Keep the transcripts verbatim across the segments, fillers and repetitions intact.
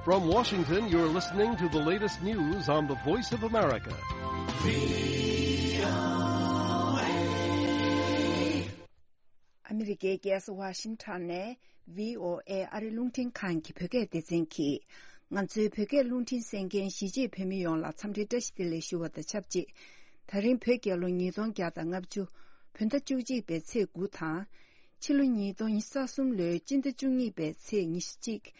From Washington, you're listening to the latest news on the Voice of America. ཨ་མི་རི་ཀའི་རྒྱལ་ས་ཝ་ཤིང་ཊོན་ནས་བྷི་ཨོ་ཨེ་ཨ་རི་རླུང་འཕྲིན་ཁང་གི་བོད་སྐད་སྡེ་ཚན་གྱིས། ང་ཚོའི་བོད་སྐད་རླུང་འཕྲིན་གསན་མཁན་གཞིས་བྱེས་བོད་མི་ཡོངས་ལ་འཚམས་འདྲི་བཀྲ་ཤིས་བདེ་ལེགས་ཞུ་བ་དང་ཆབས་ཅིག། ད་རིང་བོད་རྒྱལ་ལོ་ཉིས་སྟོང་བརྒྱ་དང་ལྔ་བཅུ། བོད་ཟླ་བཅུ་གཅིག་པའི་ཚེས་དགུ་དང་། ཕྱི་ལོ་ཉིས་སྟོང་ཉི་ཤུ་རྩ་གསུམ་ལོའི་སྤྱི་ཟླ་བཅུ་གཉིས་པའི་ཚེས་ཉི་ཤུ་གཅིག།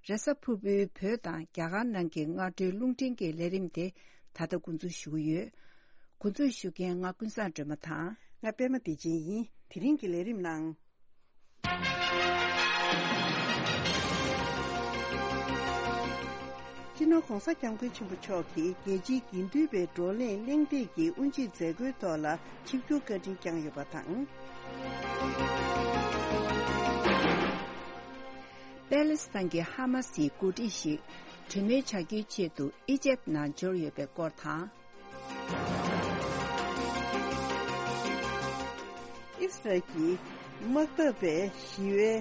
རེས་གཟའ་ཕུར་བུའི་བོད་དང་རྒྱ་གར་ནང་གི་སྔ་དྲོའི་རླུང་འཕྲིན་གྱི་ལས་རིམ་དེ་ད་ལྟ་འགོ་འཛུགས་ཞུ་གི་ཡོད། འགོ་འཛུགས་ཞུ་མཁན་ང་ཀུན་བཟང་སྒྲོལ་མ་དང་། ང་པད་མ་བདེ་ཆེན་ཡིན། དེ་རིང་གི་ལས་རིམ་ནང་། སྤྱི་ནོར་༸གོང་ས་༸སྐྱབས་མགོན་ཆེན་པོ་མཆོག་གིས་རྒྱལ་སྤྱིའི་དགེ་འདུན་པའི་བགྲོ་གླེང་གླེང་སྟེགས་ཀྱི་དབུ་འབྱེད་མཛད་སྒོའི་ཐོག་ལ་ཆིབས་བསྒྱུར་བཀའ་དྲིན་བསྐྱངས་ཡོད་པ་དང་། པེ་ལི་སི་ཐན་གྱི་ཧ་མ་སིའི་འགོ་ཁྲིད་ཞིག་གྲོས་མོལ་བྱ་རྒྱུའི་ཆེད་དུ་ཨི་ཇེབ་ནང་འབྱོར་ཡོད་པའི་སྐོར་དང་། ཨིས་རལ་གྱིས་དམག་འཐབ་པའི་ཞི་བའི་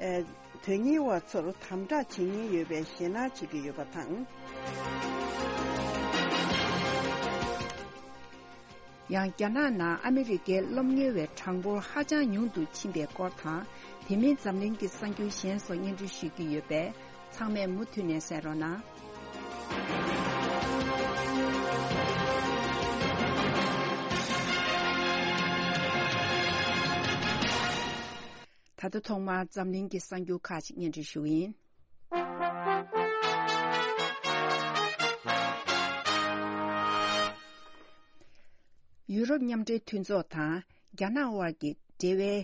ཨེ། དོན་གཉེར་བ་ཚོར་དམ་དྲག་བྱེད་ཉེན་ཡོད་པའི་ཞེད་སྣང་བྱེད་ཀྱི་ཡོད་པ་དང་། ཡང་རྒྱ་ནག་ནང་ཨ་མི་རི་ཀའི་སློབ་གཉེར་བའི་གྲངས་འབོར་ཧ་ཅང་ཉུང་དུ་ཕྱིན་པའི་སྐོར་དང་། དེ་མིན་འཛམ་གླིང་གི་གསར་འགྱུར་གཞན་སོགས་སྙན་སྒྲོན་ཞུ་གི་ཡོད་པས། ཚང་མས་མུ་མཐུད་ནས་གསན་རོགས་གནང་། ད་ལྟ་ཐོག་མར་འཛམ་གླིང་གི་གསར་འགྱུར་ཁག་ཅིག་སྙན་སྒྲོན་ཞུ་གི་ཡིན། ཡུ་རོབ་མཉམ་འབྲེལ་མཐུན་ཚོགས་དང་རྒྱ་ནག་དབར་གྱི་འབྲེལ་བའི་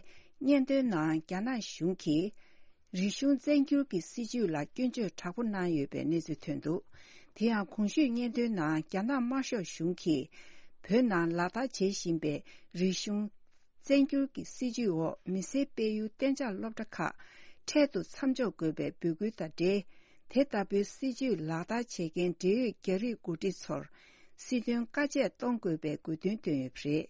སྙན་ཐོའི་ནང་རྒྱ་ནག་གཞུང་གིས། རིག་གཞུང་བཙན་བསྒྱུར་གྱི་སྲིད་བྱུས་ལ་སྐྱོན་བརྗོད་དྲག་པོ་གནང་ཡོད་པའི་གནས་ཚུལ་ཐོན་འདུག། དེ་ཡང་གོང་ཞུས་སྙན་ཐོའི་ནང་རྒྱ་ནག་དམར་ཤོག་གཞུང་གིས་བོད་ནང་ལག་བསྟར་བྱེད་བཞིན་པའི་རིག་གཞུང་བཙན་བསྒྱུར་གྱི་སྲིད་བྱུས་འོག་མི་སེར་སྤེལ་ཡུལ་གཏན་འཇགས་སློབ་གྲྭ་ཁག་འཕྲལ་དུ་མཚམས་འཇོག་དགོས་པའི་འབོད་སྐུལ་དང་འབྲེལ། དེ་ལྟ་བུའི་སྲིད་བྱུས་ལག་བསྟར་བྱེད་མཁན་འབྲེལ་ཡོད་རྒྱ་རིགས་འགོ་ཁྲིད་ཚོར་སྲིད་དོན་བཀའ་ཆད་གཏོང་དགོས་པའི་དགོས་འདུན་བཏོན་ཡོད་པ་རེད།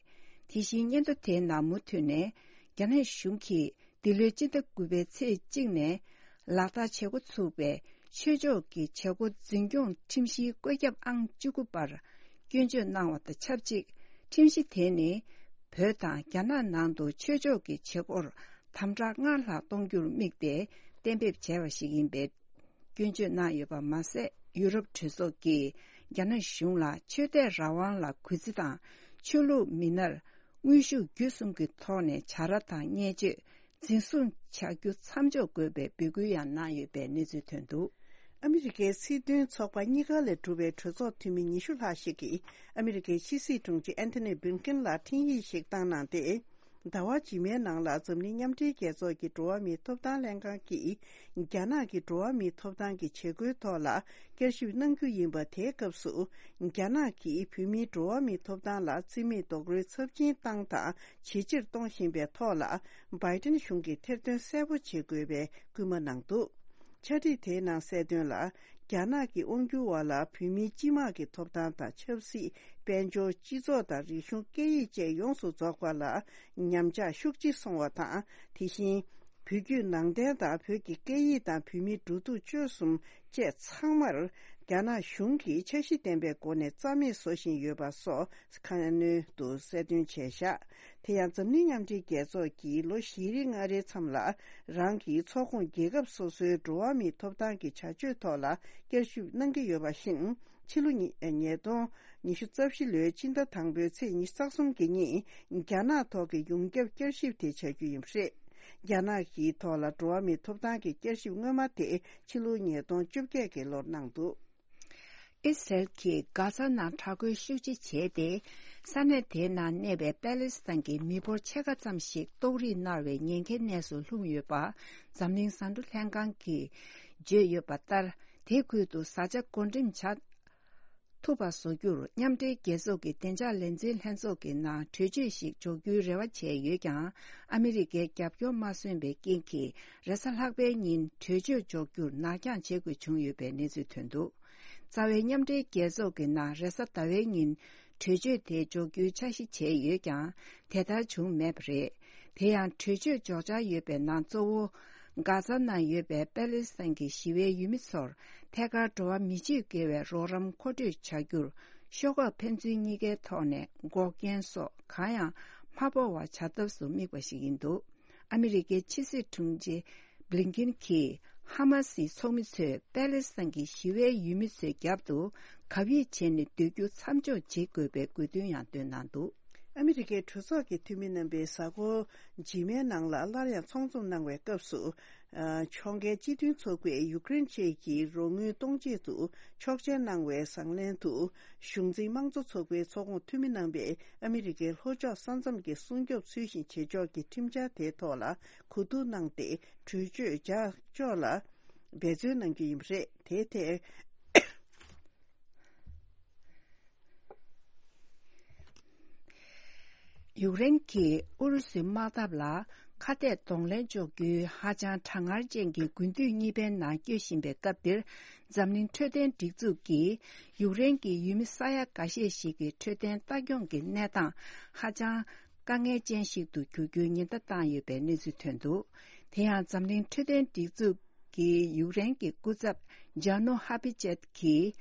དེ་བཞིན་སྙན་ཐོ་དེའི་ནང་མུ་མཐུད་ནས་རྒྱ་ནག་གཞུང་གིས། འདི་ལོའི་སྤྱི་ཟླ་དགུ་པའི་ཚེས་གཅིག་ནས་ལག་བསྟར་བྱེད་འགོ་ཚུགས་པའི་ཆོས་ཕྱོགས་ཀྱི་བྱེད་སྒོ་འཛིན་སྐྱོང་ཁྲིམས་གཞིའི་བཀོད་ཁྱབ་ཨང་བཅུ་དགུ་པར་སྐྱོན་བརྗོད་གནང་བ་དང་ཆབས་ཅིག། ཁྲིམས་གཞི་དེ་ནི་བོད་དང་རྒྱ་ནག་ནང་དུ་ཆོས་ཕྱོགས་ཀྱི་བྱེད་སྒོར་དམ་དྲག་སྔར་ལྷག་གཏོང་རྒྱུར་དམིགས་ཏེ་གཏན་འབེབས་བྱས་པ་ཞིག་ཡིན་པའི་སྐྱོན་བརྗོད་གནང་ཡོད་པ་མ་ཟད། ཡུ་རོབ་གྲོས་ཚོགས་ཀྱིས་རྒྱ་ནག་གཞུང་ལ་ཆོས་དད་རང་དབང་ལ་གུས་བརྩི་དང་། ཆོས་ལུགས་མི་སྣར་དངོས་ཤུགས་བརྒྱུད་གསུམ་གྱི་ཐོག་ནས་བྱ་ར་དང་བརྙས་བཅོས། འཛིན་བཟུང་བྱ་རྒྱུ་མཚམས་འཇོག་དགོས་པའི་འབོད་སྐུལ་ཡང་གནང་ཡོད་པའི་གནས་ཚུལ་ཐོན་འདུག། ཨ་མི་རི་ཀའི་སྲིད་དོན་ཚོགས་པ་གཉིས་ཀ་ལས་གྲུབ་པའི་གྲོས་ཚོགས་འཐུས་མི་ཉི་ཤུ་ལྷག་ཞིག་གིས་ཨ་མི་རི་ཀའི་ཕྱི་སྲིད་དྲུང་ཆེ་ཨན་ཐོ་ནི་བྷིན་ཀེན་ལ་འཕྲིན་ཡིག་ཞིག་བཏང་གནང་སྟེ། ཟླ་བ་རྗེས་མའི་ནང་ལ་འཛམ་གླིང་མཉམ་འབྲེལ་རྒྱལ་ཚོགས་ཀྱི་འགྲོ་བ་མིའི་ཐོབ་ཐང་ལྷན་ཁང་གིས་རྒྱ་ནག་གི་འགྲོ་བ་མིའི་ཐོབ་ཐང་གི་བྱེད་སྒོའི་ཐོག་ལ་བསྐྱར་ཞིབ་གནང་རྒྱུ་ཡིན་པ། དེའི་སྐབས་སུ་རྒྱ་ནག་གིས་བོད་མིའི་འགྲོ་བ་མིའི་ཐོབ་ཐང་ལ་རྩིས་མེད་རྡོག་རོལ་ཚབས་ཆེན་བཏང་དང་ཇེ་ཆེར་གཏོང་བཞིན་པའི་ཐོག་ལ་བྷའི་ཏིན་གཞུང་གིས་ཐེར་འདོན་གསལ་པོ་བྱེད་དགོས་པའི་སྐུལ་མ་གནང་འདུག། འཆར་སྒྲིག་དེའི་ནང་གསལ་དོན་ལ། རྒྱ་ནག་གི་དབང་སྒྱུར་འོག་ལ་བོད་མིའི་སྤྱི་དམངས་ཀྱི་ཐོབ་ཐང་དང་ཆབ་སྲིད། དཔལ་འབྱོར། སྤྱི་ཚོགས་དང་རིག་གཞུང་། སྐད་ཡིག་བཅས་ཡོངས་སུ་རྫོགས་པ་ལ་ཉམས་ཆག་ཤུགས་ཆེ་སོང་བ་དང་། དེ་བཞིན་བོད་བརྒྱུད་ནང་བསྟན་དང་། བོད་ཀྱི་སྐད་ཡིག་དང་། བོད་མིའི་འགྲོ་འདུག་སྤྱོད་གསུམ་བཅས་ཚང་མར་རྒྱ་ནག་གཞུང་གིས་འཆར་གཞི་ལྡན་པའི་སྒོ་ནས་རྩ་མེད་བཟོ་བཞིན་ཡོད་པ་སོགས་ཁ་སྣོན་དུ་གསལ་སྟོན་བྱས་བཞག། དེ་ཡང་འཛམ་གླིང་མཉམ་འབྲེལ་རྒྱལ་ཚོགས་ཀྱིས་ལོ་བཞི་རེ་ལྔ་རེའི་མཚམས་ལ་རང་གི་ཚོགས་ཁོངས་རྒྱལ་ཁབ་སོ་སོའི་འགྲོ་བ་མིའི་ཐོབ་ཐང་གི་བྱ་སྤྱོད་ཐོག་ལ་བསྐྱར་ཞིབ་གནང་གི་ཡོད་པ་བཞིན། ཕྱི་ལོ་ཉིས་ཉིས་སྟོང་ཉི་ཤུ་རྩ་བཞི་ལོའི་ཕྱི་ཟླ་དང་པོའི་ཚེས་ཉི་ཤུ་རྩ་གསུམ་གྱི་ཉིན་རྒྱ་ནག་ཐོག་གི་ཡོངས་ཁྱབ་བསྐྱར་ཞིབ་དེ་བྱ་རྒྱུ་ཡིན་པ་རེད། རྒྱ་ནག་གི་ཐོག་ལ་འགྲོ་བ་མིའི་ཐོབ་ཐང་གི་བསྐྱར་ཞིབ་སྔོན་མ་དེ་ཕྱི་ལོ་ཉིས་སྟོང་བཅོ་བརྒྱད་ཀྱི་ལོར་གནང་འདུག། ཨི་སི་རལ་གྱིས་གྷ་ཛ་ནང་དྲག་རྒོལ་ཤུགས་ཆེ་བྱས་ཏེ། ས་གནས་དེའི་ནང་གནས་པའི་པེ་ལེ་སི་ཐན་གྱི་མི་འབོར་ཕྱེད་ཀ་ཙམ་ཞིག་ལྟོགས་རིས་མནར་བའི་ཉེན་ཁའི་གནས་སུ་ལྷུང་ཡོད་པ། འཛམ་གླིང་བཟའ་འབྲུ་ལྷན་ཁང་གིས་བརྗོད་ཡོད་པ་ལྟར། དེའི་ཁུལ་དུ་བཟའ་བཅའ་བགོ་འགྲེམས་བྱ་ཐུབ་པ་བཟོ་རྒྱུར་མཉམ་འབྲེལ་རྒྱལ་ཚོགས་ཀྱི་བདེ་འཇགས་ལས་འཛིན་ལྷན་ཚོགས་ཀྱི་ནང་གྲོས་ཆོད་ཞིག་འཇོག་རྒྱུའི་རེ་བ་བྱས་ཡོད་ཀྱང་། ཨ་མི་རི་ཀའི་རྒྱབ་སྐྱོར་མ་སོན་པའི་རྐྱེན་གྱིས། རེས་གཟའ་ལྷག་པའི་ཉིན་གྲོས་ཆོད་འཇོག་རྒྱུར་ནར་འགྱངས་བྱེད་དགོས་བྱུང་ཡོད་པའི་གནས་ཚུལ་ཐོན་འདུག། རྩ་བའི་མཉམ་འབྲེལ་རྒྱལ་ཚོགས་ཀྱི་ནང་རེས་གཟའ་ཟླ་བའི་ཉིན་གྲོས་ཆོད་དེ་འཇོག་རྒྱུའི་འཆར་གཞི་བྱས་ཡོད་ཀྱང་། དེ་ལྟར་བྱུང་མེད་པ་རེད། དེ་ཡང་གྲོས་ཆོད་འཇོག་འཆར་ཡོད་པའི་ནང་གཙོ་བོ། གྷ་ཛ་ནང་ཡོད་པའི་པེ་ལེ་སི་ཐན་གྱི་ཞི་བའི་ཡུལ་མི་ཚོར་ཐད་ཀར་འགྲོ་བ་མི་སྤྱོད་དགེ་བའི་རོགས་རམ་མཁོ་སྤྲོད་བྱ་རྒྱུར། ཤོག་ཁག་ཕན་ཚུན་གཉིས་ཀའི་ཐོག་ནས་འགོག་རྐྱེན་སོགས་གང་ཡང་མ་ཕོག་པ་བྱ་ཐབས་སུ་དམིགས་པ་ཞིག་ཡིན་འདུག་ཨ་མི་རི་ཀའི་ཕྱི་སྲིད་དྲུང་ཆེ་བྷི་ལིན་ཀིན་གྱིས་ཧ་མ་སིའི་ཚོགས་མི་ཚོས་པེ་ལེ་སི་ཐན་གྱི་ཞི་བའི་ཡུལ་མི་ཚོའི་རྒྱབ་ཏུ་གབ་ཡིབ་བྱས་ནས་སྡོད་རྒྱུ་མཚམས་འཇོག་བྱེད་དགོས་པའི་དགོས་འདུན་ཡང་བཏོན་གནང་འདུག་ཨ་མི་རི་ཀའི་གྲོས་ཚོགས་ཀྱི་འཐུས་མི་རྣམ་པས་གཟའ་འཁོར་རྗེས་མའི་ནང་ལ་སླར་ཡང་ཚོགས་འཛོམས་གནང་བའི་སྐབས་སུ། ཨ། ཕྱོགས་འགལ་སྤྱི་མཐུན་ཚོགས་པས་ཡུཀ་རེན་བཅས་ཀྱི་རོགས་དངུལ་གཏོང་ཆེད་དུ་ཆོག་མཆན་གནང་བའི་བཟང་ལན་དུ། གཞུང་འཛིན་དམངས་གཙོ་ཚོགས་པའི་ཚོགས་ཁོངས་འཐུས་མི་རྣམ་པས་ཨ་མི་རི་ཀའི་ལྷོ་ཕྱོགས་ས་མཚམས་ཀྱི་སྲུང་སྐྱོབ་ཚུལ་བཞིན་བྱེད་ཕྱོགས་ཀྱི་ཁྲིམས་འཆར་དེའི་ཐོག་ལ་གོ་བསྡུར་གནང་སྟེ། གྲོས་ཆོད་ལྗགས་ཕྱོགས་ལ་འབད་བརྩོན་གནང་རྒྱུ་ཡིན་པ་རེད། དེའི་ཐད། ཡུཀ་རེན་གྱིས་ཨུ་རུ་སུའི་དམག་འཐབ་ལ་ཁ་གཏད་གདོང་ལེན་གཅོག་རྒྱུའི་ཧ་ཅང་གྲང་ངར་ཅན་གྱི་དགུན་དུས་གཉིས་པའི་ནང་སྐྱོད་བཞིན་པའི་སྐབས་འདིར། འཛམ་གླིང་འཕྲོད་བསྟེན་སྒྲིག་འཛུགས་ཀྱིས་ཡུཀ་རེན་གྱི་ཡུལ་མི་ས་ཡ་འགའ་ཤས་ཤིག་གི་འཕྲོད་བསྟེན་ལྟ་སྐྱོང་གི་གནས་སྟངས་ཧ་ཅང་དཀའ་ངལ་ཅན་ཞིག་ཏུ་འགྱུར་རྒྱུའི་ཉེན་བརྡ་བཏང་ཡོད་པའི་གནས་ཚུལ་ཐོན་འདུག་དེ་ཡང་འཛམ་གླིང་འཕྲོད་བསྟེན་སྒྲིག་འཛུགས་ཀྱི་ཡུཀ་རེན་གྱི་སྐུ་ཚབ་ཇཱ་ནོ་ཧ་པི་ཅེད་ཀྱིས།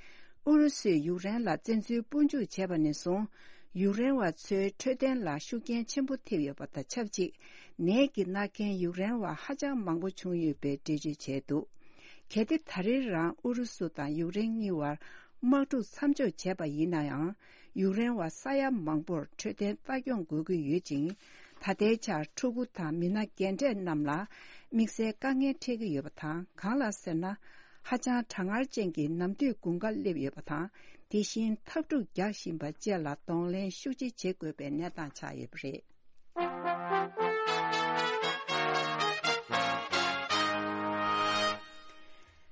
ཨུ་རུ་སུས་ཡུཀ་རེན་ལ་བཙན་འཛུལ་དཔུང་འཇུག་བྱས་པ་ནས་བཟུང་། ཡུཀ་རེན་བ་ཚོའི་འཕྲོད་བསྟེན་ལ་ཤུགས་རྐྱེན་ཆེན་པོ་ཐེབས་ཡོད་པ་དང་ཆབས་ཅིག་ནད་ཀྱིས་མནར་མཁན་ཡུཀ་རེན་བ་ཧ་ཅང་མང་པོ་བྱུང་ཡོད་པའི་འགྲེལ་བརྗོད་བྱས་འདུག་གལ་ཏེ་ད་རེས་རང་ཨུ་རུ་སུ་དང་ཡུཀ་རེན་གཉིས་བར་དམག་འཁྲུག་མཚམས་འཇོག་བྱས་པ་ཡིན་ན་ཡང་། ཡུཀ་རེན་བ་ས་ཡ་མང་པོར་འཕྲོད་བསྟེན་ལྟ་སྐྱོང་དགོས་ཀྱི་ཡོད་ཅིང་། ད་ལྟའི་ཆར་ཕྲུ་གུ་དང་མི་སྣ་རྒན་གྲས་རྣམས་ལ་དམིགས་བསལ་དཀའ་ངལ་འཕྲད་ཀྱི་ཡོད་པ་དང་། གང་ལགས་ཟེར་ན། ཧ་ཅང་གྲང་ངར་ཅན་གྱི་ནམ་དུས་དགུན་ཁ་སླེབས་ཡོད་པ་དང་། དེ་བཞིན་འཐབ་འཁྲུག་རྒྱག་བཞིན་པ་བཅས་ལ་གདོང་ལེན་ཤུགས་ཆེ་བྱེད་དགོས་པའི་གནས་སྟངས་ཆགས་ཡོད་པ་རེད།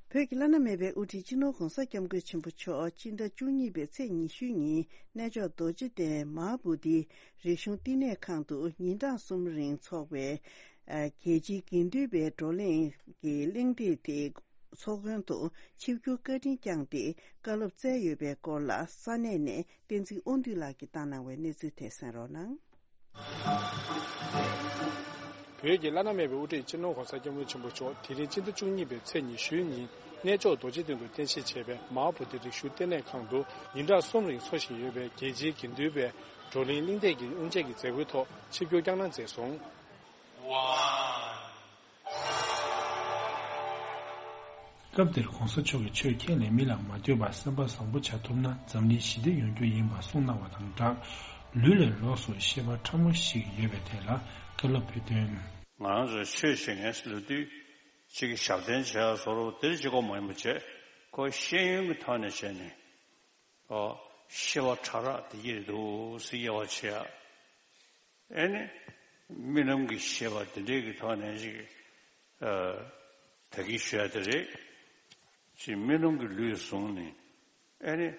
བོད་ཀྱི་བླ་ན་མེད་པའི་དབུ་ཁྲིད་སྤྱི་ནོར་༧གོང་ས་༧སྐྱབས་མགོན་ཆེན་པོ་མཆོག་སྤྱི་ཟླ་བཅུ་གཉིས་པའི་ཚེས་ཉི་ཤུའི་ཉིན་གནས་མཆོག་རྡོ་རྗེ་གདན་མ་ཧཱ་བོ་དྷིའི་རིག་གཞུང་བསྟི་གནས་ཁང་དུ་ཉིན་གྲངས་གསུམ་རིང་འཚོགས་པའི་རྒྱལ་སྤྱིའི་དགེ་འདུན་པའི་བགྲོ་གླེང་གི་གླེང་སྟེགས་དེ་ཚོགས་མགོན་དུ་ཆིབས་བསྒྱུར་བཀའ་དྲིན་བསྐྱངས་ཏེ་བཀའ་སློབ་སྩལ་ཡོད་པའི་སྐོར་ལ་ས་གནས་ནས་བསྟན་འཛིན་དབང་འདུས་ལགས་ཀྱིས་བཏང་གནང་བའི་གནས་ཚུལ་དེ་གསན་རོགས་གནང་། བོད་ཀྱི་བླ་ན་མེད་པའི་དབུ་ཁྲིད་སྤྱི་ནོར་༧གོང་ས་༧སྐྱབས་མགོན་ཆེན་པོ་མཆོག་དེ་རིང་སྤྱི་ཟླ་བཅུ་གཉིས་པའི་ཚེས་ཉི་ཤུའི་ཉིན་གནས་མཆོག་རྡོ་རྗེ་གདན་དུ་རྟེན་གཞི་བྱས་པའི་མ་ཧཱ་བོ་དྷི་རིག་གཞུང་བསྟི་གནས་ཁང་དུ་ཉིན་གྲངས་གསུམ་རིང་འཚོགས་བཞིན་ཡོད་པའི་རྒྱལ་སྤྱིའི་དགེ་འདུན་པའི་བགྲོ་གླེང་གླེང་སྟེགས་ཀྱི་དབུ་འབྱེད་ཀྱི་མཛད་སྒོའི་ཐོག་ཆིབས་བསྒྱུར་བསྐྱངས་གནང་མཛད་སོང་། སྐབས་དེར་༧གོང་ས་མཆོག་གིས་ཆོས་ཁས་ལེན་མི་ལ་མ་ལྟོས་པར་སེམས་པ་བཟང་པོ་བྱ་ཐུབ་ན་འཛམ་གླིང་ཞི་བདེ་ཡོང་རྒྱུ་ཡིན་པ་གསུངས་གནང་བ་དང་སྦྲགས། ལུས་ལས་ལོགས་སུ་ཤེས་པ་ཕྲ་མོ་ཞིག་ཡོད་པའི་ཐད་ལ་བཀའ་སློབ་ཕུལ་དོན། ང་རང་ཚོ་ཆོས་བྱེད་མཁན་ལོ་དུས་གཅིག་གི་ཞབས་བརྟན་བྱས་བཟོ་འདྲ་དེར་གཅིག་པོ་མ་ཡིན་པ་བྱས་ཁོ་ཤེས་ཡོན་གྱི་ཐོག་ནས་བྱས་ནས། ཨོ། ཤེས་པ་ཕྲ་རགས་དེ་གྱིས་འདུག་སེ་དབྱེ་བ་ཕྱེ་ཡ། ཨེ་ནི། རྨི་ལམ་གྱི་ཤེས་པ་དེ་འདྲའི་གི་ཐོག་ནས་ཅིག་ཨ། ད་གིན་ཞུ་ཡ་དེ་རེད། ཅིག་རྨི་ལམ་གྱི་ལུས་བཟུང་ནས། ཨེ་ནི།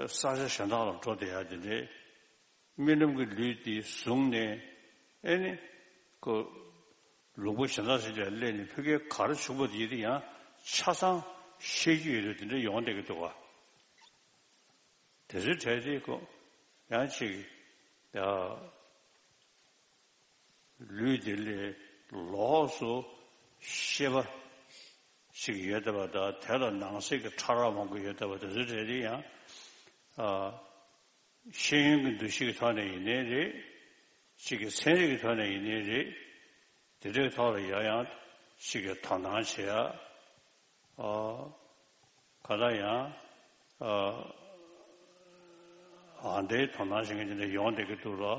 ས་ཆ་གཞན་དག་ལ་འགྲོ་བསྡད་ཡ་དེ་འདྲའི། རྨི་ལམ་གྱི་ལུས་དེ་བཟུང་ནས། ཨེ་ནི། ཁོ། ལུང་པ་གཞན་དག་ཞིག་ལ་སླེབས་ནས་ཕ་གིར་ག་རེ་བྱུང་བ་དེ་ཡིན་ན་ཡང་ཆ་ཚང་ཤེས་ཀྱི་ཡོད་དུས་དེ་འདྲ་ཡོང་བསྡད་ཀྱི་འདུག་ག་དེ་ཚོའི་གྲས་དེ་ཁོ་ཡང་ཅིག་ཡ། ལུས་དེ་ལས་ལོགས་སུ་ཤེས་པ་ཞིག་ཡོད་བསྡད་པ་དང་དེ་ལ་ནང་གསེས་ཀྱི་ཕྲ་རགས་མང་པོ་ཡོད་བསྡད་པ་དེ་ཚོའི་གྲས་དེ་ཡང་ཨ། ཤེས་ཡོན་གྱི་འདུ་ཤེས་ཀྱི་ཐོག་ནས་ཡིན་ནའི་རེད། གཅིག་གི་ཚན་རིག་གི་ཐོག་ནས་ཡིན་ནའི་རེད། དེ་འདྲའི་ཐོག་ལ་ཡང་ཡང་གཅིག་གི་དོ་སྣང་བྱེད་ཡ། ཨ། ག་ལ་ཡང་། ཨ། ཨ་འདྲའི་དོ་སྣང་བྱེད་མཁན་དེ་འདྲ་ཡོང་བསྡད་ཀྱི་འདུག་ལ།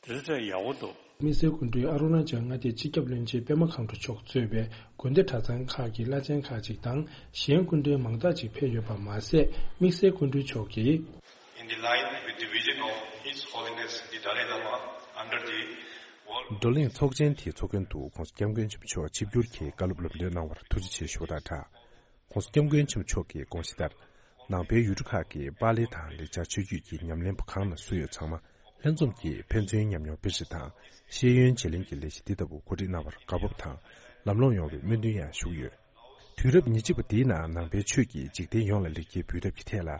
དེ་ཚོ་ཡག་པོ་འདུག་དམིགས་བསལ་སྐུ་མགྲོན་ཨ་རུ་ན་ཅལ་མངའ་སྡེའི་སྤྱི་ཁྱབ་བློན་ཆེན་པད་མ་མཁའ་འགྲོ་མཆོག་གཙོས་པའི་དགོན་སྡེ་གྲྭ་ཚང་ཁག་གི་བླ་ཆེན་ཁག་ཅིག་དང་གཞན་སྐུ་མགྲོན་མང་དག་ཅིག་ཕེབས་ཡོད་པ་མ་ཟད། དམིགས་བསལ་སྐུ་མགྲོན་མཆོག་གིས། In the line with the vision of His Holiness the Dalai Lama under the World བགྲོ་གླེང་ཚོགས་ཆེན་དེའི་ཚོགས་མགོན་དུ་༧གོང་ས་༧སྐྱབས་མགོན་ཆེན་པོ་མཆོག་ཆིབས་བསྒྱུར་གྱིས་བཀའ་སློབ་ལམ་སྟོན་གནང་བར་ཐུགས་རྗེ་ཆེ་ཞུ་བ་དང་སྦྲགས། ༸གོང་ས་༸སྐྱབས་མགོན་ཆེན་པོ་མཆོག་གིས་དགོངས་གཞི་ལྟར། ནང་པའི་ཡུལ་གྲུ་ཁག་གི་པཱ་ལི་དང་ལེགས་སྦྱར་ཆོས་བརྒྱུད་ཀྱི་ཉམས་ལེན་པ་གང་ན་སུ་ཡོད་ཚང་མ་ལྷན་འཛོམས་ཀྱིས་ཕན་ཚུན་ཉམས་མྱོང་སྤེལ་རེས་དང་ཤེས་ཡོན་བརྗེ་ལེན་གྱི་ལས་གཞི་འདི་ལྟ་བུ་གོ་སྒྲིག་གནང་བར་བཀའ་ཕབ་དང་ལམ་ལྷོང་ཡོང་བའི་སྨོན་འདུན་ཡང་ཞུ་གི་ཡོད། དུས་རབས་ཉེར་གཅིག་པ་འདིའི་ནང་ནང་པའི་ཆོས་ཀྱིས་འཇིག་རྟེན་ཡོངས་ལ་ལེགས་སྐྱེས་འབུལ་ཐབས་ཀྱི་ཐད་ལ་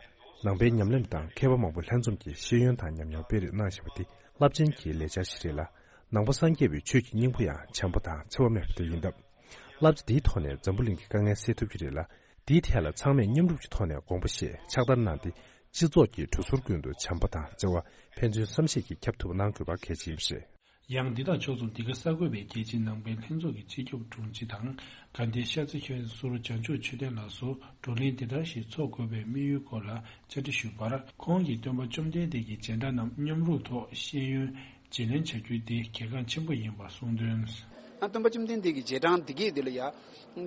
ནང་པའི་ཉམས་ལེན་པ་དང་མཁས་པ་མང་པོ་ལྷན་འཛོམས་ཀྱིས་ཤེས་ཡོན་དང་ཉམས་མྱོང་སྤེལ་རེས་གནང་བཞིན་པ་འདི་རླབས་ཆེན་གྱི་ལེགས་ཆ་ཞིག་རེད་ལ། ནང་པ་སངས་རྒྱས་པའི་ཆོས་ཀྱི་སྙིང་པོ་ཡང་བྱམས་པ་དང་འཚེ་བ་མེད་པ་དེ་ཡིན་སྟབས། བསླབ་བྱ་འདིའི་ཐོག་ནས་འཛམ་བུ་གླིང་གི་དཀའ་ངལ་སེལ་ཐུབ་ཀྱི་རེད་ལ། འདིའི་ཐད་ལ་ཚང་མས་མཉམ་རུབ་ཀྱི་ཐོག་ནས་དགོངས་པ་བཞེས་ཕྱག་བསྟར་གནང་སྟེ། སྤྱི་ཚོགས་ཀྱི་གྲོས་ཟུར་ཀུན་ཏུ་བྱམས་པ་དང་བརྩེ་བ་ཕན་ཚུན་བསམ་ཤེས་ཀྱིས་ཁྱབ་ཐུབ་པ་གནང་དགོས་པ་གལ་ཆེན་པོ་རེད། ཡང་འདི་དང་ཕྱོགས་མཚུངས། འདི་ག་གསར་འགོད་པས་རྒྱལ་སྤྱིའི་ནང་པའི་ལྷན་ཚོགས་ཀྱི་སྤྱི་ཁྱབ་དྲུང་ཆེ་དང་དགའ་ལྡན་ཤར་རྩེ་མཁན་ཟུར་བྱང་ཆུབ་ཆོས་ལྡན་ལགས་སུ་བགྲོ་གླེང་འདི་ལྟར་ཞིག་འཚོགས་དགོས་པའི་དམིགས་ཡུལ་སྐོར་ལ་བཅར་འདྲི་ཞུས་པར། ཁོང་གིས་སྟོན་པ་བཅོམ་ལྡན་འདས་ཀྱི་རྗེས་འབྲང་རྣམས་མཉམ་རུབ་ཐོག་ཤེས་ཡོན་བརྗེ་ལེན་བྱ་རྒྱུ་དེ་གལ་འགངས་ཆེན་པོ་ཡིན་པ་གསུངས་དོན། ཨ། སྟོན་པ་བཅོམ་ལྡན་འདས་ཀྱི་རྗེས་འབྲང་འདི་གས་དེ་ལ་ཡ་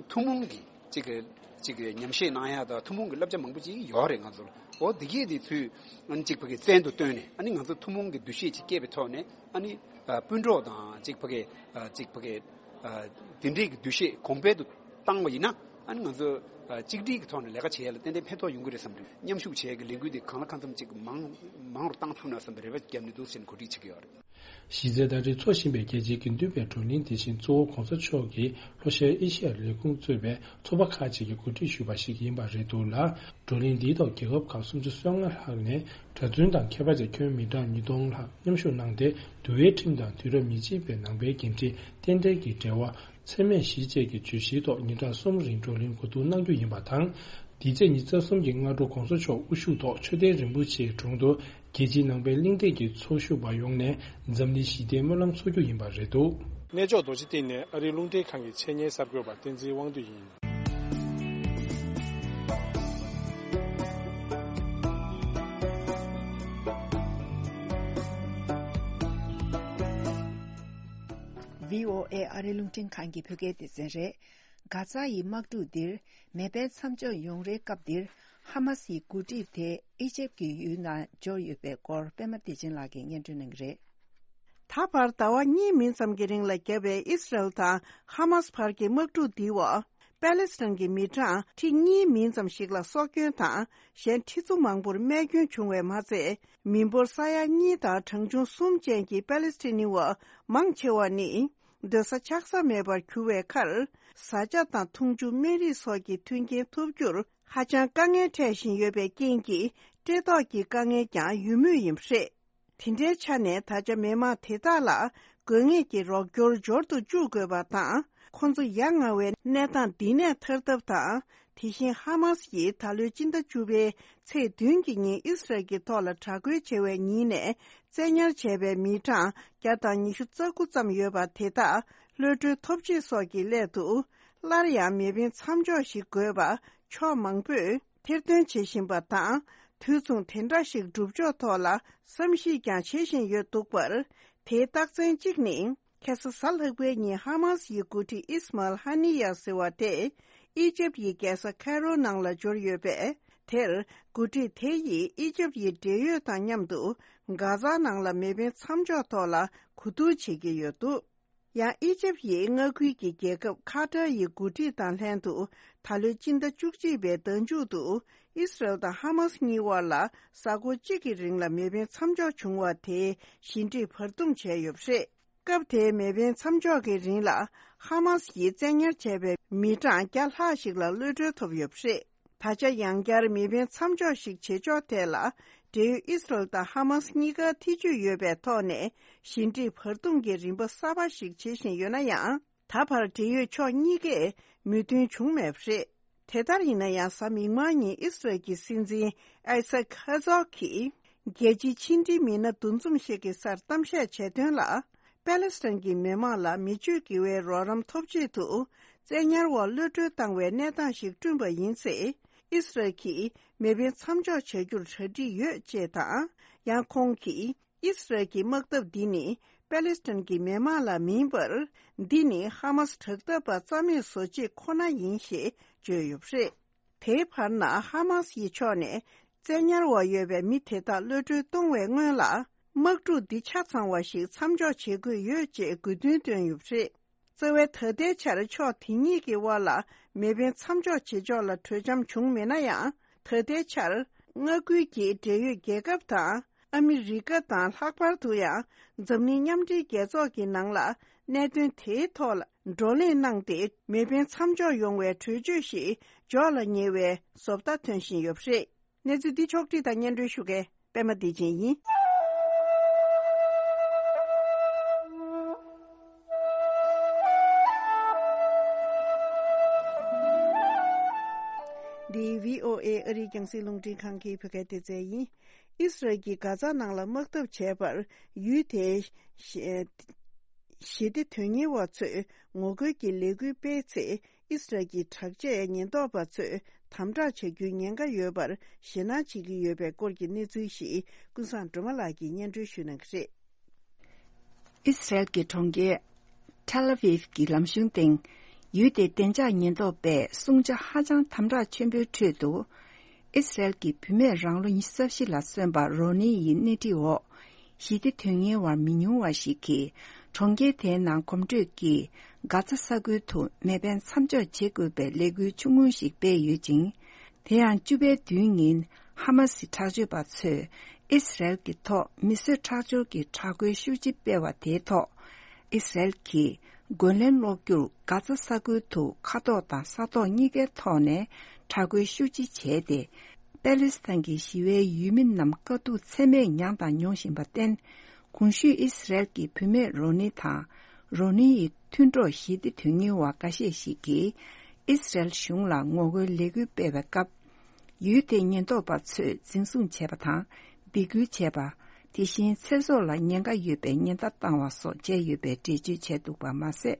ཐུན་མོང་གི་ཅིག་གི་ཅིག་གི་ཉམས་བཞེས་གནང་ཡ་དང་ཐུན་མོང་གི་བསླབ་བྱ་མང་པོ་ཅིག་ཡོད་རེད། ང་ཚོ་ལ་འོ་འདི་གས་དེ་ཚུལ་ཅིག་ཕ་གི་བཙན་དུ་བཏོན་ནས། ཨ་ནི་ང་ཚོ་ཐུན་མོང་གི་འདུ་ཤེས་ཅིག་སྐྱེས་པའི་ཐོག་ནས། ཨ་ནི་ཨ་སྤུན་གྲོགས་དང་ཅིག་ཕ་གི་ཨ་ཅིག་ཕ་གི་ཨ་དེ་འདྲའི་གི་འདུ་ཤེས་གོང་འཕེལ་དུ་བཏང་བ་ཡིན་ན། ཨ་ནི་ང་ཚོ་ཨ་གཅིག་སྒྲིལ་གྱི་ཐོག་ནས་ལས་ཀ་བྱེད་ཡ་ལ་ཏན་ཏན་ཕན་ཐོགས་ཡོང་གི་རེད་བསམ་གྱི་འདུག་མཉམ་ཞུགས་བྱེད་ཡ་གི་ལས་འགུལ་དེ་གང་ལ་གང་འཚམ་ཅིག་མང་མང་རུ་བཏང་ཐུབ་ན་བསམ་པའི་རེ་བ་བརྒྱབ་ནས་འདུག་ཟེར་ནས་གོ་སྒྲིག་བྱེད་ཀྱི་ཡོད་རེད། གཞི་རྩའི་ཟླ་སྒྲིལ་འཚོགས་བཞིན་པའི་རྒྱལ་སྤྱིའི་དགེ་འདུན་པའི་བགྲོ་གླེང་དེ་བཞིན་གཙོ་བོ་གོང་ས་མཆོག་གིས་ལྷོ་ཤར་ཨེ་ཤི་ཡར་ལས་ཁུངས་གཙོས་པའི་ཚོགས་པ་ཁག་ཅིག་གིས་གོ་སྒྲིག་ཞུས་པ་ཞིག་ཡིན་པ་རེད་འདུག་ལ། བགྲོ་གླེང་འདིའི་ཐོག་རྒྱལ་ཁབ་ཁག་སུམ་ཅུ་སོ་ལྔ་ལྷག་ནས་གྲྭ་བཙུན་དང་མཁས་པ་བཅས་ཁྱོན་མི་གྲངས་ཉིས་སྟོང་ལྷག་མཉམ་ཞུགས་གནང་སྟེ། འདུལ་བའི་ཁྲིམས་དང་དུས་རབས་ཉེར་གཅིག་པའི་ནང་པའི་འགན་འཁྲི་རྟེན་འབྲེལ་གྱི་འབྲེལ་བ། འཚེ་མེད་ཞི་བྱེད་ཀྱི་བརྗོད་གཞིའི་ཐོག་ཉིན་གྲངས་གསུམ་རིང་བགྲོ་གླེང་གོ་བསྡུར་གནང་རྒྱུ་ཡིན་པ་དང་། འདི་ཚེས་ཉི་ཤུ་རྩ་གསུམ་གྱི་སྔ་དྲོ་གོང་ས་མཆོག་དབུ་བཞུགས་ཐོག་མཆོད་རྟེན་རིན་པོ་ཆེའི་དྲུང་དུ་རྒྱལ་སྤྱིའི་ནང་པའི་གླེང་སྟེགས་ཀྱི་ཚོགས་ཞུགས་པ་ཡོངས་ནས་འཛམ་གླིང་ཞི་བདེའི་སྨོན་ལམ་འཚོགས་རྒྱུ་ཡིན་པ་རེད་འདུག་གནས་མཆོག་རྡོ་རྗེ་གདན་ནས་ཨ་རིའི་རླུང་འཕྲིན་ཁང་གི་ཆེད་གཉེར་གསར་འགོད་པ་བསྟན་འཛིན་དབང་འདུས་ཡིན། བྷི་ཨོ་ཨེ་ཨ་རིའི་རླུང་འཕྲིན་ཁང་གི་བོད་སྐད་སྡེ་ཚན་རེད། གྷ་ཛ་ཡི་དམག་འཁྲུག་འདིར་མེ་འཕེན་མཚམས་འཇོག་ཡོང་རེའི་སྐབས་འདིར། ཧ་མ་སི་ཡི་འགོ་ཁྲིད་དེ་ཨི་ཇེབ་ཀྱི་ཡུལ་ནང་འབྱོར་ཡོད་པའི་སྐོར་པད་མ་བདེ་ཆེན་ལགས་ཀྱིས་སྙན་སྒྲོན་གནང་གི་རེད། ད་བར་ཟླ་བ་གཉིས་མིན་ཙམ་གྱི་རིང་ལ་བརྒྱབ་པའི་ཨི་སི་རལ་དང་ཧ་མ་སི་བར་གྱི་དམག་འཁྲུག་འདིའི་འོག་པེ་ལེ་སི་ཐན་གྱི་མི་གྲངས་ཁྲི་གཉིས་མིན་ཙམ་ཞིག་ལ་སྲོག་སྐྱོན་དང་། གཞན་ཁྲི་ཚོ་མང་པོར་རྨས་སྐྱོན་བྱུང་བས་མ་ཚད། མི་འབོར་ས་ཡ་གཉིས་དང་གྲངས་ཆུང་གསུམ་ཅན་གྱི་པེ་ལེ་སི་ཐན་བ་མང་ཆེ་བ་ནི། སྡོད་ས་ཆགས་ས་མེད་པར་གྱུར་བའི་ཁར། བཟའ་བཅའ་དང་འཐུང་ཆུ། སྨན་རིགས་སོགས་ཀྱི་མཐུན་རྐྱེན་ཐོབ་རྒྱུར་ཧ་ཅང་དཀའ་ངལ་འཕྲད་བཞིན་ཡོད་པའི་རྐྱེན་གྱིས། བཀྲེས་ལྟོགས་ཀྱི་དཀའ་ངལ་ཀྱང་ཡོད་མུས་ཡིན་པ་རེད། དེ་འདྲའི་ཆ་ནས། ད་ཆ་མི་མང་དེ་དག་ལ་དགོས་ངེས་ཀྱི་རོགས་སྐྱོར་འབྱོར་དུ་བཅུག་དགོས་པ་དང་། ཁོང་ཚོ་ཡ་ང་བའི་གནས་སྟངས་འདི་ནས་ཐར་ཐབས་དང་། དེ་བཞིན་ཧ་མ་སི་ཡིས་ད་ལོའི་སྤྱི་ཟླ་བཅུ་པའི་ཚེས་བདུན་གྱི་ཉིན་ཨི་སི་རལ་གྱི་ཐོག་ལ་དྲག་རྒོལ་བྱས་པའི་ཉིན་ནས་བཙན་ཉར་བྱས་པའི་མི་གྲངས་བརྒྱ་དང་ཉི་ཤུ་རྩ་དགུ་ཙམ་ཡོད་པ་དེ་དག་གློད་གྲོལ་ཐོབ་ཆེད་སོགས་ཀྱི་སླད་དུ། སླར་ཡང་མེ་འཕེན་མཚམས་འཇོག་ཞིག་དགོས་པ་ཕྱོགས་མང་པོས་ཐེར་འདོན་བྱེད་བཞིན་པ་དང་། དུས་མཚུངས་དེ་འདྲ་ཞིག་སྒྲུབ་ཕྱོགས་ཐོག་ལ་བསམ་གཞིག་ཀྱང་བྱེད་བཞིན་ཡོད་འདུག་པར། དེའི་རྟགས་མཚན་གཅིག་ནི། ཁ་སང་གཟའ་ལྷག་པའི་ཉིན་ཧ་མ་སི་ཡི་འགོ་ཁྲིད་ཨིས་མཱལ་ཧ་ནི་ཡ་ཟེར་བ་དེ། ཨི་ཇེབ་ཡི་རྒྱལ་ས་ཁེ་རོ་ནང་ལ་འབྱོར་ཡོད་པས། དེར་འགོ་ཁྲིད་དེ་ཡིས་ཨི་ཇེབ་ཡི་འབྲེལ་ཡོད་དང་མཉམ་དུ། གྷ་ཛ་ནང་ལ་མེ་འཕེན་མཚམས་འཇོག་ཐོག་ལ་གོ་བསྡུར་བྱེད་ཀྱི་ཡོད་འདུག་ཡང་ཨི་ཇེབ་ཡི་མངའ་ཁུལ་གྱི་རྒྱལ་ཁབ་ཁ་ཏར་ཡི་འགོ་ཁྲིད་དང་ལྷན་དུ། ད་ལོའི་སྤྱི་ཟླ་བཅུ་གཅིག་པའི་ཟླ་མཇུག་ཏུ། ཨི་སི་རལ་དང་ཧ་མ་སི་གཉིས་དབར་ལ། གཟའ་འཁོར་གཅིག་གི་རིང་ལ་མེ་འཕེན་མཚམས་འཇོག་བྱུང་བ་དེའི་ཞི་འགྲིག་བར་འདུམ་བྱས་ཡོད་པ་རེད། སྐབས་དེའི་མེ་འཕེན་མཚམས་འཇོག་གི་རིང་ལ། ཧ་མ་སི་ཡིས་བཙན་ཉར་བྱས་པའི་མི་གྲངས་བརྒྱ་ལྷག་ཞིག་ལ་གློད་གྲོལ་ཐོབ་ཡོད་པ་རེད། ད་ཆ་ཡང་བསྐྱར་མེ་འཕེན་མཚམས་འཇོག་ཞིག་བྱེད་ཕྱོགས་ཐད་ལ། འབྲེལ་ཡོད་ཨི་སི་རལ་དང་ཧ་མ་སི་གཉིས་ཀར་ཐེ་བྱུས་ཡོད་པའི་ཐོག་ནས། ཞི་འགྲིག་བར་འདུམ་གྱི་རིམ་པ་གསར་པ་ཞིག་བྱེད་བཞིན་ཡོད་ན་ཡང་། ད་བར་འབྲེལ་ཡོད་ཕྱོགས་གཉིས་ཀས་མོས་མཐུན་བྱུང་མེད་པ་རེད། དེ་ལྟར་ཡིན་ན་ཡང་། གཟའ་མིག་དམར་ཉིན་ཨི་སི་རལ་གྱི་སྲིད་འཛིན་ཨའི་སཱག་ཧར་ཛོག་གིས། རྒྱལ་སྤྱིའི་ཕྱི་འབྲེལ་མི་སྣ་འདུ་འཛོམས་ཤིག་གི་སར་གཏམ་བཤད་བྱས་དོན་ལ། པེ་ལེ་སི་ཐན་གྱི་མི་མང་ལ་མི་སྤྱོད་དགེ་བའི་རོགས་རམ་ཐོབ་ཆེད་དུ། བཙན་ཉར་འོག་གློད་གྲོལ་བཏང་བའི་གནས་སྟངས་ཤིག་བསྐྲུན་པ་ཡིན་ཚེ། ཨི་སི་རལ་གྱིས་མེ་འཕེན་མཚམས་འཇོག་བྱ་རྒྱུར་གྲ་སྒྲིག་ཡོད་ཅེས་དང་། ཡང་ཁོང་གིས། ཨི་སི་རལ་གྱི་དམག་འཐབ་འདི་ནི་པེ་ལེ་སི་ཐན་གྱི་མི་མང་ལ་མིན་པར། འདི་ནི་ཧ་མ་སི་དྲག་འཐབ་པ་རྩ་མེད་བཟོ་ཆེད་ཁོ་ན་ཡིན་ཞེས་བརྗོད་ཡོད་པ་རེད། དེའི་བར་ན། ཧ་མ་སི་ཡི་ཕྱོགས་ནས་བཙན་ཉར་འོག་ཡོད་པའི་མི་དེ་དག་གློད་གྲོལ་གཏོང་བའི་སྔོན་ལ། དམག་འཁྲུག་འདི་ཆ་ཚང་བ་ཞིག་མཚམས་འཇོག་བྱེད་དགོས་ཡོད་ཅེས་དགོས་འདུན་བཏོན་ཡོད་པ་རེད། རྩ་བའི་ད་ལྟའི་ཆར་ཕྱོགས་དེ་གཉིས་ཀྱི་དབར་ལ་མེ་འཕེན་མཚམས་འཇོག་བྱེད་ཕྱོགས་ལ་གྲོས་འཆམ་བྱུང་མེད་ན་ཡང་། ད་ལྟའི་ཆར་མངའ་ཁུལ་གྱི་འབྲེལ་ཡོད་རྒྱལ་ཁབ་དང་། ཨ་མི་རི་ཀ་དང་། ལྷག་པར་དུ་ཡང་འཛམ་གླིང་མཉམ་འབྲེལ་རྒྱལ་ཚོགས་ཀྱི་ནང་ལ་གནད་དོན་དེའི་ཐོག་ལ་བགྲོ་གླེང་གནང་སྟེ། མེ་འཕེན་མཚམས་འཇོག་ཡོང་བའི་གྲོས་ཆོད་ཞིག་འཇོག་ལ་ཉེ་བའི་བཟོ་ལྟ་ཐོན་བཞིན་ཡོད་པ་རེད། གནས་ཚུལ་འདི་ཕྱོགས་བསྒྲིགས་དང་སྙན་སྒྲོན་ཞུ་མཁན་པད་མ་བདེ་ཆེན་ཡིན། འདི་བྷི་ཨོ་ཨེ་ཨ་རིའི་རྒྱང་སྲིང་རླུང་འཕྲིན་ཁང་གི་བོད་སྐད་སྡེ་ཚན་ཡིན། ཨི་སི་རལ་གྱིས་གྷ་ཛ་ནང་ལ་དམག་འཐབ་བྱས་པར་ཡུལ་དེའི་ཞི་ཞི་བདེ་དོན་གཉེར་བ་ཚོས་ངོ་རྒོལ་གྱི་ལས་འགུལ་སྤེལ་ཚེ། ཨི་སི་རལ་གྱི་དྲག་ཆས་ཉེན་རྟོག་པ་ཚོས་དམ་དྲག་བྱ་རྒྱུའི་ཉེན་ཁ་ཡོད་པར་ཞེད་སྣང་བྱེད་ཀྱི་ཡོད་པའི་སྐོར་གྱི་གནས་ཚུལ་ཞིག་ཀུན་བཟང་སྒྲོལ་མ་ལགས་ཀྱིས་སྙན་སྒྲོན་ཞུ་གནང་གི་རེད། ཨི་སི་རལ་གྱི་གྲོང་ཁྱེར་ཐེལ་ཨ་ཝིབ་ཀྱི་ལམ་གཞུང་སྟེང་། ཡུལ་དེའི་བདེ་འཇགས་ཉེན་རྟོག་པས་སྲུང་བྱ་ཧ་ཅང་དམ་དྲག་ཆེན་པོའི་ཁྲོད་དུ། ཨི་སི་རལ་གྱི་བུད་མེད་རང་ལོ་ཉི་ཤུ་རྩ་བཞི་ལ་སོན་པ་རོ་ནི་ཡི་སྣེ་ཁྲིད་འོག་ཞི་བདེ་དོན་གཉེར་བ་མི་ཉུང་བ་ཞིག་གིས་གྲོང་ཁྱེར་དེའི་ནང་གོམ་བགྲོད་ཀྱིས་གྷ་ཛ་ས་ཁུལ་དུ་མེ་འཕེན་མཚམས་འཇོག་བྱེད་དགོས་པའི་ལས་འགུལ་ཆུང་ངུ་ཞིག་སྤེལ་ཡོད་ཅིང་། དེ་ཡང་བཅུ་པའི་བདུན་ཉིན་ཧ་མ་སི་དྲག་སྤྱོད་པ་ཚོས་ཨི་སི་རལ་གྱི་ཐོག་མི་གསོད་ཁྲག་སྦྱོར་གྱི་དྲག་རྒོལ་ཤུགས་ཆེ་སྤེལ་བ་དེའི་ཐོག་ཨི་སི་རལ་གྱིས་རྒོལ་ལན་སློག་རྒྱུར་གྷ་ཛ་ས་ཁུལ་དུ་མཁའ་ཐོག་དང་ས་ཐོག་གཉིས་ཀའི་ཐོག་ནས་དྲག་རྒོལ་ཤུགས་ཆེ་བྱས་ཏེ། པ་ལི་སི་ཐན་གྱི་ཞི་བའི་ཡུལ་མི་རྣམས་དཀའ་སྡུག་ཚད་མེད་མྱངས་དང་མྱོང་བཞིན་པར་བརྟེན། གོང་ཞུས་ཨི་སི་རལ་གྱི་བུད་མེད་རོ་ནི་དང་རོ་ནི་ཡི་མཐུན་གྲོགས་ཞི་བདེ་དོན་གཉེར་བ་འགའ་ཤས་ཤིག་གིས་ཨི་སི་རལ་གཞུང་ལ་ངོ་རྒོལ་ལས་འགུལ་སྤེལ་བའི་སྐབས། ཡུལ་དེའི་ཉེན་རྟོག་པ་ཚོས་འཛིན་བཟུང་བྱས་པ་དང་སྡིགས་སྐུལ་བྱས་པ། དེ་བཞིན་ཚེ་སྲོག་ལ་ཉེན་ཁ་ཡོད་པའི་ཉེན་བརྡ་བཏང་བ་སོགས་བྱས་ཡོད་པའི་འགྲེལ་བརྗོད་བྱས་འདུག་པ་མ་ཟད།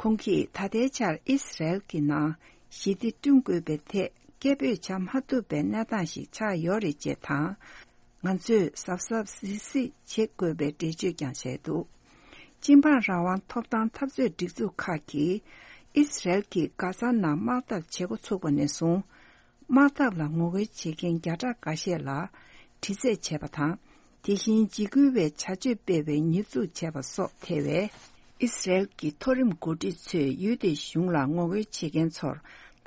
ཁོང་གིས་ད་ལྟའི་ཆར་ཨི་སི་རལ་གྱི་ནང་ཞི་བདེ་བསྐྲུན་དགོས་པའི་ཐད་སྐད་འབོད་བྱ་མ་ཐུབ་པའི་གནས་སྟངས་ཤིག་ཆགས་ཡོད་རེད་ཅེས་དང་། ང་ཚོས་གཟབ་གཟབ་གཟིགས་གཟིགས་བྱེད་དགོས་པའི་འགྲེལ་བརྗོད་ཀྱང་བྱས་འདུག་སྤྱི་འབངས་རང་དབང་ཐོབ་ཐང་འཐབ་རྩོད་སྒྲིག་འཛུགས་ཁག་གིས་ཨི་སི་རལ་གྱིས་གྷ་ཛ་ནང་དམག་འཐབ་བྱེད་འགོ་ཚུགས་པ་ནས་བཟུང་། དམག་འཐབ་ལ་ངོ་རྒོལ་བྱེད་མཁན་བརྒྱ་ཕྲག་འགའ་ཤས་ལ་དྲི་རྩད་བྱས་པ་དང་། དེ་བཞིན་འཇིགས་སྐུལ་བའི་བྱ་སྤྱོད་སྤེལ་བའི་ཉེས་འཛུགས་བྱས་པ་སོགས་ཐེ་བའི། ཨི་སི་རལ་གྱི་མཐོ་རིམ་འགོ་ཁྲིད་ཚོས་ཡུལ་དེའི་གཞུང་ལ་ངོ་རྒོལ་བྱེད་མཁན་ཚོར་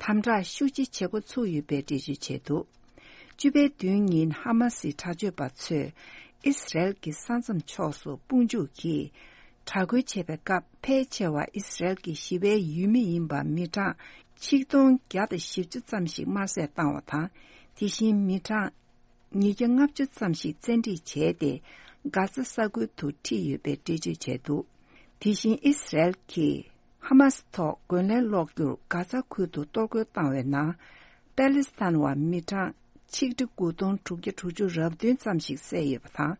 དམ་དྲག་ཤུགས་ཆེ་བྱེད་འགོ་ཚུགས་ཡོད་པའི་འགྲེལ་བརྗོད་བྱས་འདུག་བཅུ་པའི་བདུན་ཉིན་ཧ་མ་སིའི་དྲག་སྤྱོད་པ་ཚོས་ཨི་སི་རལ་གྱི་ས་མཚམས་ཕྱོགས་སུ་དཔུང་འཇུག་གིས་དྲག་རྒོལ་བྱེད་པའི་སྐབས། ཕལ་ཆེ་བ་ཨི་སི་རལ་གྱི་ཞི་བའི་ཡུལ་མི་ཡིན་པ་མི་གྲངས་ཆིག་སྟོང་བརྒྱ་དང་བཞི་བཅུ་ཙམ་ཞིག་དམར་བསད་བཏང་བ་དང་། དེ་བཞིན་མི་གྲངས་ཉིས་བརྒྱ་ལྔ་བཅུ་ཙམ་ཞིག་བཙན་ཁྲིད་བྱས་ཏེ། གྷ་ཛ་ས་ཁུལ་དུ་ཁྲིད་ཡོད་པའི་འགྲེལ་བརྗོད་བྱས་འདུག་དེ་བཞིན་ཨི་སི་རལ་གྱིས་ཧ་མ་སི་ཐོག་རྒོལ་ལན་སློག་རྒྱུར་གྷ་ཛ་ཁུལ་དུ་གཏོར་རྒོལ་བཏང་བའི་ནང་། པ་ལི་སི་ཐན་བ་མི་གྲངས་ཆིག་ཁྲི་དགུ་སྟོང་དྲུག་བརྒྱ་དྲུག་ཅུ་རེ་བདུན་ཙམ་ཞིག་བསད་ཡོད་པ་དང་།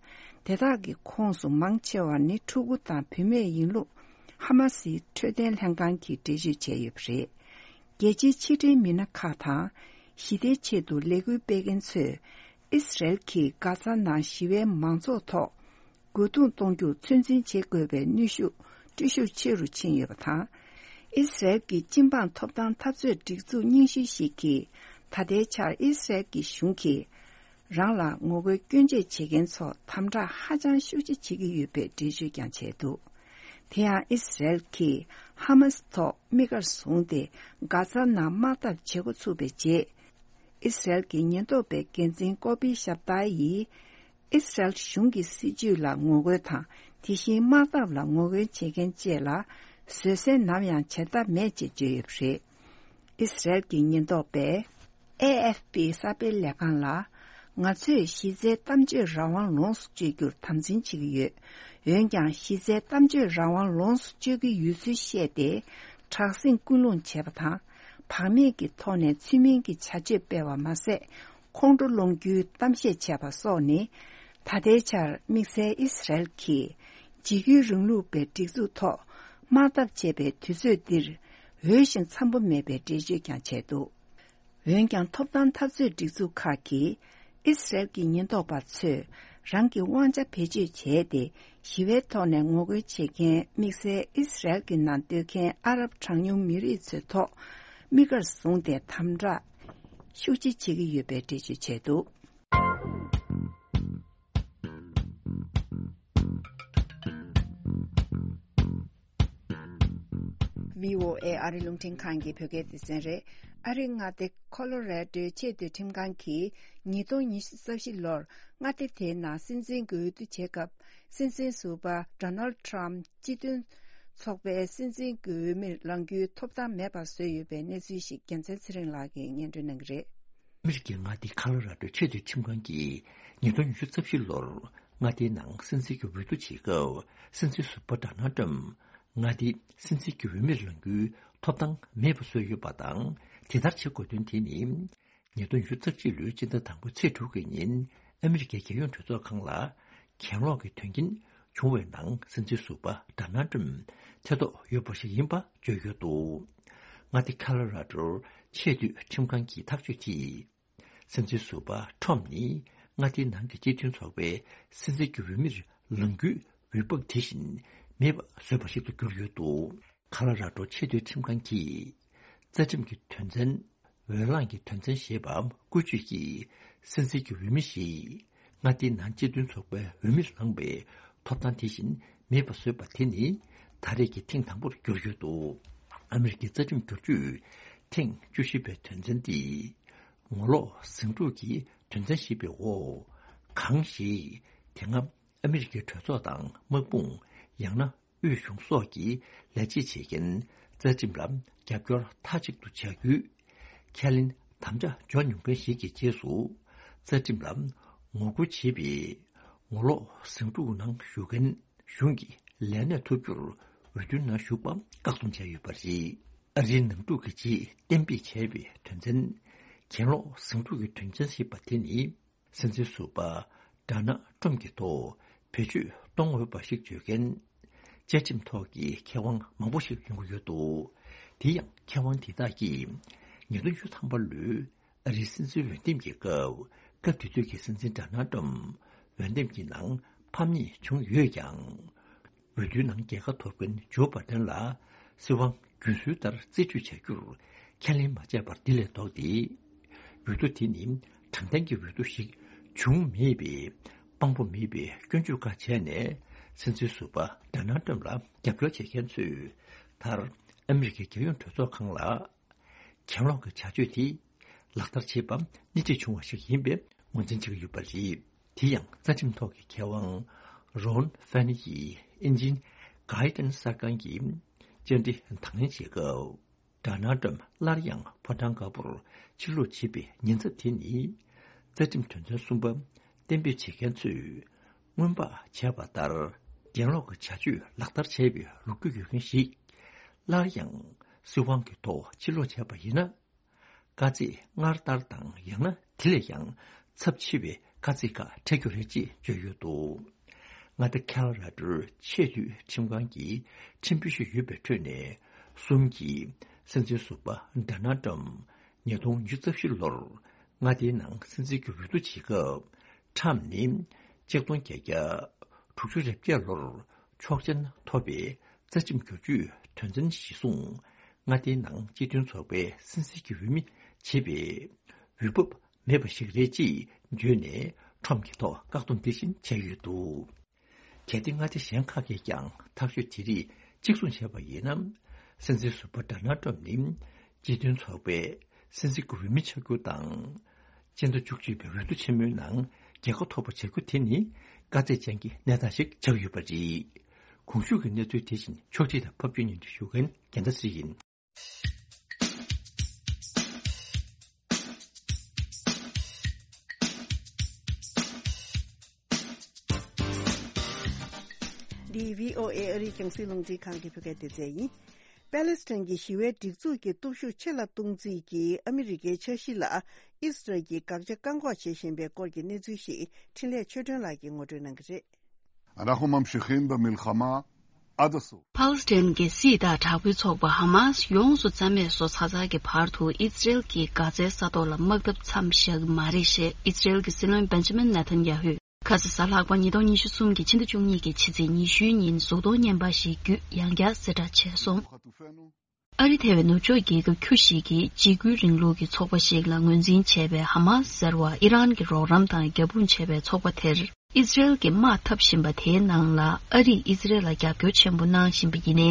དེ་དག་གི་ཁོངས་སུ་མང་ཆེ་བ་ནི་ཕྲུ་གུ་དང་བུད་མེད་ཡིན་ལུགས་ཧ་མ་སིའི་འཕྲོད་བསྟེན་ལྷན་ཁང་གིས་འགྲེལ་བརྗོད་བྱས་ཡོད་པ་རེད། རྒྱལ་སྤྱིའི་ཕྱི་འབྲེལ་མི་སྣ་ཁག་དང་། ཞི་བདེའི་ཆེད་དུ་ལས་འགུལ་སྤེལ་མཁན་ཚོས། ཨི་སི་རལ་གྱིས་གྷ་ཛ་ནང་ཞི་བའི་མང་ཚོགས་ཐོག་རྒོལ་རྡུང་གཏོང་རྒྱུར་ཚོད་འཛིན་བྱེད་དགོས་པའི་གནོན་ཤུགས་སྤྲོད་ཤུགས་ཆེ་རུ་ཕྱིན་ཡོད་པ་དང་། ཨི་སི་རལ་གྱི་སྤྱི་འབངས་ཐོབ་ཐང་འཐབ་རྩོད་སྒྲིག་འཛུགས་རྙིང་ཤོས་ཤིག་གིས། ད་ལྟའི་ཆར་ཨི་སི་རལ་གྱི་གཞུང་གིས། རང་ལ་ངོ་རྒོལ་སྐྱོན་བརྗོད་བྱེད་མཁན་ཚོ་དམ་དྲག་ཧ་ཅང་ཤུགས་ཆེ་བྱེད་ཀྱི་ཡོད་པའི་འགྲེལ་བརྗོད་ཀྱང་བྱས་འདུག་དེ་ཡང་ཨི་སི་རལ་གྱིས་ཧ་མ་སི་ཐོག་དམིགས་གར་བཟུང་སྟེ། གྷ་ཛ་ནང་དམག་འཐབ་བྱེད་འགོ་ཚུགས་པའི་རྗེས། ཨི་སི་རལ་གྱི་ཉེན་རྟོག་པའི་འགན་འཛིན་ཀོ་པི་ཤབ་ཏཱ་ཡིས། ཨི་སི་རལ་གཞུང་གི་སྲིད་བྱུས་ལ་ངོ་རྒོལ་དང་། དེ་བཞིན་དམག་འཐབ་ལ་ངོ་རྒོལ་བྱེད་མཁན་བཅས་ལ་བཟོད་བསྲན་ནམ་ཡང་བྱེད་ཐབས་མེད་ཅེས་བརྗོད་ཡོད་པ་རེད། ཨི་སི་རལ་གྱི་ཉེན་རྟོག་པས་ཨེ་ཨེཕ་པི་གསར་སྤེལ་ལས་ཁང་ལ། ང་ཚོས་གཞི་རྩའི་གཏམ་བརྗོད་རང་དབང་ལོངས་སུ་སྤྱོད་རྒྱུར་དམ་འཛིན་བྱེད་ཀྱི་ཡོད། འོན་ཀྱང་གཞི་རྩའི་གཏམ་བརྗོད་རང་དབང་ལོངས་སུ་སྤྱོད་ཀྱི་ཡོད་ཚུལ་བཤད་དེ། དྲག་ཟིང་སྐུལ་སློང་བྱས་པ་དང་། བག་མེད་ཀྱི་ཐོག་ནས་ཚུལ་མིན་གྱི་བྱ་སྤྱོད་སྤེལ་བ་མ་ཟད། ཁོང་ཁྲོ་སློང་རྒྱུའི་གཏམ་བཤད་བྱས་པ་སོགས་ནི། ད་ལྟའི་ཆར་དམིགས་བསལ་ཨི་སི་རལ་གྱིས་འཇིགས་སྐུལ་རིང་ལུགས་པའི་སྒྲིག་འཛུགས་ཐོག་དམག་འཐབ་བྱེད་པའི་དུས་ཚོད་འདིར་འོས་ཤིང་འཚམ་པོ་མེད་པའི་འགྲེལ་བརྗོད་ཀྱང་བྱས་འདུག་འོན་ཀྱང་ཐོབ་ཐང་འཐབ་རྩོད་སྒྲིག་འཛུགས་ཁག་གིས་ཨི་སི་རལ་གྱི་ཉེན་རྟོག་པ་ཚོས་རང་གི་དབང་ཆ་བེད་སྤྱོད་བྱས་ཏེ་ཞི་བའི་ཐོག་ནས་ངོ་རྒོལ་བྱེད་མཁན་དམིགས་བསལ་ཨི་སི་རལ་གྱི་ནང་སྡོད་མཁན་ཨ་རབ་གྲངས་ཉུང་མི་རིགས་ཚོའི་ཐོག་དམིགས་གར་བཟུང་སྟེ་དམ་དྲག་ཤུགས་ཆེ་བྱེད་ཀྱི་ཡོད་པའི་འགྲེལ་བརྗོད་བྱས་འདུག་བྷི་ཨོ་ཨེ་ཨ་རི་རླུང་འཕྲིན་ཁང་གི་བོད་སྐད་སྡེ་ཚན་རེད། ཨ་རིའི་མངའ་སྡེ་ཁོ་ལོ་རེ་ཌོའི་ཆེས་མཐོའི་ཁྲིམས་ཁང་གིས་ཉིས་སྟོང་ཉི་ཤུ་རྩ་བཞི་ལོར་མངའ་སྡེ་དེའི་ནང་སྲིད་འཛིན་གྱི་འོས་བསྡུ་བྱེད་སྐབས། སྲིད་འཛིན་ཟུར་པ་ཌོ་ནལ་ཌི་ཊརམ་སྤྱི་མཐུན་ཚོགས་པའི་སྲིད་འཛིན་གྱི་འོས་མིར་ལངས་རྒྱུའི་ཐོབ་ཐང་མེད་པ་བཟོས་ཡོད་པའི་གནས་ཚུལ་ཞིག་རྒྱལ་མཚན་ཚེ་རིང་ལགས་ཀྱིས་སྙན་སྒྲོན་གནང་གི་རེད། ཨ་མི་རི་ཀའི་མངའ་སྡེ་ཁ་ལོ་ར་ཌོའི་ཆེས་མཐོའི་ཁྲིམས་ཁང་གིས་ཉིས་སྟོང་ཉི་ཤུ་རྩ་བཞི་ལོར་མངའ་སྡེའི་ནང་སྲིད་འཛིན་གྱི་འོས་བསྡུ་བྱེད་སྐབས། སྲིད་འཛིན་ཟུར་པ་ཌོ་ནལ་ཌི་ཊརམ་མངའ་སྡེའི་སྲིད་འཛིན་གྱི་འོས་མིར་ལངས་རྒྱུའི་ཐོབ་ཐང་མེད་པ་བཟོས་ཡོད་པ་དང་། དེ་ལྟར་བྱེད་དགོས་དོན་དེ་ནི། ཉིས་སྟོང་ཉི་ཤུ་རྩ་གཅིག་ལོའི་སྤྱི་ཟླ་དང་པོའི་ཚེས་དྲུག་གི་ཉིན་ཨ་མི་རི་ཀའི་རྒྱལ་ཡོངས་གྲོས་ཚོགས་ཁང་ལ་གྱེན་ལོག་གི་དོན་རྐྱེན་བྱུང་བའི་ནང་སྲིད་འཛིན་ཟུར་པ་ཌོ་ནལ་ཊམ་ཐེ་གཏོགས་ཡོད་པ་ཞིག་ཡིན་པ་བརྗོད་ཡོད་འདུག་མངའ་སྡེ་ཁ་ལོ་ར་ཌོར་ཆེས་མཐོའི་ཁྲིམས་ཁང་གི་ཐག་གཅོད་དེས། སྲིད་འཛིན་ཟུར་པ་ཁྲོམ་ནི་མངའ་སྡེའི་ནང་གི་སྤྱི་མཐུན་ཚོགས་པའི་སྲིད་འཛིན་གྱི་འོས་མིར་ལངས་རྒྱུའི་འོས་བབ་དེ་བཞིན་མེད་པ་བཟོས་པ་ཞིག་ཏུ་གྱུར་ཡོད་འདུག་ཁ་ལོ་ར་ཌོ་ཆེས་མཐོའི་ཁྲིམས་ཁང་གིས་རྩ་ཁྲིམས་ཀྱི་དོན་ཚན། འོས་ལངས་ཀྱི་དོན་ཚན་ཞེས་པའམ་བཀོལ་སྤྱོད་ཀྱིས་སྲིད་འཛིན་གྱི་འོས་མི་ཞིག་མངའ་སྡེའི་ནང་སྤྱི་མཐུན་ཚོགས་པའི་འོས་མིར་ལངས་པའི་ཐོབ་ཐང་དེ་བཞིན་མེད་པ་བཟོས་པ་དེ་ནི་ད་རེས་ཀྱི་ཐེངས་དང་པོར་གྱུར་ཡོད་འདུག་ཨ་མི་རི་ཀའི་རྩ་ཁྲིམས་བསྒྱུར་བཅོས་ཐེངས་བཅུ་བཞི་པའི་དོན་ཚན་འདི། ངོ་ལོག་ཟིང་འཁྲུག་གི་དོན་ཚན་ཞེས་པའི་འོག་གང་ཞིག་དེ་སྔ་ཨ་མི་རི་ཀའི་གྲོས་ཚོགས་དང་དམག་དཔུང་ཡང་ན་དབུས་གཞུང་སོགས་ཀྱི་ལས་བྱེད་བྱེད་མཁན་རྩ་ཁྲིམས་ལ་རྒྱབ་སྐྱོར་མཐའ་གཅིག་ཏུ་བྱ་རྒྱུའི་ཁས་ལེན་དམ་བཅའ་འཇོག་མྱོང་མཁན་ཞིག་གི་རྗེས་སུ་རྩ་ཁྲིམས་ལ་ངོ་རྒོལ་བྱེད་པའི་ངོ་ལོག་ཟིང་འཁྲུག་ནང་ཞུགས་མཁན་གཞུང་གི་ལས་གནས་ཐོབ་རྒྱུར་འོས་བསྡུའི་ནང་ཞུགས་པ་བཀག་སྡོམ་བྱས་ཡོད་པ་རེད། ཨ་རིའི་ནང་འཁྲུག་གི་རྗེས་གཏན་འབེབས་བྱས་པའི་དོན་ཚན། གྱེན་ལོག་ཟིང་འཁྲུག་གི་དོན་ཚན་ཞེས་པ་དེ་ནི། སྲིད་འཛིན་ཟུར་པ་ཌོ་ནལ་ཊམ་གྱི་ཐོག་བེད་སྤྱོད་གཏོང་འོས་པ་ཞིག་བརྗོད་མཁན། བཅའ་ཁྲིམས་ཐོག་གི་མཁས་དབང་མང་པོ་ཞིག་ཡོང་གི་ཡོད་འདུག་དེ་ཡང་མཁས་དབང་དེ་དག་གིས་ཉིས་སྟོང་ཉི་ཤུ་ཐམ་པ་ལོའི་ཨ་རིའི་སྲིད་འཛིན་འོས་འདེམས་ཀྱི་སྐབས། སྐབས་དེ་དུས་ཀྱི་སྲིད་འཛིན་ཌོ་ནལ་ཊམ་འོས་འདེམས་ཀྱི་ནང་ཕམ་ཉེས་བྱུང་ཡོད་ཀྱང་། འོས་བསྡུའི་ནང་རྒྱལ་ཁ་ཐོབ་མཁན་ཇོ་བྷ་དན་ལ་སྲིད་དབང་རྒྱུན་སྲོལ་ལྟར་རྩིས་སྤྲོད་བྱ་རྒྱུར་ཁས་ལེན་མ་བྱས་པར་དེ་ལས་ལྡོག་སྟེ། འོས་བསྡུ་དེ་ནི་དྲང་བདེན་གྱི་འོས་བསྡུ་ཞིག་བྱུང་མེད་པའི་དཔང་པོ་མེད་པའི་སྐྱོན་བརྗོད་ཁག་བྱས་ནས། སྲིད་འཛིན་ཟུར་པ་ཌོ་ནལ་ཊམ་ལ་རྒྱབ་སྐྱོར་བྱེད་མཁན་ཚོས་མཐར་ཨ་མི་རི་ཀའི་རྒྱལ་ཡོངས་གྲོས་ཚོགས་ཁང་ལ། གྱེན་ལོག་གི་བྱ་སྤྱོད་དེ་ལག་བསྟར་བྱེད་པ་སྣེ་ཁྲིད་བྱུང་བ་ཞིག་ཡིན་པའི་ངོས་འཛིན་བྱེད་ཀྱི་ཡོད་པ་རེད། དེ་ཡང་རྩ་ཁྲིམས་ཐོག་གི་མཁས་དབང་རོན་ཧྥན་ཡིས་ཨིན་ཇིའི་གྷའི་ཌན་གསར་ཁང་གི་བཅར་འདྲི་དང་ལེན་བྱེད་སྐབས། ཌོ་ནལ་ཊམ་སླར་ཡང་ཕོ་བྲང་དཀར་པོར་ཕྱིར་ལོག་བྱེད་པའི་ཉེན་ཚབས་དེ་ནི། རྩ་ཁྲིམས་དོན་ཚན་གསུམ་པ་གཏན་འབེབས་བྱེད་མཁན་ཚོས་སྔོན་དཔག་བྱས་པ་ལྟར། གྱེན་ལོག་གི་བྱ་སྤྱོད་ལག་བསྟར་བྱས་པའི་ལོ་རྒྱུས་ཡོད་མཁན་ཞིག་སླར་ཡང་སྲིད་དབང་གི་ཐོག་ཕྱིར་ལོག་བྱས་པ་ཡིན་ན། དཀའ་ཚེགས་སྔར་ལྟར་དང་ཡང་ན་དེ་ལས་ཀྱང་ཚབས་ཆེ་བའི་དཀའ་ཚེགས་ཁག་འཕྲད་རྒྱུ་རེད་ཅེས་བརྗོད་ཡོད་འདུག་མངའ་སྡེ་ཁ་ལོ་ར་ཌོའི་ཆེས་མཐོའི་ཁྲིམས་ཁང་གི་ཁྲིམས་དཔོན་ཞིག་ཡོད་པའི་ཁྲོད་ནས་གསུམ་གྱིས་སྲིད་འཛིན་ཟུར་པ་ཌོ་ནལ་ཊམ་ཉིས་སྟོང་ཉི་ཤུ་རྩ་བཞི་ལོར་མངའ་སྡེའི་ནང་སྲིད་འཛིན་གྱི་འོས་བསྡུ་བྱེད་སྐབས། ཊམ་ནི་ཆིག་སྟོང་བརྒྱད་བརྒྱ་དྲུག་ཅུ་རེ་བརྒྱད་ལོར་ཆོག་མཆན་ཐོབ་པའི་རྩ་ཁྲིམས་བསྒྱུར་བཅོས་དོན་ཚན་གཞིར་བཟུང་། མངའ་སྡེའི་ནང་སྤྱི་མཐུན་ཚོགས་པའི་སྲིད་འཛིན་གྱི་འོས་མི་བྱེད་པའི་འོས་བབ་མེད་པ་ཞིག་རེད་ཅེས་བརྗོད་ནས་ཁྲོམ་གྱི་ཐོག་བཀག་སྡོམ་དེ་བཞིན་བྱས་ཡོད་འདུག་གལ་ཏེ་མངའ་སྡེ་གཞན་ཁག་གིས་ཀྱང་ཐག་གཅོད་དེ་རིགས་གཅིག་མཚུངས་བྱས་པ་ཡིན་ན། སྲིད་འཛིན་ཟུར་པ་ཌོ་ནལ་ཊམ་ནི་སྤྱི་མཐུན་ཚོགས་པའི་སྲིད་འཛིན་གྱི་འོས་མི་ཆགས་རྒྱུ་དང་། སྤྱི་ཟླ་བཅུ་གཅིག་པའི་འོས་བསྡུ་ཆེན་མོའི་ནང་རྒྱལ་ཁ་ཐོབ་པ་བྱ་རྒྱུ་དེ་ནི་དཀའ་ཚེགས་ཅན་གྱི་གནས་སྟངས་ཤིག་ཆགས་ཡོད་པ་རེད། གོང་ཞུས་ཀྱི་གནས་ཚུལ་དེ་བཞིན་ཕྱོགས་སྒྲིག་དང་ཕབ་སྒྱུར་སྙན་སྒྲོན་ཞུ་མཁན་རྒྱལ་མཚན་ཚེ་རིང་ཡིན། འདི་བྷི་ཨོ་ཨེ་ཨ་རིའི་རྒྱང་སྲིང་རླུང་འཕྲིན་ཁང་གི་བོད་སྐད་སྡེ་ཚན་ཡིན། པེ་ལེ་སི་ཐན་གྱི་ཞི་བའི་སྒྲིག་འཛུགས་ཀྱི་སྟོབས་ཤུགས་ཆེ་ལ་གཏོང་རྩིས་ཀྱིས་ཨ་མི་རི་ཀའི་འཆར་གཞི་ལ་ཨི་སི་རལ་གྱིས་དགག་བྱ་བཀག་འགོག་བྱེད་བཞིན་པའི་སྐོར་གྱི་གནས་ཚུལ་ཞིག་འཕྲིན་ལས་ཆོས་སྒྲོན་ལགས་ཀྱིས་ངོ་སྤྲོད་གནང་གི་རེད། אנחנו ממשיכים במלחמה עד הסוף. པ་ལེ་སི་ཐན་གྱི་སྲིད་དང་དྲག་པོའི་ཚོགས་པ་ཧ་མ་སི་ཡོངས་སུ་རྩ་མེད་བཟོ་ཚར་ཚར་གྱི་བར་དུ་ཨི་སི་རལ་གྱིས་གྷ་ཛའི་ས་ཐོག་ལ་དམག་འཐབ་མཚམས་བཞག་གི་མ་རེད་ཞེས་ཨི་སི་རལ་གྱི་སྲིད་བློན་བེན་ཇ་མིན་ནེ་ཐན་ཡ་ཧུས། ཁ་ས་གཟའ་ལྷག་པ་ཉིས་སྟོང་ཉི་ཤུ་གསུམ་གྱི་ཕྱི་ཟླ་བཅུ་གཉིས་ཀྱི་ཕྱི་ཚེས་ཉི་ཤུའི་ཉིན་གཟུགས་མཐོང་བརྙན་པར་ཞིག་བརྒྱུད་ཡང་བསྐྱར་གསལ་བསྒྲགས་བྱས་སོང་། ཨ་རི་ཐེ་བའི་ནུབ་ཕྱོགས་རྒྱལ་ཁབ་ཁྱུ་ཞིག་གིས་འཇིགས་སྐུལ་རིང་ལུགས་ཀྱི་ཚོགས་པ་ཞིག་ལ་ངོས་འཛིན་བྱས་པའི་ཧ་མ་སི་ཟེར་བ་ཨི་རན་གྱིས་རོགས་རམ་དང་རྒྱབ་དཔུང་བྱས་པའི་ཚོགས་པ་དེར་ཨི་སི་རལ་གྱིས་དམག་འཐབ་བཞིན་པ་དེའི་ནང་ལ་ཨ་རིས་ཨི་སི་རལ་ལ་རྒྱབ་སྐྱོར་ཆེན་པོ་གནང་བཞིན་པ་ཡིན་ནའི།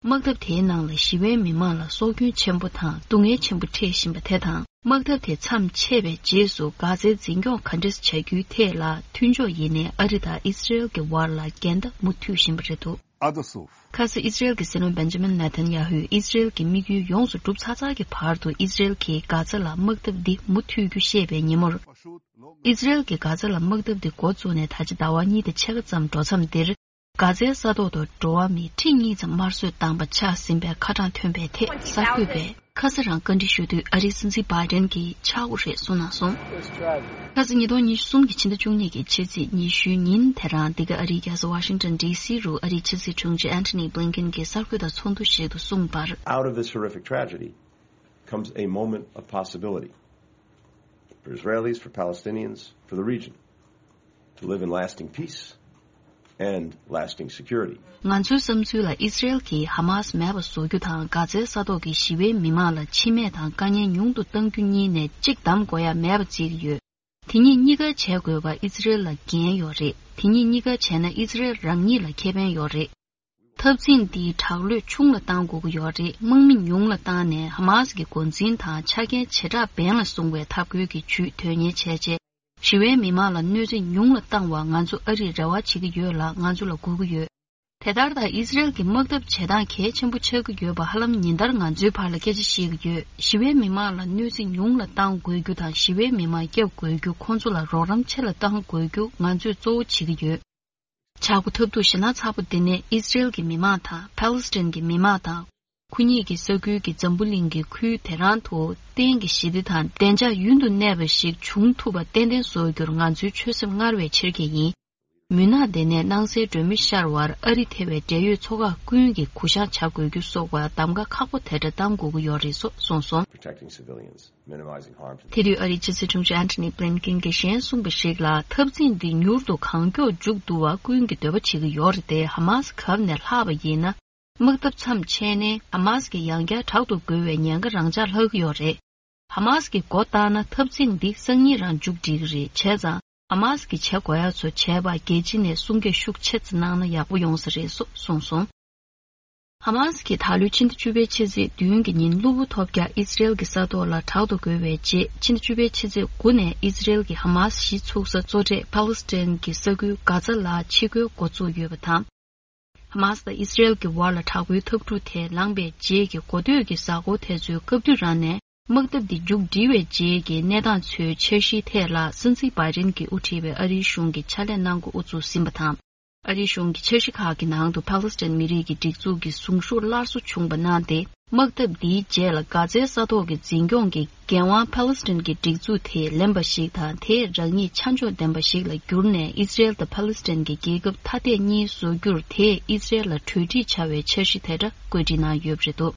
དམག་འཐབ་དེའི་ནང་ལ་ཞི་བའི་མི་མང་ལ་སྲོག་སྐྱོན་ཆེན་པོ་དང་སྡུག་བསྔལ་ཆེན་པོ་འཕྲད་བཞིན་པ་དེ་དང་། དམག་འཐབ་དེ་མཚམས་ཆད་པའི་རྗེས་སུ་གྷ་ཛའི་འཛིན་སྐྱོང་ག་འདྲས་བྱ་རྒྱུའི་ཐད་ལ་མཐུན་ཕྱོགས་ཡིན་ནའི་ཨ་རི་དང་ཨི་སི་རལ་གྱི་བར་ལ་འགལ་ཟླ་མུ་མཐུད་བཞིན་པ་རེད་འདུག་ཨ་ད་སོ། ཁ་ས་ཨི་སི་རལ་གྱི་སྲིད་བློན་བེན་ཇ་མིན་ནེ་ཐན་ཡ་ཧུས་ཨི་སི་རལ་གྱི་དམིགས་ཡུལ་ཡོངས་སུ་འགྲུབ་ཚར་ཚར་གྱི་བར་དུ་ཨི་སི་རལ་གྱིས་གྷ་ཛ་ལ་དམག་འཐབ་འདི་མུ་མཐུད་རྒྱུ་བཤད་པའི་ཉིན་མོར། ཨི་སི་རལ་གྱིས་གྷ་ཛ་ལ་དམག་འཐབ་འདི་འགོ་བཙུགས་ནས་ད་ཆ་ཟླ་བ་གཉིས་དང་ཕྱེད་ཀ་ཙམ་འགྲོ་མཚམས་འདིར། གྷ་ཛའི་ས་ཐོག་ཏུ་འགྲོ་བ་མི་ཁྲི་གཉིས་ཙམ་དམར་གསོད་བཏང་པ་ཆགས་ཟིན་པའི་ཁ་གྲངས་ཐོན་པའི་ཐད་གསར་འགོད་པས་ཁ་ས་རང་བཀའ་འདྲི་ཞུ་དུས། ཨ་རིའི་སྲིད་འཛིན་བྷའི་ཌེན་གྱིས་ཆག་སྒོ་རེད་གསུངས་གནང་སོང་། ཁ་ས་ཉིས་སྟོང་ཉི་ཤུ་གསུམ་གྱི་ཕྱི་ཟླ་བཅུ་གཉིས་ཀྱི་ཕྱི་ཚེས་ཉི་ཤུའི་ཉིན་དེ་རང་འདི་ག་ཨ་རིའི་རྒྱལ་ས་ཝ་ཤིང་ཊོན་ཌི་སི་རུ་ཨ་རིའི་ཕྱི་སྲིད་དྲུང་ཆེ་ཨན་ཐོ་ནི་བྷི་ལིན་ཀེན་གྱིས་གསར་འགོད་པ་ཚོགས་འདུ་ཞིག་ཏུ་གསུངས་པར། Out of this horrific tragedy comes a moment of possibility for Israelis, for Palestinians, for the region to live in lasting peace and lasting security. ང་ཚོའི་བསམ་ཚུལ་ལ་ཨི་སི་རེལ་གྱིས་ཧ་མཱ་སི་མེད་པ་བཟོ་རྒྱུ་དང་། གྷ་ཛའི་ས་ཐོག་གི་ཞི་བའི་མི་མང་ལ་འཆི་རྨས་དང་དཀའ་ངལ་ཉུང་དུ་གཏང་རྒྱུ་གཉིས་ནས་གཅིག་འདེམས་དགོས་ཡ་མེད་པ་བརྩི་གི་ཡོད། དེ་གཉིས་གཉིས་ཀ་བྱེད་དགོས་པ་ཨི་སི་རེལ་ལ་འགན་ཡོད་རེད། དེ་གཉིས་གཉིས་ཀ་བྱས་ན་ཨི་སི་རེལ་རང་ཉིད་ལ་ཁེ་ཕན་ཡོད་རེད། འཐབ་འཛིང་འདིའི་དྲག་ལུས་ཆུང་ལ་གཏང་དགོས་ཀྱི་ཡོད་རེད། དམག་མི་ཉུང་ལ་བཏང་ནས་ཧ་མཱ་སི་གི་འགོ་འཛིན་དང་ཆ་རྐྱེན་བྱེ་བྲག་འབེན་ལ་བཟུང་བའི་འཐབ་རྒོལ་གྱི་ཇུས་དོན་གཉེར་བྱས་རྗེས། ཞི་བའི་མི་མང་ལ་གནོད་འཚེ་ཉུང་ལ་བཏང་བར་ང་ཚོ་ཨ་རིས་རེ་བ་བྱེད་ཀྱི་ཡོད་ལ། ང་ཚོ་ལ་སྒུག་གི་ཡོད། དེ་ལྟར་ད་ཨི་སི་རེལ་གྱི་དམག་འཐབ་བྱེད་སྟངས་གལ་ཆེན་པོ་ཆགས་ཀྱི་ཡོད་པ་ཧ་ལམ་ཉིན་ལྟར་ང་ཚོའི་བར་ལ་སྐད་ཆ་བཤད་ཀྱི་ཡོད། ཞི་བའི་མི་མང་ལ་གནོད་འཚེ་ཉུང་ལ་བཏང་དགོས་རྒྱུ་དང་། ཞི་བའི་མི་མང་སྐྱོབ་དགོས་རྒྱུ། ཁོང་ཚོ་ལ་རོགས་རམ་ཆེ་ལ་གཏང་དགོས་རྒྱུ་ང་ཚོས་གཙོ་བོ་བྱེད་ཀྱི་ཡོད། ཆག་སྒོ་ཐབས་སྡུག་ཞེད་སྣང་ཚ་པོ་འདི་ནི་ཨི་སི་རེལ་གྱི་མི་མང་དང་ཕཱ་ལེ་སི་ཐན་གྱི་མི་མང་དང་། ཁོ་གཉིས་ཀྱི་ས་ཁུལ་གྱི་འཛམ་བུ་གླིང་གི་ཁུལ་དེ་རང་དུ་གཏན་གྱི་ཞི་བདེ་དང་བདེ་འཇགས་ཡུན་དུ་གནས་པ་ཞིག་འབྱུང་ཐུབ་པ་ཏན་ཏན་བཟོ་རྒྱུར་ང་ཚོའི་ཆོད་སེམས་སྔར་བས་ཆེར་སྐྱེད་ཡིན། མུན་ནག་འདི་ནས་སྣང་གསལ་སྒྲོན་མེ་ཤར་བར་ཨ་རི་ཐེ་བའི་འབྲེལ་ཡོད་ཚོ་ཁག་ཀུན་གྱིས་གུ་བཤངས་བྱ་དགོས་རྒྱུ་སོགས་པ་གདམ་ག་ཁག་པོ་དེ་འདྲ་གཏང་དགོས་ཀྱི་ཡོད་རེད་སོགས་གསུངས་སོང་། Protecting civilians, minimizing harm to དེ་དུས་ཨ་རིའི་ཕྱི་སྲིད་དྲུང་ཆེ་ཨན་ཐོ་ནི་བྷི་ལིན་ཀིན་གྱིས་གཞན་གསུངས་པ་ཞིག་ལ། འཐབ་འཛིང་འདི་མྱུར་དུ་གང་མགྱོགས་མཇུག་བསྡུ་བ་ཀུན་གྱིས་འདོད་པ་བྱེད་ཀྱི་ཡོད་རེད་དེ། ཧ་མཱ་སི་གབ་ནས་ལྷག་པ་ཡིན་ན། དམག་འཐབ་མཚམས་ཆད་ནས་ཧ་མཱ་སི་གིས་ཡང་བསྐྱར་དྲག་ཏུ་རྒོལ་བའི་ཉེན་ཁ་རང་འཇགས་ལྷག་གི་ཡོད་རེད། ཧ་མཱ་སི་གིས་མགོ་བཏགས་ན་འཐབ་འཛིང་འདི་སང་ཉིན་རང་མཇུག་སྒྲིལ་གྱི་རེད། བྱས་ཙང་ཧ་མཱ་སི་གིས་བྱེད་དགོས་ཡ་ཚོ་བྱས་པ་རྒྱལ་སྤྱི་ནས་གསུང་སྐད་ཤུགས་ཆེ་ཙམ་གནང་ན་ཡག་པོ་ཡོང་ས་རེད་སོགས་གསུངས་སོང་། ཧ་མཱ་སི་གིས་ད་ལོའི་ཕྱི་ཟླ་བཅུ་པའི་ཕྱི་ཚེས་བདུན་གྱི་ཉིན་གློ་བུར་ཐོལ་རྒྱག་ཨི་སི་རེལ་གྱི་ས་ཐོག་ལ་དྲག་ཏུ་རྒོལ་བའི་རྗེས། ཕྱི་ཟླ་བཅུ་པའི་ཕྱི་ཚེས་དགུ་ནས་ཨི་སི་རེལ་གྱི་ཧ་མཱ་སི་གཞི་ཚུགས་ས་གཙོ་གྲས་ཕཱ་ལེ་སི་ཐན་གྱི་ས་ཁུལ་གྷ་ཛ་ལ་ཕྱི་རྒོལ་འགོ་བཙུགས་ཡོད་པ་དང་། ཧ་མཱ་སི་དང་ཨི་སི་རེལ་གྱི་བར་ལ་དྲག་པོའི་འཐབ་འཁྲུག་དེ་ལངས་པའི་རྗེས་ཀྱི་འགོ་སྟོད་ཀྱི་གཟའ་འཁོར་དེ་ཚོའི་སྐབས་དུས་རང་ནས། དམག་འཐབ་འདི་མཇུག་སྒྲིལ་བའི་རྗེས་ཀྱི་གནས་སྟངས་ཚོའི་འཆར་གཞིའི་ཐད་ལ། སྲིད་འཛིན་བྷའི་ཌེན་གྱིས་དབུ་ཁྲིད་པའི་ཨ་རིའི་གཞུང་གིས་ཕྱག་ལས་གནང་འགོ་དབུ་ཚུགས་ཟིན་པ་དང་། ཨ་རིའི་གཞུང་གི་འཆར་གཞི་ཁག་གི་ནང་དུ་ཕཱ་ལེ་སི་ཐན་མི་རིགས་ཀྱི་སྒྲིག་འཛུགས་ཀྱི་གཟུངས་གཞུག་སླར་གསོ་བྱུང་བ་གནང་སྟེ། དམག་འཐབ་འདིའི་རྗེས་ལ་གྷ་ཛའི་ས་ཐོག་གི་འཛིན་སྐྱོང་གི་འགན་དབང་ཕཱ་ལེ་སི་ཐན་གྱི་སྒྲིག་འཛུགས་དེས་ལེན་པ་ཞིག་དང་། དེས་རང་ཉིད་ཆ་འཇོག་ལྡན་པ་ཞིག་ལ་བསྒྱུར་ནས། ཨི་སི་རེལ་དང་ཕཱ་ལེ་སི་ཐན་གྱི་རྒྱལ་ཁབ་ཐ་དད་གཉིས་བཟོ་རྒྱུར་དེས་ཨི་སི་རེལ་ལ་གྲོས་འགྲིག་བྱ་བའི་འཆར་གཞི་དེ་འདྲ་བཀོད་སྒྲིག་གནང་ཡོད་པ་རེད་འདུག་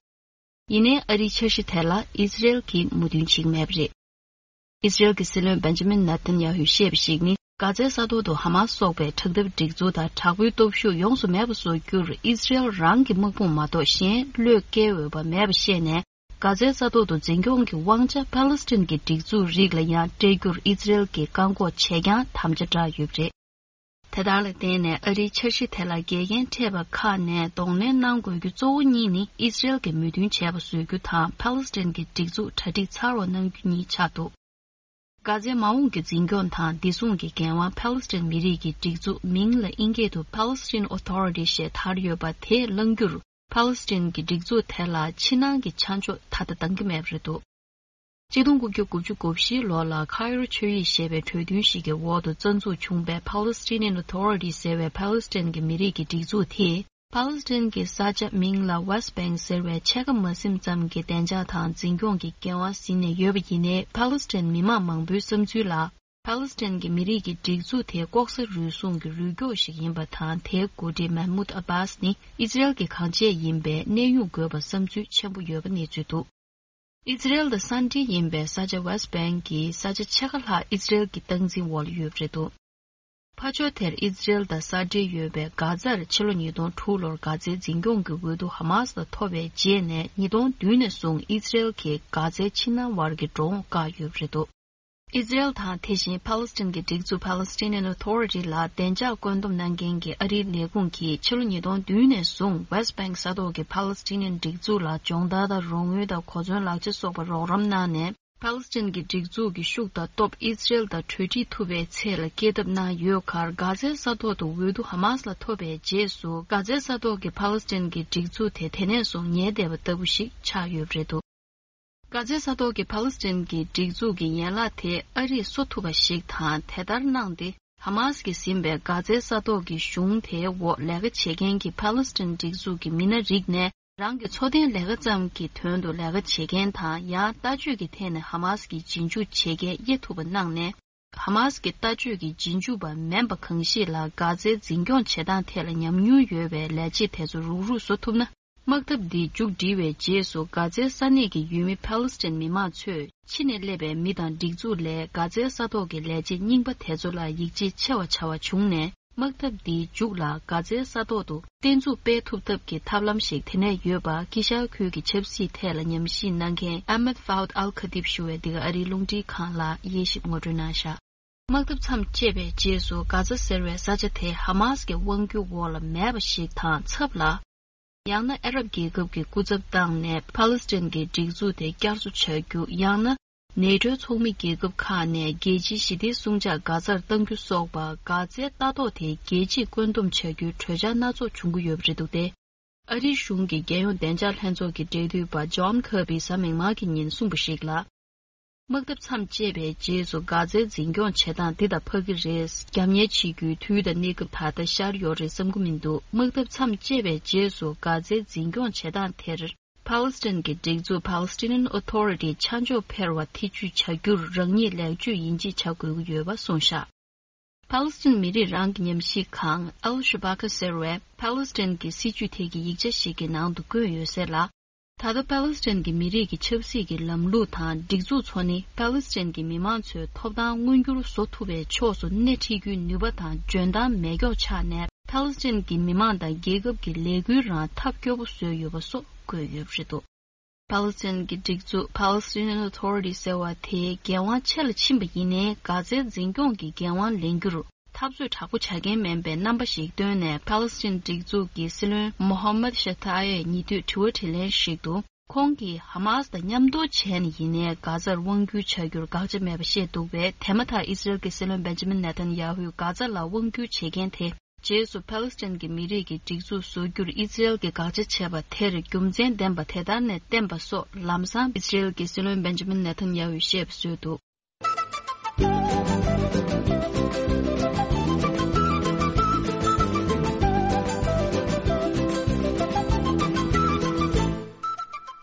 ཡིན་ནའི་ཨ་རིའི་འཆར་གཞི་དེ་ལ་ཨི་སི་རེལ་གྱིས་མོས་མཐུན་བྱེད་ཀྱི་མེད་པ་རེད། ཨི་སི་རེལ་གྱི་སྲིད་བློན་བེན་ཇ་མིན་ནེ་ཐན་ཡ་ཧུས་བཤད་པ་ཞིག་ནི། གྷ་ཛའི་ས་ཐོག་ཏུ་ཧ་མཱ་སི་སོགས་པའི་དྲག་འཐབ་སྒྲིག་འཛུགས་དང་དྲག་པོའི་སྟོབས་ཤུགས་ཡོངས་སུ་མེད་པ་བཟོ་རྒྱུར་ཨི་སི་རེལ་རང་གི་དམག་དཔུང་མ་གཏོགས་གཞན་བློས་འགེལ་འོས་པ་མེད་པ་ཤེས་ནས། གྷ་ཛའི་ས་ཐོག་ཏུ་འཛིན་སྐྱོང་གི་དབང་ཆ་ཕཱ་ལེ་སི་ཐན་གྱི་སྒྲིག་འཛུགས་རིགས་ལ་ཡང་སྤྲད་རྒྱུར་ཨི་སི་རེལ་གྱིས་བཀག་འགོག་བྱས་ཀྱང་དམ་བཅའ་བསྒྲགས་ཡོད་པ་རེད། དེ་དག་ལ་བརྟེན་ནས་ཨ་རིའི་འཆར་གཞི་དེ་ལ་འགལ་རྐྱེན་འཕྲད་པ་ཁག་ནས་གདོང་ལེན་གནང་དགོས་རྒྱུ་གཙོ་བོ་གཉིས་ནི། ཨི་སི་རེལ་གྱིས་མོས་མཐུན་བྱས་པ་བཟོ་རྒྱུ་དང་། ཕཱ་ལེ་སི་ཐན་གྱི་སྒྲིག་འཛུགས་གྲ་སྒྲིག་ཚར་བ་གནང་རྒྱུ་གཉིས་ཆགས་འདུག་གྷ་ཛའི་མ་འོངས་ཀྱི་འཛིན་སྐྱོང་དང་བདེ་སྲུང་གི་འགན་དབང་ཕཱ་ལེ་སི་ཐན་མི་རིགས་ཀྱི་སྒྲིག་འཛུགས། མིང་ལ་དབྱིན་སྐད་དུ་Palestine Authority ཞེས་དར་ཡོད་པ་དེས་བླང་རྒྱུར། ཕཱ་ལེ་སི་ཐན་གྱི་སྒྲིག་འཛུགས་དེ་ལ་ཕྱི་ནང་གི་ཆ་འཇོག་ད་ལྟ་འདང་གི་མེད་པ་རེད་འདུག་གཅིག་སྟོང་དགུ་བརྒྱ་དགུ་བཅུ་གོ་བཞིའི་ལོ་ལ་ཁ་ཡོར་ཆོས་ཡིག་ཞེས་པའི་གྲོས་མཐུན་ཞིག་གི་འོག་ཏུ་རྩ་འཛུགས་བྱུང་པའི་Palestinian Authority ཟེར་བའི་ཕཱ་ལེ་སི་ཐན་གྱི་མི་རིགས་ཀྱི་སྒྲིག་འཛུགས་དེས། ཕཱ་ལེ་སི་ཐན་གྱི་ས་ཆ་མིང་ལ་West Bank ཟེར་བའི་ཕྱེད་ཀ་མ་ཟིན་ཙམ་གྱི་བདེ་འཇགས་དང་འཛིན་སྐྱོང་གི་འགན་དབང་ཟིན་ནས་ཡོད་པ་ཡིན་ནའི། ཕཱ་ལེ་སི་ཐན་མི་མང་མང་པོའི་བསམ་ཚུལ་ལ། ཕཱ་ལེ་སི་ཐན་གྱི་མི་རིགས་ཀྱི་སྒྲིག་འཛུགས་དེ་ལྐོག་ཟ་རུལ་སུངས་ཀྱི་རུལ་སྐྱོག་ཞིག་ཡིན་པ་དང་། དེའི་འགོ་ཁྲིད་མེ་མུད་ཨ་བྷཱས་ནི་ཨི་ཛི་རེལ་གྱི་གང་བྱས་ཡིན་པས་གནས་དབྱུང་དགོས་པ་བསམ་ཚུལ་ཆེན་པོ་ཡོད་པ་གནས་ཚུལ་འདུག་ཨི་ཛི་རེལ་དང་ས་འབྲེལ་ཡིན་པའི་ས་ཆ་West Bank གི་ས་ཆ་ཕྱེད་ཀ་ལྷག་ཨི་ཛི་རེལ་གྱི་སྟངས་འཛིན་འོག་ལ་ཡོད་པ་རེད་འདུག་ཕར་ཕྱོགས་དེར་ཨི་ཛི་རེལ་དང་ས་འབྲེལ་ཡོད་པའི་གྷ་ཛར་ཕྱི་ལོ་ཉིས་སྟོང་དྲུག་ལོར་གྷ་ཛའི་འཛིན་སྐྱོང་གི་འོས་བསྡུ་ཧ་མཱ་སི་ལ་ཐོབ་པའི་རྗེས་ནས། ཉིས་སྟོང་བདུན་ནས་བཟུང་ཨི་ཛི་རེལ་གྱིས་གྷ་ཛའི་ཕྱི་ནང་བར་གྱི་འགྲོ་འོང་བཀག་ཡོད་པ་རེད་འདུག་ཨི་ཛི་རེལ་དང་དེ་བཞིན་ཕཱ་ལེ་སི་ཐན་གྱི་སྒྲིག་འཛུགས་Palestinian Authority ལ་བདེ་འཇགས་བཀོད་འདོམས་གནང་མཁན་གྱི་ཨ་རིའི་ལས་ཁུངས་ཀྱིས་ཕྱི་ལོ་ཉིས་སྟོང་བདུན་ནས་བཟུང་West Bank ས་ཐོག་གི་Palestinian སྒྲིག་འཛུགས་ལ་སྦྱོང་བརྡར་དང་རོགས་དངུལ་དང་གོ་མཚོན་ལག་ཆ་སོགས་པ་རོགས་རམ་གནང་ནས། ཕཱ་ལེ་སི་ཐན་གྱི་སྒྲིག་འཛུགས་ཀྱི་ཤུགས་དང་སྟོབས་ཨི་ཛི་རེལ་དང་གྲོས་འགྲིག་ཐུབ་པའི་ཚད་ལ་སྐྱེད་ཐབས་གནང་ཡོད་ཁར། གྷ་ཛའི་ས་ཐོག་ཏུ་འོས་བསྡུ་ཧ་མཱ་སི་ལ་ཐོབ་པའི་རྗེས་སུ། གྷ་ཛའི་ས་ཐོག་གི་ཕཱ་ལེ་སི་ཐན་གྱི་སྒྲིག་འཛུགས་དེ་དེ་ནས་བཟུང་ཉལ་བསྡད་པ་ལྟ་བུ་ཞིག་ཆགས་ཡོད་པ་རེད་འདུག་གྷ་ཛའི་ས་ཐོག་གི་ཕཱ་ལེ་སི་ཐན་གྱི་སྒྲིག་འཛུགས་ཀྱི་ཡན་ལག་དེ་ཨ་རིས་གསོ་ཐུབ་པ་ཞིག་དང་། དེ་ལྟར་གནང་སྟེ། ཧ་མཱ་སི་གིས་ཟིན་པའི་གྷ་ཛའི་ས་ཐོག་གི་གཞུང་དེའི་འོག་ལས་ཀ་བྱེད་མཁན་གྱི་ཕཱ་ལེ་སི་ཐན་སྒྲིག་འཛུགས་ཀྱི་མི་སྣ་རིགས་ནས། རང་གི་འཚོ་རྟེན་ལས་ཀ་ཙམ་གྱི་དོན་དུ་ལས་ཀ་བྱེད་མཁན་དང་། ཡང་ལྟ་སྤྱོད་ཀྱི་ཐད་ནས་ཧ་མཱ་སི་གི་རྗེས་འཇུག་བྱེད་མཁན་དབྱེ་ཐུབ་པ་གནང་ནས། ཧ་མཱ་སི་གི་ལྟ་སྤྱོད་ཀྱི་རྗེས་འཇུག་པ་མིན་པ་གང་ཞིག་ལ་གྷ་ཛའི་འཛིན་སྐྱོང་བྱེད་སྟངས་ཐད་ལ་ཉམས་མྱོང་ཡོད་པའི་ལས་བྱེད་དེ་ཚོ་རུག་རུག་བཟོ་ཐུབ་ན། དམག་འཐབ་འདི་མཇུག་སྒྲིལ་བའི་རྗེས་སུ་གྷ་ཛའི་ས་གནས་ཀྱི་ཡུལ་མི་ཕཱ་ལེ་སི་ཐན་མི་མང་ཚོས་ཕྱི་ནས་སླེབས་པའི་མི་དང་སྒྲིག་འཛུགས་ལས་གྷ་ཛའི་ས་ཐོག་གི་ལས་བྱེད་རྙིང་པ་དེ་ཚོ་ལ་ཡིད་ཆེས་ཆེ་བ་བྱ་བ་བྱུང་ནས། དམག་འཐབ་འདིའི་མཇུག་ལ་གྷ་ཛའི་ས་ཐོག་ཏུ་བརྟན་ཚུགས་སྤེལ་ཐུབ་ཐབས་ཀྱི་ཐབས་ལམ་ཞིག་དེ་ནས་ཡོད་པ། དཀྱིལ་ཤར་ཁུལ་གྱི་ཆབ་སྲིད་ཐད་ལ་ཉམས་ཞིབ་གནང་མཁན་ཨ་མད་ཕའུད་ཨལ་ཁ་ཏིབ་ཞུ་བས་འདི་ག་ཨ་རིའི་རླུང་འཕྲིན་ཁང་ལ་དབྱེ་ཞིབ་ངོ་སྤྲོད་གནང་བཞག་དམག་འཐབ་མཚམས་བཅད་པའི་རྗེས་སུ་གྷ་ཛ་ཟེར་བའི་ས་ཆ་དེ་ཧ་མཱ་སི་ཀྱི་དབང་སྒྱུར་འོག་ལ་མེད་པ་ཞིག་དང་ཚབ་ལ། ཡང་ན་ཨ་རབ་རྒྱལ་ཁབ་ཀྱི་སྐུ་ཚབ་བཏང་ནས་ཕཱ་ལེ་སི་ཐན་གྱི་སྒྲིག་འཛུགས་དེ་བསྐྱར་གསོ་བྱ་རྒྱུ། ཡང་ན་ནེ་ཊོའི་ཚོགས་མི་རྒྱལ་ཁབ་ཁག་ནས་རྒྱལ་སྤྱིའི་ཞི་བདེའི་སྲུང་བྱ་གྷ་ཛར་གཏང་རྒྱུ་སོགས་པ། གྷ་ཛའི་ལྟ་རྟོག་དེ་རྒྱལ་སྤྱིས་བཀོད་འདོམས་བྱ་རྒྱུའི་གྲོས་འཆར་སྣ་ཚོགས་འབྱུང་གི་ཡོད་པ་རེད་འདུག་སྟེ། ཨ་རིའི་གཞུང་གི་རྒྱལ་ཡོངས་བདེ་འཇགས་ལྷན་ཚོགས་ཀྱི་འབྲེལ་མཐུད་པ་ཇོན་ཁར་བྷིས་གཟའ་མིག་དམར་གྱི་ཉིན་གསུངས་པ་ཞིག་ལ། དམག་འཐབ་མཚམས་བཅད་པའི་རྗེས་སུ་གྷ་ཛའི་འཛིན་སྐྱོང་བྱེད་སྟངས་འདི་དང་འཕགས་ཀྱི་རེད། རྒྱབ་གཉེར་བྱེད་རྒྱུའི་དུས་དང་གནས་སྐབས་ད་ལྟ་ཤར་ཡོད་རེད་བསམ་གྱི་མི་འདུག་དམག་འཐབ་མཚམས་བཅད་པའི་རྗེས་སུ་གྷ་ཛའི་འཛིན་སྐྱོང་བྱེད་སྟངས་དེར། ཕཱ་ལེ་སི་ཐན་གྱི་སྒྲིག་འཛུགས་Palestinian Authority ཆ་འཇོག་འཕེར་བ་ཐེ་ཇུས་བྱ་རྒྱུར་རང་ཉིད་ལེགས་བཅོས་ཡིན་གཅིག་བྱ་དགོས་ཀྱི་ཡོད་པ་གསུངས་བཞག་ཕཱ་ལེ་སི་ཐན་མི་རིགས་རང་གི་ཉམས་ཞིབ་ཁང་Al Shabaka ཟེར་བས་ཕཱ་ལེ་སི་ཐན་གྱི་སྲིད་བྱུས་ཐད་ཀྱི་ཡིག་ཆ་ཞིག་གི་ནང་དུ་བཀོད་ཡོད་ཟེར་ལ། ད་ལྟ་ཕཱ་ལེ་སི་ཐན་གྱི་མི་རིགས་ཀྱི་ཆབ་སྲིད་ཀྱི་ལམ་ལུགས་དང་སྒྲིག་འཛུགས་ཚོ་ནི་ཕཱ་ལེ་སི་ཐན་གྱི་མི་མང་ཚོའི་ཐོབ་ཐང་མངོན་འགྱུར་བཟོ་ཐུབ་པའི་ཕྱོགས་སུ་སྣེ་ཁྲིད་རྒྱུའི་ནུས་པ་དང་འཇོན་ཐང་མེད་མཁྱོག་ཆགས་ནས། ཕཱ་ལེ་སི་ཐན་གྱི་མི་མང་དང་རྒྱལ་ཁབ་ཀྱི་ལས་འགུལ་རང་ཐབས་སྐྱོ་པོ་བཟོས་ཡོད་པ་སོགས་བཀོད་ཡོད་པ་རེད་འདུག་ཕཱ་ལེ་སི་ཐན་གྱི་སྒྲིག་འཛུགས་Palestinian Authority ཟེར་བ་དེའི་འགན་དབང་ཆེ་ལ་ཕྱིན་པ་ཡིན་ནའི། གྷ་ཛའི་འཛིན་སྐྱོང་གི་འགན་དབང་ལེན་རྒྱུར་འཐབ་རྩོད་དྲག་པོ་བྱ་མཁན་མིན་པའི་རྣམ་པ་ཞིག་བཏོན་ནས། ཕཱ་ལེ་སི་ཐན་སྒྲིག་འཛུགས་ཀྱི་སྲིད་བློན་Mohammad Shtayyeh ཉེ་དུས་དྲི་བ་དྲིས་ལན་ཞིག་ཏུ། ཁོང་གིས་ཧ་མཱ་སི་དང་མཉམ་དུ་བྱས་ནས་ཡིན་ནའི་གྷ་ཛར་དབང་བསྒྱུར་བྱ་རྒྱུར་དགག་བྱ་མེད་པ་བཤད་འདུག་པས། དེ་མ་ཐག་ཨི་ཟི་རེལ་གྱི་སྲིད་བློན་Benjamin Netanyahu གྷ་ཛ་ལ་དབང་བསྒྱུར་བྱེད་མཁན་དེ། རྗེས་སུ་ཕཱ་ལེ་སི་ཐན་གྱི་མི་རིགས་ཀྱི་སྒྲིག་འཛུགས་བཟོ་རྒྱུར་ཨི་ཟི་རེལ་གྱིས་དགག་བྱ་བྱས་པ་དེར་རྒྱུ་མཚན་ལྡན་པ་དེ་ལྟར་ནས་བསྟན་པ་སོགས་ལམ་སང་ཨི་ཟི་རེལ་གྱི་སྲིད་བློན་Benjamin Netanyahu བཤད་པ་བཟོས་འདུག་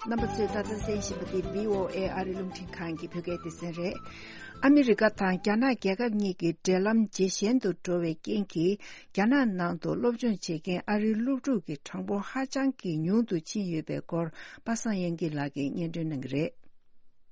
རྣམ་པ་ཚོས་ད་ལྟ་གསན་བཞིན་པ་འདི་བྷི་ཨོ་ཨེ་ཨ་རིའི་རླུང་འཕྲིན་ཁང་གི་བོད་སྐད་སྡེ་ཚན་རེད། ཨ་མི་རི་ཀ་དང་རྒྱ་ནག་རྒྱལ་ཁབ་གཉིས་ཀྱི་འབྲེལ་ལམ་ཇེ་ཞན་དུ་འགྲོ་བའི་རྐྱེན་གྱིས། རྒྱ་ནག་ནང་དུ་སློབ་སྦྱོང་བྱེད་མཁན་ཨ་རིའི་སློབ་ཕྲུག་གི་གྲངས་འབོར་ཧ་ཅང་གི་ཉུང་དུ་ཕྱིན་ཡོད་པའི་སྐོར། པ་སངས་དབྱངས་སྐྱིད་ལགས་ཀྱིས་སྙན་སྒྲོན་གནང་གི་རེད།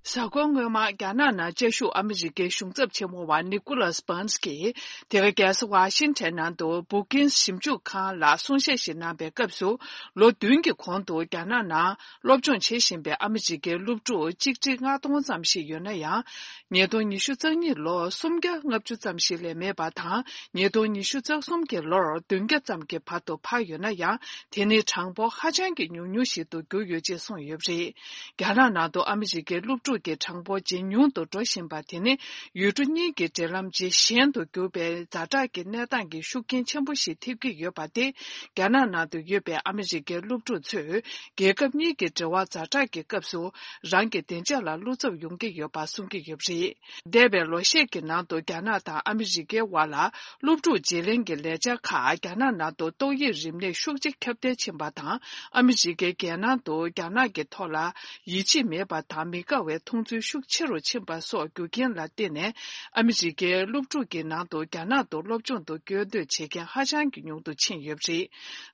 གཟའ་འཁོར་སྔོན་མ་རྒྱ་ནག་ནང་བཅའ་བཞུགས་ཨ་མི་རི་ཀའི་གཞུང་ཚབ་ཆེན་མོ་བ་Nicholas Burns གྱིས། དེ་ག་རྒྱལ་ས་ཝ་ཤིང་ཊོན་ནང་དུ་Brookings ཞིབ་འཇུག་ཁང་ལ་གསུང་བཤད་ཞིག་གནང་པའི་སྐབས་སུ། ལོ་བདུན་གྱི་གོང་དུ་རྒྱ་ནག་ནང་སློབ་སྦྱོང་བྱེད་བཞིན་པའི་ཨ་མི་རི་ཀའི་སློབ་ཕྲུག་གཅིག་ཁྲི་ལྔ་སྟོང་ཙམ་ཞིག་ཡོད་ན་ཡང་། ཉིས་སྟོང་ཉི་ཤུ་རྩ་གཉིས་ལོར་སུམ་བརྒྱ་ལྔ་བཅུ་ཙམ་ཞིག་ལས་མེད་པ་དང་། ཉིས་སྟོང་ཉི་ཤུ་རྩ་གསུམ་གྱི་ལོར་བདུན་བརྒྱ་ཙམ་གྱི་བར་དུ་འཕར་ཡོད་ན་ཡང་། དེ་ནི་གྲངས་འབོར་ཧ་ཅང་གི་ཉུང་ཉུང་ཞིག་ཏུ་གྱུར་ཡོད་ཅེས་གསུངས་ཡོད་པ་རེད། རྒྱ་ནག་ནང་དུ་ཨ་མི་རི་ཀའི་སློབ་ཕྲུག་གི་གྲངས་འབོར་ཇེ་ཉུང་དུ་འགྲོ་བཞིན་པ་དེ་ནི། ཡུལ་གྲུ་གཉིས་ཀྱི་འབྲེལ་ལམ་ཇེ་ཞན་དུ་གྱུར་པའི་ཛ་དྲག་གི་གནས་སྟངས་ཀྱི་ཤུགས་རྐྱེན་ཆེན་པོ་ཞིག་ཐེབས་ཀྱི་ཡོད་པ་སྟེ། རྒྱ་ནག་ནང་དུ་ཡོད་པའི་ཨ་མི་རི་ཀའི་སློབ་ཕྲུག་ཚོས། རྒྱལ་ཁབ་གཉིས་ཀྱི་འབྲེལ་བ་ཛ་དྲག་གི་སྐབས་སུ། རང་གི་བདེ་འཇགས་ལ་བློ་འཚབ་ཡོང་གི་ཡོད་པ་གསུང་གི་ཡོད་པ་རེད། འདས་པའི་ལོ་ཤས་ཀྱི་ནང་དུ་རྒྱ་ནག་དང་ཨ་མི་རི་ཀའི་དབར་ལ། སློབ་ཕྲུག་བརྗེ་ལེན་གྱི་ལས་འཆར་ཁག་རྒྱ་ནག་ནང་དུ་ཏོག་དབྱིབས་རིམས་ནད་ཤུགས་ཆེ་ཁྱབ་གདལ་ཕྱིན་པ་དང་། ཨ་མི་རི་ཀའི་རྒྱལ་ནང་དུ་རྒྱ་ནག་གི་ཐོག་ལ་ཡིད་ཆེས་མེད་པ་དང་མི་དགའ་བའི་མཐོང་ཚུལ་ཤུགས་ཆེ་རུ་ཕྱིན་པ་སོགས་རྒྱུ་རྐྱེན་ལ་བརྟེན་ནས། ཨ་མི་རི་ཀའི་སློབ་ཕྲུག་གི་ནང་དུ་རྒྱ་ནག་ཏུ་སློབ་སྦྱོང་དུ་བསྐྱོད་འདོད་བྱེད་མཁན་ཧ་ཅང་གི་ཉུང་དུ་ཕྱིན་ཡོད་པ་རེད།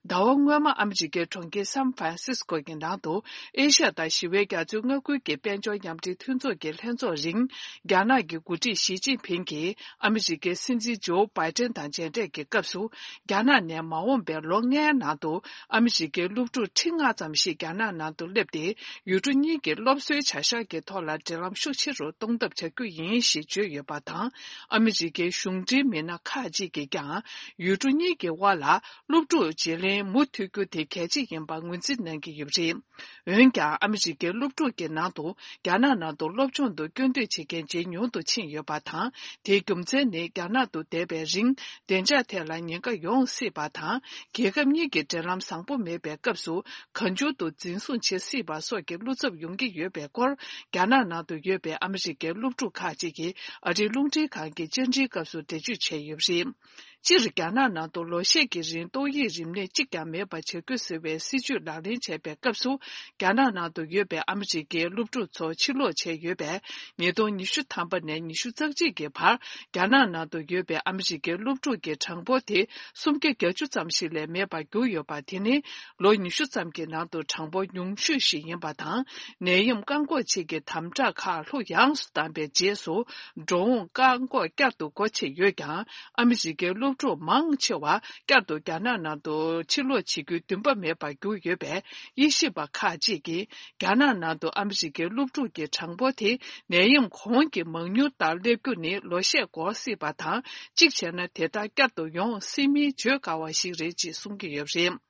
ཟླ་བ་སྔོན་མ་ཨ་མི་རི་ཀའི་གྲོང་ཁྱེར་San Francisco གི་ནང་དུ་ཨེ་ཤ་ཡ་དང་ཞི་བའི་རྒྱ་མཚོའི་མངའ་ཁུལ་གྱི་དཔལ་འབྱོར་མཉམ་འབྲེལ་མཐུན་ཚོགས་ཀྱི་ལྷན་ཚོགས་རིང་། རྒྱ་ནག་གི་འགོ་ཁྲིད་ཞི་ཅིན་ཕིང་གིས་ཨ་མི་རི་ཀའི་སྲིད་འཛིན་ཇོ་བྷའི་ཏན་དང་མཇལ་འཕྲད་ཀྱི་སྐབས་སུ། རྒྱ་ནག་ནས་མ་འོངས་པའི་ལོ་ལྔའི་ནང་དུ་ཨ་མི་རི་ཀའི་སློབ་ཕྲུག་ཁྲི་ལྔ་ཙམ་ཞིག་རྒྱ་ནག་ནང་དུ་སླེབས་ཏེ། ཡུལ་གྲུ་གཉིས་ཀྱི་སློབ་གསོའི་བྱ་གཞག་གི་ཐོག་ལ་འབྲེལ་ལམ་ཤུགས་ཆེ་རུ་གཏོང་ཐབས་བྱ་རྒྱུ་ཡིན་ཞེས་བརྗོད་ཡོད་པ་དང་། ཨ་མི་རི་ཀའི་གཞུང་འབྲེལ་མི་སྣ་ཁག་ཅིག་གིས་ཀྱང་། ཡུལ་གྲུ་གཉིས་ཀྱི་དབར་ལ་སློབ་ཕྲུག་བརྗེ་ལེན་མུ་མཐུད་རྒྱུ་དེ་གལ་ཆེ་ཡིན་པར་ངོས་འཛིན་གནང་གི་ཡོད་པ་རེད། འོན་ཀྱང་། ཨ་མི་རི་ཀའི་སློབ་ཕྲུག་གི་ནང་དུ་རྒྱ་ནག་ནང་དུ་སློབ་སྦྱོང་དུ་སྐྱོད་འདོད་བྱེད་མཁན་ཇེ་ཉུང་དུ་ཕྱིན་ཡོད་པ་དང་། དེའི་རྒྱུ་མཚན་ནི། རྒྱ་ནག་ཏུ་བསྡད་པའི་རིང་བདེ་འཇགས་ཐད་ལ་ཉེན་ཁ་ཡོང་སྲིད་པ་དང་། རྒྱལ་ཁབ་གཉིས་ཀྱི་འབྲེལ་ལམ་བཟང་པོ་མེད་པའི་སྐབས་སུ། གང་བྱུང་དུ་འཛིན་བཟུང་བྱེད་སྲིད་པ་སོགས་ཀྱི་བློ་འཚབ་ཡོང་གི་ཡོད་པའི་སྐོར། རྒྱ་ རྒྱ་ནག་ནང་དུ་ཡོད་པའི་ཨ་མི་རི་ཀའི་སློབ་ཕྲུག་ཁག་ཅིག་གིས་ཨ་རིའི་རླུང་འཕྲིན་ཁང་གི་བཅར་འདྲིའི་སྐབས་སུ་འགྲེལ་བརྗོད་བྱས་ཡོད་པ་རེད། སྤྱིར་རྒྱ་ནག་ནང་དུ་ལོ་ཤས་ཀྱི་རིང་ཏོག་དབྱིབས་རིམས་ནད་གཅིག་ཀྱང་མེད་པ་བྱ་རྒྱུ་ཟེར་བའི་སྲིད་ཇུས་ལག་ལེན་བྱས་པའི་སྐབས་སུ། རྒྱ་ནག་ནང་དུ་ཡོད་པའི་ཨ་མི་རི་ཀའི་སློབ་ཕྲུག་ཚོ་ཕྱིར་ལོག་བྱས་ཡོད་པས། ཉིས་སྟོང་ཉི་ཤུ་ཐམ་པ་ནས་ཉི་ཤུ་རྩ་གཅིག་གི་བར། རྒྱ་ནག་ནང་དུ་ཡོད་པའི་ཨ་མི་རི་ཀའི་སློབ་ཕྲུག་གི་གྲངས་འབོར་དེ་སུམ་བརྒྱ་བརྒྱད་ཅུ་ཙམ་ཞིག་ལས་མེད་པར་གྱུར་ཡོད་པ། དེ་ནི་ལོ་ཉི་ཤུ་ཙམ་གྱི་ནང་དུ་གྲངས་འབོར་ཉུང་ཤོས་ཤིག་ཡིན་པ་དང་། ནད་ཡམས་བཀག་འགོག་ཆེད་ཀྱི་དམ་དྲག་ཁག་ལྷུག་ཡངས་སུ་བཏང་པའི་རྗེས་སུ། འགྲོ་འོང་བཀག་འགོག་བསྐྱར་དུ་སྒོ་ཕྱེ་ཡོད་ཀྱང་། ཨ་མི་རི་ཀའི་སློབ་ཕྲུག་མང་ཆེ་བ་བསྐྱར་དུ་རྒྱ་ནག་ནང་དུ་ཕྱིར་ལོག་བྱེད་རྒྱུའི་འདུན་པ་མེད་པར་གྱུར་ཡོད་པས། དབྱེ་ཞིབ་པ་ཁག་ཅིག་གིས། རྒྱ་ནག་ནང་དུ་ཨ་མི་རི་ཀའི་སློབ་ཕྲུག་གི་གྲངས་འབོར་དེ་ནད་ཡམས་གོང་གི་མང་མྱུར་ལྟར་སླེབས་རྒྱུ་ནི་ལོ་ཤས་འགོར་སྲིད་པ་དང་། གཅིག་བྱས་ན་དེ་ལྟར་བསྐྱར་དུ་ཡོང་སྲིད་མིན་བརྗོད་དཀའ་བ་ཞིག་རེད་ཅེས་གསུང་གི་ཡོད་པ་རེད།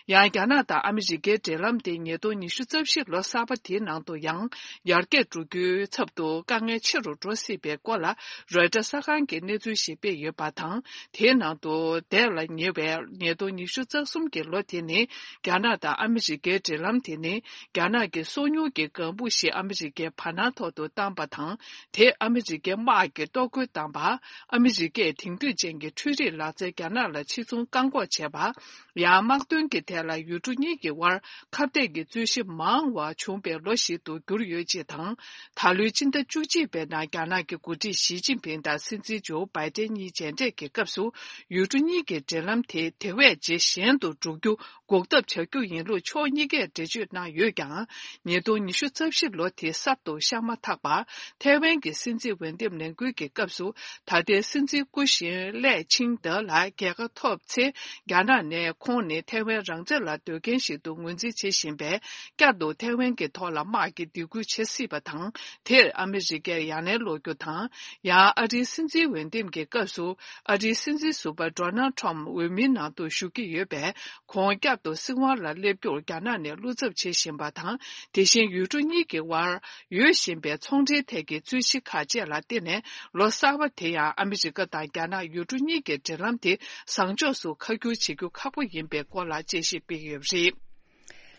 ཡང་། རྒྱ་ནག་དང་ཨ་མི་རི་ཀའི་འབྲེལ་ལམ་དེ་ཉིས་སྟོང་ཉི་ཤུ་རྩ་བཞི་ལོ་གསར་པ་དེའི་ནང་དུ་ཡང་ཡར་རྒྱས་འགྲོ་རྒྱུའི་ཚབ་ཏུ་དཀའ་ངལ་ཆེ་རུ་འགྲོ་སྲིད་པའི་སྐོར་ལ། རོའི་ཊར་གསར་ཁང་གིས་གནས་ཚུལ་ཞིག་སྤེལ་ཡོད་པ་དང་། དེའི་ནང་དུ་འདས་ལ་ཉེ་བའི་ཉིས་སྟོང་ཉི་ཤུ་རྩ་གསུམ་གྱི་ལོ་དེ་ནི། རྒྱ་ནག་དང་ཨ་མི་རི་ཀའི་འབྲེལ་ལམ་དེ་ནི། རྒྱ་ནག་གི་སོ་ཉུལ་གྱི་ལྒང་བུ་ཞིག་ཨ་མི་རི་ཀའི་བར་སྣང་ཐོག་ཏུ་བཏང་པ་དང་། དེས་ཨ་མི་རི་ཀའི་དམག་གི་གཏོར་རྒོལ་བཏང་པ། ཨ་མི་རི་ཀས་དེང་དུས་ཅན་གྱི་འཕྲུལ་རིག་ལག་རྩལ་རྒྱ་ནག་ལ་ཕྱིར་ཚོང་བཀག་འགོག་བྱས་པ། ཡང་། དམག་དོན་གྱི་ཐད་ལ་ཡུལ་གྲུ་གཉིས་ཀྱི་དབར་ཁ་གཏད་ཀྱི་རྩོད་གཞི་མང་བ་བྱུང་པའི་ལོ་ཞིག་ཏུ་གྱུར་ཡོད་ཅེས་དང་། ད་ལོའི་སྤྱི་ཟླ་བཅུ་གཅིག་པའི་ནང་རྒྱ་ནག་གི་འགོ་ཁྲིད་ཞི་ཅིན་ཕིང་དང་སྲིད་འཛིན་ཇོ་བྷའི་ཏན་གཉིས་མཇལ་འཕྲད་ཀྱི་སྐབས་སུ། ཡུལ་གྲུ་གཉིས་ཀྱི་འབྲེལ་ལམ་དེ་དེ་བས་ཇེ་ཞན་དུ་འགྲོ་རྒྱུ་འགོག་ཐབས་བྱ་རྒྱུ་ཡིན་ལུགས་ཕྱོགས་གཉིས་ཀས་འགྲེལ་བརྗོད་གནང་ཡོད་ཀྱང་། ཉིས་སྟོང་ཉི་ཤུ་རྩ་བཞི་ལོ་དེ་གསར་དུ་ཤར་མ་ཐག་པར། ཐའེ་ཝན་གྱི་སྲིད་འཛིན་འོས་འདེམས་ལས་འགུལ་གྱི་སྐབས་སུ། ད་ལྟའི་སྲིད་འཛིན་སྐུ་བཞེངས་ལས་ཆིང་ཏེ་ལ་རྒྱལ་ཁ་ཐོབ་ཚེ། རྒྱ་ནག་ནས་ཁོང་ནི་ཐའེ་ཝན་རང་བཙན་ལ་འདོད་མཁན་ཞིག་ཏུ་ངོས་འཛིན་བྱེད་བཞིན་པས། བསྐྱར་དུ་ཐའེ་ཝན་གྱི་ཐོག་ལ་དམག་གི་འདེད་སྐུལ་བྱེད་སྲིད་པ་དང་། དེར་ཨ་མི་རི་ཀས་ཡ་ལན་སློག་རྒྱུ་དང་། ཡང་། ཨ་རིའི་སྲིད་འཛིན་འོས་འདེམས་ཀྱི་སྐབས་སུ། ཨ་རིའི་སྲིད་འཛིན་ཟུར་པ་ཌོ་ནལ་ཁྲོམ་འོས་མིའི་ནང་དུ་ཞུགས་ཀྱི་ཡོད་པས། ཁོང་བསྐྱར་དུ་སྲིད་དབང་ལ་སླེབས་རྒྱུར་རྒྱ་ནག་ནས་བློ་འཚབ་བྱེད་བཞིན་པ་དང་། དེ་བཞིན་ཡུལ་གྲུ་གཉིས་ཀྱི་དབར་ཡོད་བཞིན་པའི་ཚོང་འབྲེལ་ཐད་ཀྱི་རྩོད་གཞི་ཁག་བཅས་ལ་བརྟེན་ནས། ལོ་གསར་པ་དེ་ཡང་ཨ་མི་རི་ཀ་དང་རྒྱ་ནག་ཡུལ་གྲུ་གཉིས་ཀྱི་འབྲེལ་ལམ་དེ་བཟང་ཕྱོགས་སུ་ཁ་བསྒྱུར་བྱེད་རྒྱུ་ཁག་པོ་ཡིན་པའི་སྐོར་ལ་དཔྱད་ཞིབ་སྤེལ་ཡོད་པ་རེད།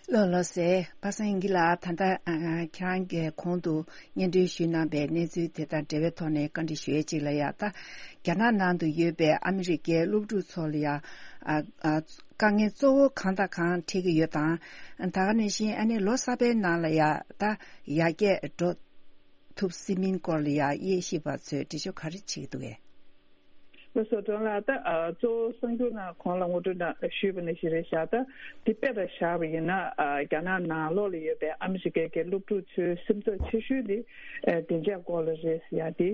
ལགས་ལགས་སེ། པ་སངས་སྐྱིད་ལགས། ད་ལྟ་ཨ་ཁྱེད་རང་གིས་གོང་དུ་སྙན་སྒྲོན་ཞུས་གནང་པའི་གནས་ཚུལ་དེ་དང་འབྲེལ་བའི་ཐོག་ནས་བཀའ་འདྲི་ཞུ་ཡས་ཅིག་ལ་ཡ། ད་རྒྱ་ནག་ནང་དུ་ཡོད་པའི་ཨ་མི་རི་ཀའི་སློབ་ཕྲུག་ཚོ་ལ་ཡ། ཨ་ཨ་དཀའ་ངལ་གཙོ་བོ་གང་དང་གང་འཕྲད་ཀྱི་ཡོད་དང་། ད་ག་ནང་བཞིན་ཨ་ནི་ལོ་གསར་པའི་ནང་ལ་ཡ་ད་ཡར་རྒྱས་འགྲོ་ཐུབ་སྲིད་མིན་སྐོར་ལ་ཡ་དབྱེ་ཞིབ་པ་ཚོས་འགྲེལ་བརྗོད་ག་རེ་བྱེད་ཀྱི་འདུག་གས། ལགས་སོ། ཌོན་ལགས། ད་ཨ་གཙོ་བོ་གསར་འགྱུར་ནང་གོང་ལ་ངོ་སྤྲོད་ནང་ཞུས་པ་ནང་བཞིན་རེད་ཤག་ད་འདི་དཔེ་ལ་བཞག་པ་ཡིན་ན། ཨ་རྒྱ་ནག་ནང་ལོགས་ལ་ཡོད་པའི་ཨ་མི་རི་ཀའི་གི་སློབ་ཕྲུག་ཚོའི་སེམས་འཚབ་ཆེ་ཤོས་དེ་ཨ་བདེ་འཇགས་སྐོར་ལ་རེད་ཟེར་ཡ་དེ།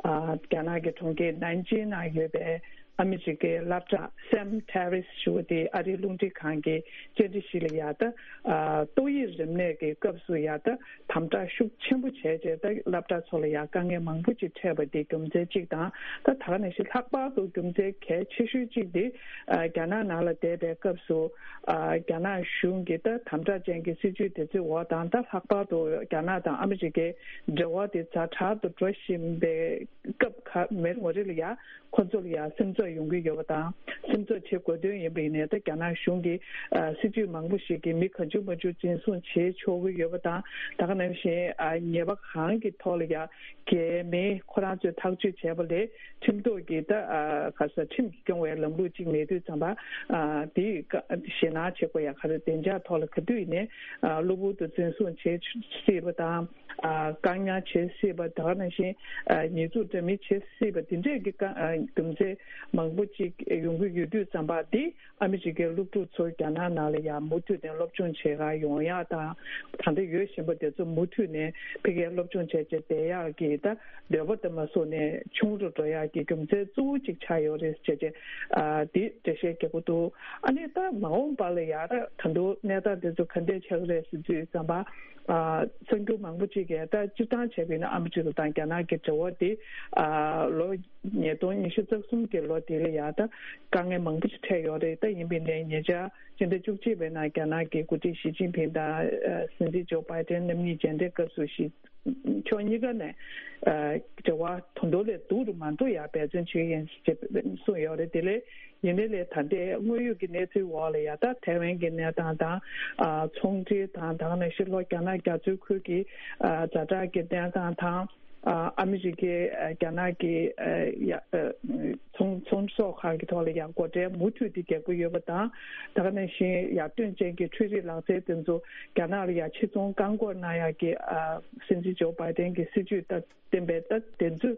ཨ་རྒྱ་ནག་གི་གྲོང་ཁྱེར་ནན་ཅིང་ནང་ཡོད་པའི་ཨ་མི་རི་ཀའི་སློབ་གྲྭ་Sam Harris ཞུ་བ་དེ་ཨ་རིའི་རླུང་འཕྲིན་ཁང་གིས་བཅར་འདྲི་ཞིག་ལ་ཡ་ད། ཨ་ཏོག་དབྱིབས་རིམས་ནད་ཀྱི་སྐབས་སུ་ཡ་ད་དམ་དྲག་ཤུགས་ཆེན་པོ་བྱས་རྗེས། ད་སློབ་གྲྭ་ཚོ་ལ་ཡ་དཀའ་ངལ་མང་པོ་ཅིག་འཕྲད་པ་དེ་རྒྱུ་མཚན་གཅིག་དང་། ད་ད་ག་ནང་བཞིན་ལྷག་པར་དུ་རྒྱུ་མཚན་གལ་ཆེ་ཤོས་གཅིག་དེ། ཨ་རྒྱ་ནག་ནང་ལ་བསྡད་པའི་སྐབས་སུ། ཨ་རྒྱ་ནག་གཞུང་གི་ད་དམ་དྲག་ཅན་གྱི་སྲིད་བྱུས་དེ་ཚོའི་འོག་དང་། ད་ལྷག་པར་དུ་རྒྱ་ནག་དང་ཨ་མི་རི་ཀའི་འབྲེལ་བ་དེ་ཛ་དྲག་ཏུ་འགྲོ་བཞིན་པའི་སྐབས་ཁ་མེད་ངོ་རེ་ལ་ཡ། ཁོ་ཚོ་ལ་ཡང་སེམས་འཚབ་ཡོང་གི་ཡོད་པ་དང་། སེམས་འཚབ་བྱེད་དགོས་དོན་ཡིན་པ་ཡིན་ནའི། ད་རྒྱ་ནག་གཞུང་གིས་ཨ་སྲིད་ཇུས་མང་པོ་ཞིག་གིས་མི་གང་བྱུང་མང་བྱུང་འཛིན་བཟུང་བྱེད་ཆོག་གི་ཡོད་པ་དང་། ད་ག་ནང་བཞིན་ཨ་ཉེས་པ་གང་གི་ཐོག་ལ་ཡང་འགལ་མེད་ཁོ་རང་ཚོས་ཐག་གཅོད་བྱས་པ་ལས། ཁྲིམས་ཐོག་གི་ད་ཨ་ག་ས་ཁྲིམས་ཀྱིས་སྐྱོང་བའི་ལམ་ལུགས་ཅིག་མེད་དུས་ཙམ་པ། ཨ་དེ་ཞེད་སྣང་བྱེད་དགོས་ཡ་ག་རེ། བདེ་འཇགས་ཐོག་ལ་ག་དུས་ཡིན་ནའི་ཨ་གློ་བུར་དུ་འཛིན་བཟུང་བྱེད་སྲིད་པ་དང་། ཨ་བཀག་ཉར་བྱེད་སྲིད་པ། ད་ག་ནང་བཞིན་ཨ་ཉེས་འཛུགས་འདྲ་མིན་བྱེད་སྲིད་པ། དེ་འདྲས་ཀྱི་བཀའ་ཨ་རྒྱུ་མཚན་མང་པོ་ཅིག་ཡོང་གི་ཡོད་དུས་ཙམ་པ། འདི་ཨ་མི་རི་ཀའི་སློབ་ཕྲུག་ཚོ་རྒྱ་ནག་ནང་ལ་ཡང་མུ་མཐུད་ནས་སློབ་སྦྱོང་བྱེད་གར་ཡོང་ཡག་དང་། ད་ལྟ་ཡོད་བཞིན་པ་དེ་ཚོ་མུ་མཐུད་ནས་ཕ་གིར་སློབ་སྦྱོང་བྱས་བྱས་བསྡད་ཡག་གི་ད་འདོད་པ་དེ་མ་སོང་ནས་ཆུང་རུ་འགྲོ་ཡག་གི་རྒྱུ་མཚན་གཙོ་བོ་གཅིག་ཆགས་ཡོད་རེད་ཟེར་བྱས། ཨ་འདི་འགྲེལ་བཤད་རྒྱག་གི་འདུག་ཨ་ནི་ད་མ་འོངས་པ་ལ་ཡང་ད་ད་དུང་གནས་སྟངས་དེ་ཚོ་ག་འདྲས་ཆགས་ཀྱི་རེད་ཟེར་དུས་ཙམ་པ། ཨ་གསར་འགྱུར་མང་པོ་ཅིག་གིས་ད་སྤྱིར་བཏང་བྱས་པ་ཡིན་ན་ཨ་མི་རི་ཀ་དང་རྒྱ་ནག་གི་འབྲེལ་བ་དེ་ཨ་ལོ་ཉིས་སྟོང་ཉི་ཤུ་རྩ་གསུམ་གྱི་ལོ་དེ་ལ་ཡང་ད་དཀའ་ངལ་མང་པོ་ཅིག་འཕྲད་ཡོད་རེད། ད་ཡིན་པ་ཡིན་ནའི་ཉེ་ཆར་སྤྱི་ཟླ་བཅུ་གཅིག་པའི་ནང་རྒྱ་ནག་གི་འགོ་ཁྲིད་ཞི་ཅིན་ཕིང་དང་ཨ་སྲིད་འཛིན་ཇོ་བྷའི་ཏན་རྣམ་གཉིས་མཇལ་འཕྲད་སྐབས་སུ་ཞི་ཕྱོགས་གཉིས་ཀ་ནས་ཨ་འབྲེལ་བ་ད་དུང་ལས་སྡུག་རུ་མ་འགྲོ་ཡག་འབད་བརྩོན་བྱེད་ཀྱི་ཡིན་ཞེས་གསུངས་ཡོད་རེད། དེ་ལས་ ཡིན་ནའི་ལས་ད་ལྟའི་དངོས་ཡོད་ཀྱི་གནས་ཚུལ་འོག་ལ་ཡ་ད་ཐའེ་ཝན་གྱི་གནས་སྟངས་དང་། ཨ་ཚོང་འབྲེལ་དང་། ད་ག་ནང་བཞིན་ལྷོ་རྒྱ་ནག་རྒྱ་མཚོའི་ཁུལ་གྱི་ཨ་ཛ་དྲག་གི་གནས་སྟངས་དང་། ཨ་ཨ་མི་རི་ཀའི་ཨ་རྒྱ་ནག་གི་ཨ་ཡ་ཨ་ཚོང་ཚོང་ཟོག་ཁག་གི་ཐོག་ལ་ཡ་སྒོ་ཁྲལ་མུ་མཐུད་དེ་རྒྱག་གི་ཡོད་པ་དང་། ད་ག་ནང་བཞིན་ཡར་ཐོན་ཅན་གྱི་འཕྲུལ་རིག་ལག་རྩལ་དེ་ཚོ་རྒྱ་ནག་ལ་ཡ་ཕྱིར་ཚོང་བཀག་འགོག་གནང་ཡག་གི་ཨ་སྲིད་འཛིན་ཇོ་བྷའི་ཏན་གྱི་སྲིད་ཇུས་ལྟར། བསྟན་པའི་ལྟ་དེ་ཚོ་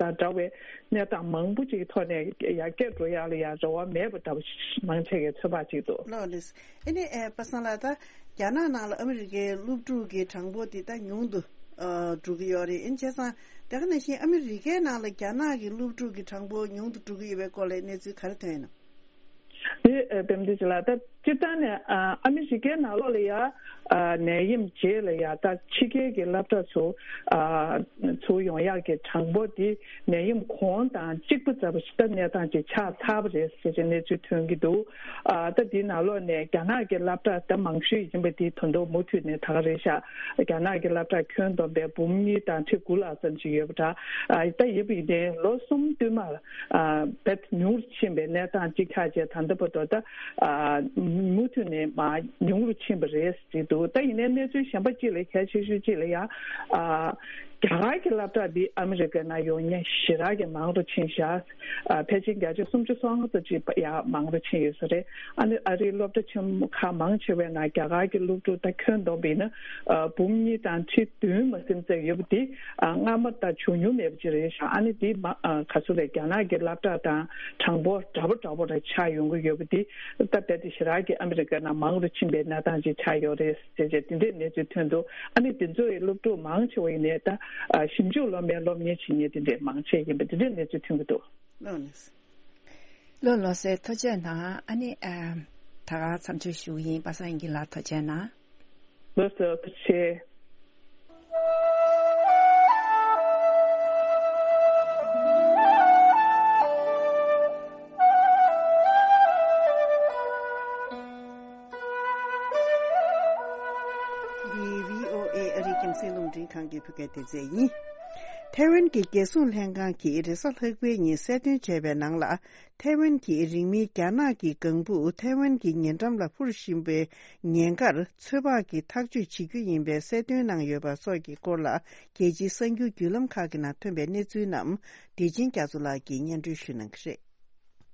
དང་འདྲ་བའི་གནས་སྟངས་མང་པོ་ཅིག་གི་ཐོག་ནས་ཡར་རྒྱས་འགྲོ་ཡག་ལ་ཡང་རེ་བ་མེད་པ་འདྲ་བོ་མང་ཆེ་གི་ཚོད་དཔག་ཅིག་འདུག་ལགས་ལགས། ཨ་ནི་ཨེ་པ་སངས་ལགས། ད་རྒྱ་ནག་ནང་ལ་ཨ་མི་རི་ཀའི་སློབ་ཕྲུག་གི་གྲངས་འབོར་དེ་ད་ཉུང་དུ་ཨ་འགྲོ་གི་ཡོད་རེད། ཨིན་བྱས་ཙང་དེ་ག་ནང་བཞིན་ཨ་མི་རི་ཀའི་ནང་ལ་རྒྱ་ནག་གི་སློབ་ཕྲུག་གི་གྲངས་འབོར་ཉུང་དུ་འགྲོ་གི་ཡོད་པའི་སྐོར་ལ་གནས་ཚུལ་ག་རེ་ཐོན་ཡོད་ན། དེ་ཨ་དཔེ་མི་སྲིད་ཅིག་ལ་ད། སྤྱིར་བཏང་ནས་ཨ་ཨ་མི་རི་ཀའི་ནང་ལོགས་ལ་ཡ་ཨ་ནད་ཡམས་རྗེས་ལ་ཡ་ད་ཕྱི་རྒྱལ་གྱི་སློབ་གྲྭ་ཚུར་ཨ་ཚུར་ཡོང་ཡག་གི་གྲངས་འབོར་འདི་ནད་ཡམས་གོང་དང་གཅིག་པ་ཙམ་ཞིག་ད་གནས་སྟངས་ཅིག་ཆགས་ཚར་བ་རེད་ཟེར་གྱི་གནས་ཚུལ་ཐོན་གྱི་འདུག་ཨ་ད་འདིའི་ནང་ལོགས་ནས་རྒྱ་ནག་གི་སློབ་གྲྭ་ད་མང་ཤོས་ཡིན་པ་འདི་ད་དུང་མུ་མཐུད་ནས་ད་ག་རེད་ཤག་རྒྱ་ནག་གི་སློབ་གྲྭ་ཁྱོན་བསྡོམས་པའི་འབུམ་གཉིས་དང་ཁྲི་དགུ་ལྷག་ཙམ་ཞིག་ཡོད་པ་འདྲ། ཨ་ད་ཡིན་པ་ཡིན་ནའི་ལོ་གསུམ་བསྟུད་མར། ཨ་བེད་ཉུང་རུ་ཕྱིན་པའི་གནས་སྟངས་གཅིག་ཆགས་རྗེས་ད་ལྟ་བར་དུ་ད་ཨ་མུ་མཐུད་ནས་མར་ཉུང་རུ་ཕྱིན་པ་རེད་ཟེར་འདུག་ད་ཡིན་ནའི་གནས་ཚུལ་གཞན་པ་གཅིག་ལ་གལ་ཆེ་ཤོས་གཅིག་ལ་ཡ་ཨ་རྒྱ་གར་གྱི་སློབ་གྲྭ་འདི་ཨ་མི་རི་ཀའི་ནང་ཡོང་མཁན་ཞེ་དྲག་གི་མང་རུ་ཕྱིན་ཤག་ཨ་ཕལ་ཆེར་བརྒྱ་ཆ་སུམ་ཅུ་སོ་ལྔ་ཙམ་ཅིག་ཡ་མང་རུ་ཕྱིན་ཡོད་ས་རེད། ཨ་ནི་ཨ་རིའི་སློབ་གྲྭ་ཆེན་མོ་ཁག་མང་ཆེ་བའི་ནང་རྒྱ་གར་གྱི་སློབ་ཕྲུག་ད་ཁྱོན་བསྡོམས་པ་ཡིན་ན་ཨ་འབུམ་གཉིས་དང་ཁྲི་བདུན་མ་ཟིན་ཙམ་ཡོད་པ་འདི་ཨ་སྔ་མ་ད་བྱུང་མྱོང་མེད་པ་ཅིག་རེད་ཤག་ཨ་ནི་འདི་མ་ཨ་ག་ཚོད་རེད། རྒྱ་ནག་གི་སློབ་གྲྭ་དང་གྲངས་འབོར་འདྲ་པོ་འདྲ་པོ་རེ་ཆགས་ཡོང་གི་ཡོད་པ་འདི་ད་རྦད་དེ་ཞེ་དྲག་གི་ཨ་མི་རི་ཀའི་ནང་མང་རུ་ཕྱིན་པའི་གནས་སྟངས་ཅིག་ཆགས་ཡོད་རེད་ཟེར་བྱས་དེ་འདྲའི་གནས་ཚུལ་ཐོན་འདུག་ཨ་ནི་དེ་ཚོའི་སློབ་ཕྲུག་མང་ཆེ་བ་ཡིན་ནའི་ད་ཨ་ཞིབ་འཇུག་སློབ་མའི་སློབ་གཉེར་བྱེད་མཁན་དེ་འདྲའི་མང་ཆེ་ཡིན་པ་དེ་འདྲའི་གནས་ཚུལ་ཐོན་གྱི་འདུག་ལགས་ལགས། ལགས་ལགས་སེ། ཐུགས་རྗེ་གནང་། ཨ་ནི་ཨ་ད་ག་མཚམས་གཅོད་ཞུ་གི་ཡིན། པ་སངས་དབྱངས་སྐྱིད་ལགས་ཐུགས་རྗེ་གནང་། ལགས་སོ། ཐུགས་རྗེ་ཆེ། འདི་བྷི་ཨོ་ཨེ་ཨ་རིའི་རྒྱང་སྲིང་རླུང་འཕྲིན་ཁང་གི་བོད་སྐད་སྡེ་ཚན་ཡིན། ཐའེ་ཝན་གྱི་རྒྱལ་སྲུང་ལྷན་ཁང་གིས་རེས་གཟའ་ལྷག་པའི་ཉིན་གསལ་སྟོན་བྱས་པའི་ནང་ལ། ཐའེ་ཝན་གྱི་རིང་མིན་རྒྱ་ནག་གི་ལྒང་བུ་ཐའེ་ཝན་གྱི་ཉེ་འགྲམ་ལ་འཕུར་བཞིན་པའི་ཉེན་ཁར་ཚོད་དཔག་གིས་ཐག་གཅོད་བྱེད་རྒྱུ་ཡིན་པའི་གསལ་སྟོན་གནང་ཡོད་པ་སོགས་ཀྱི་སྐོར་ལ། རྒྱལ་སྤྱིའི་གསར་འགྱུར་བརྒྱུད་ལམ་ཁག་གི་ནང་ཐོན་པའི་གནས་ཚུལ་རྣམས་བདེ་ཆེན་རྒྱ་མཚོ་ལགས་ཀྱིས་སྙན་སྒྲོན་ཞུ་གནང་གི་རེད།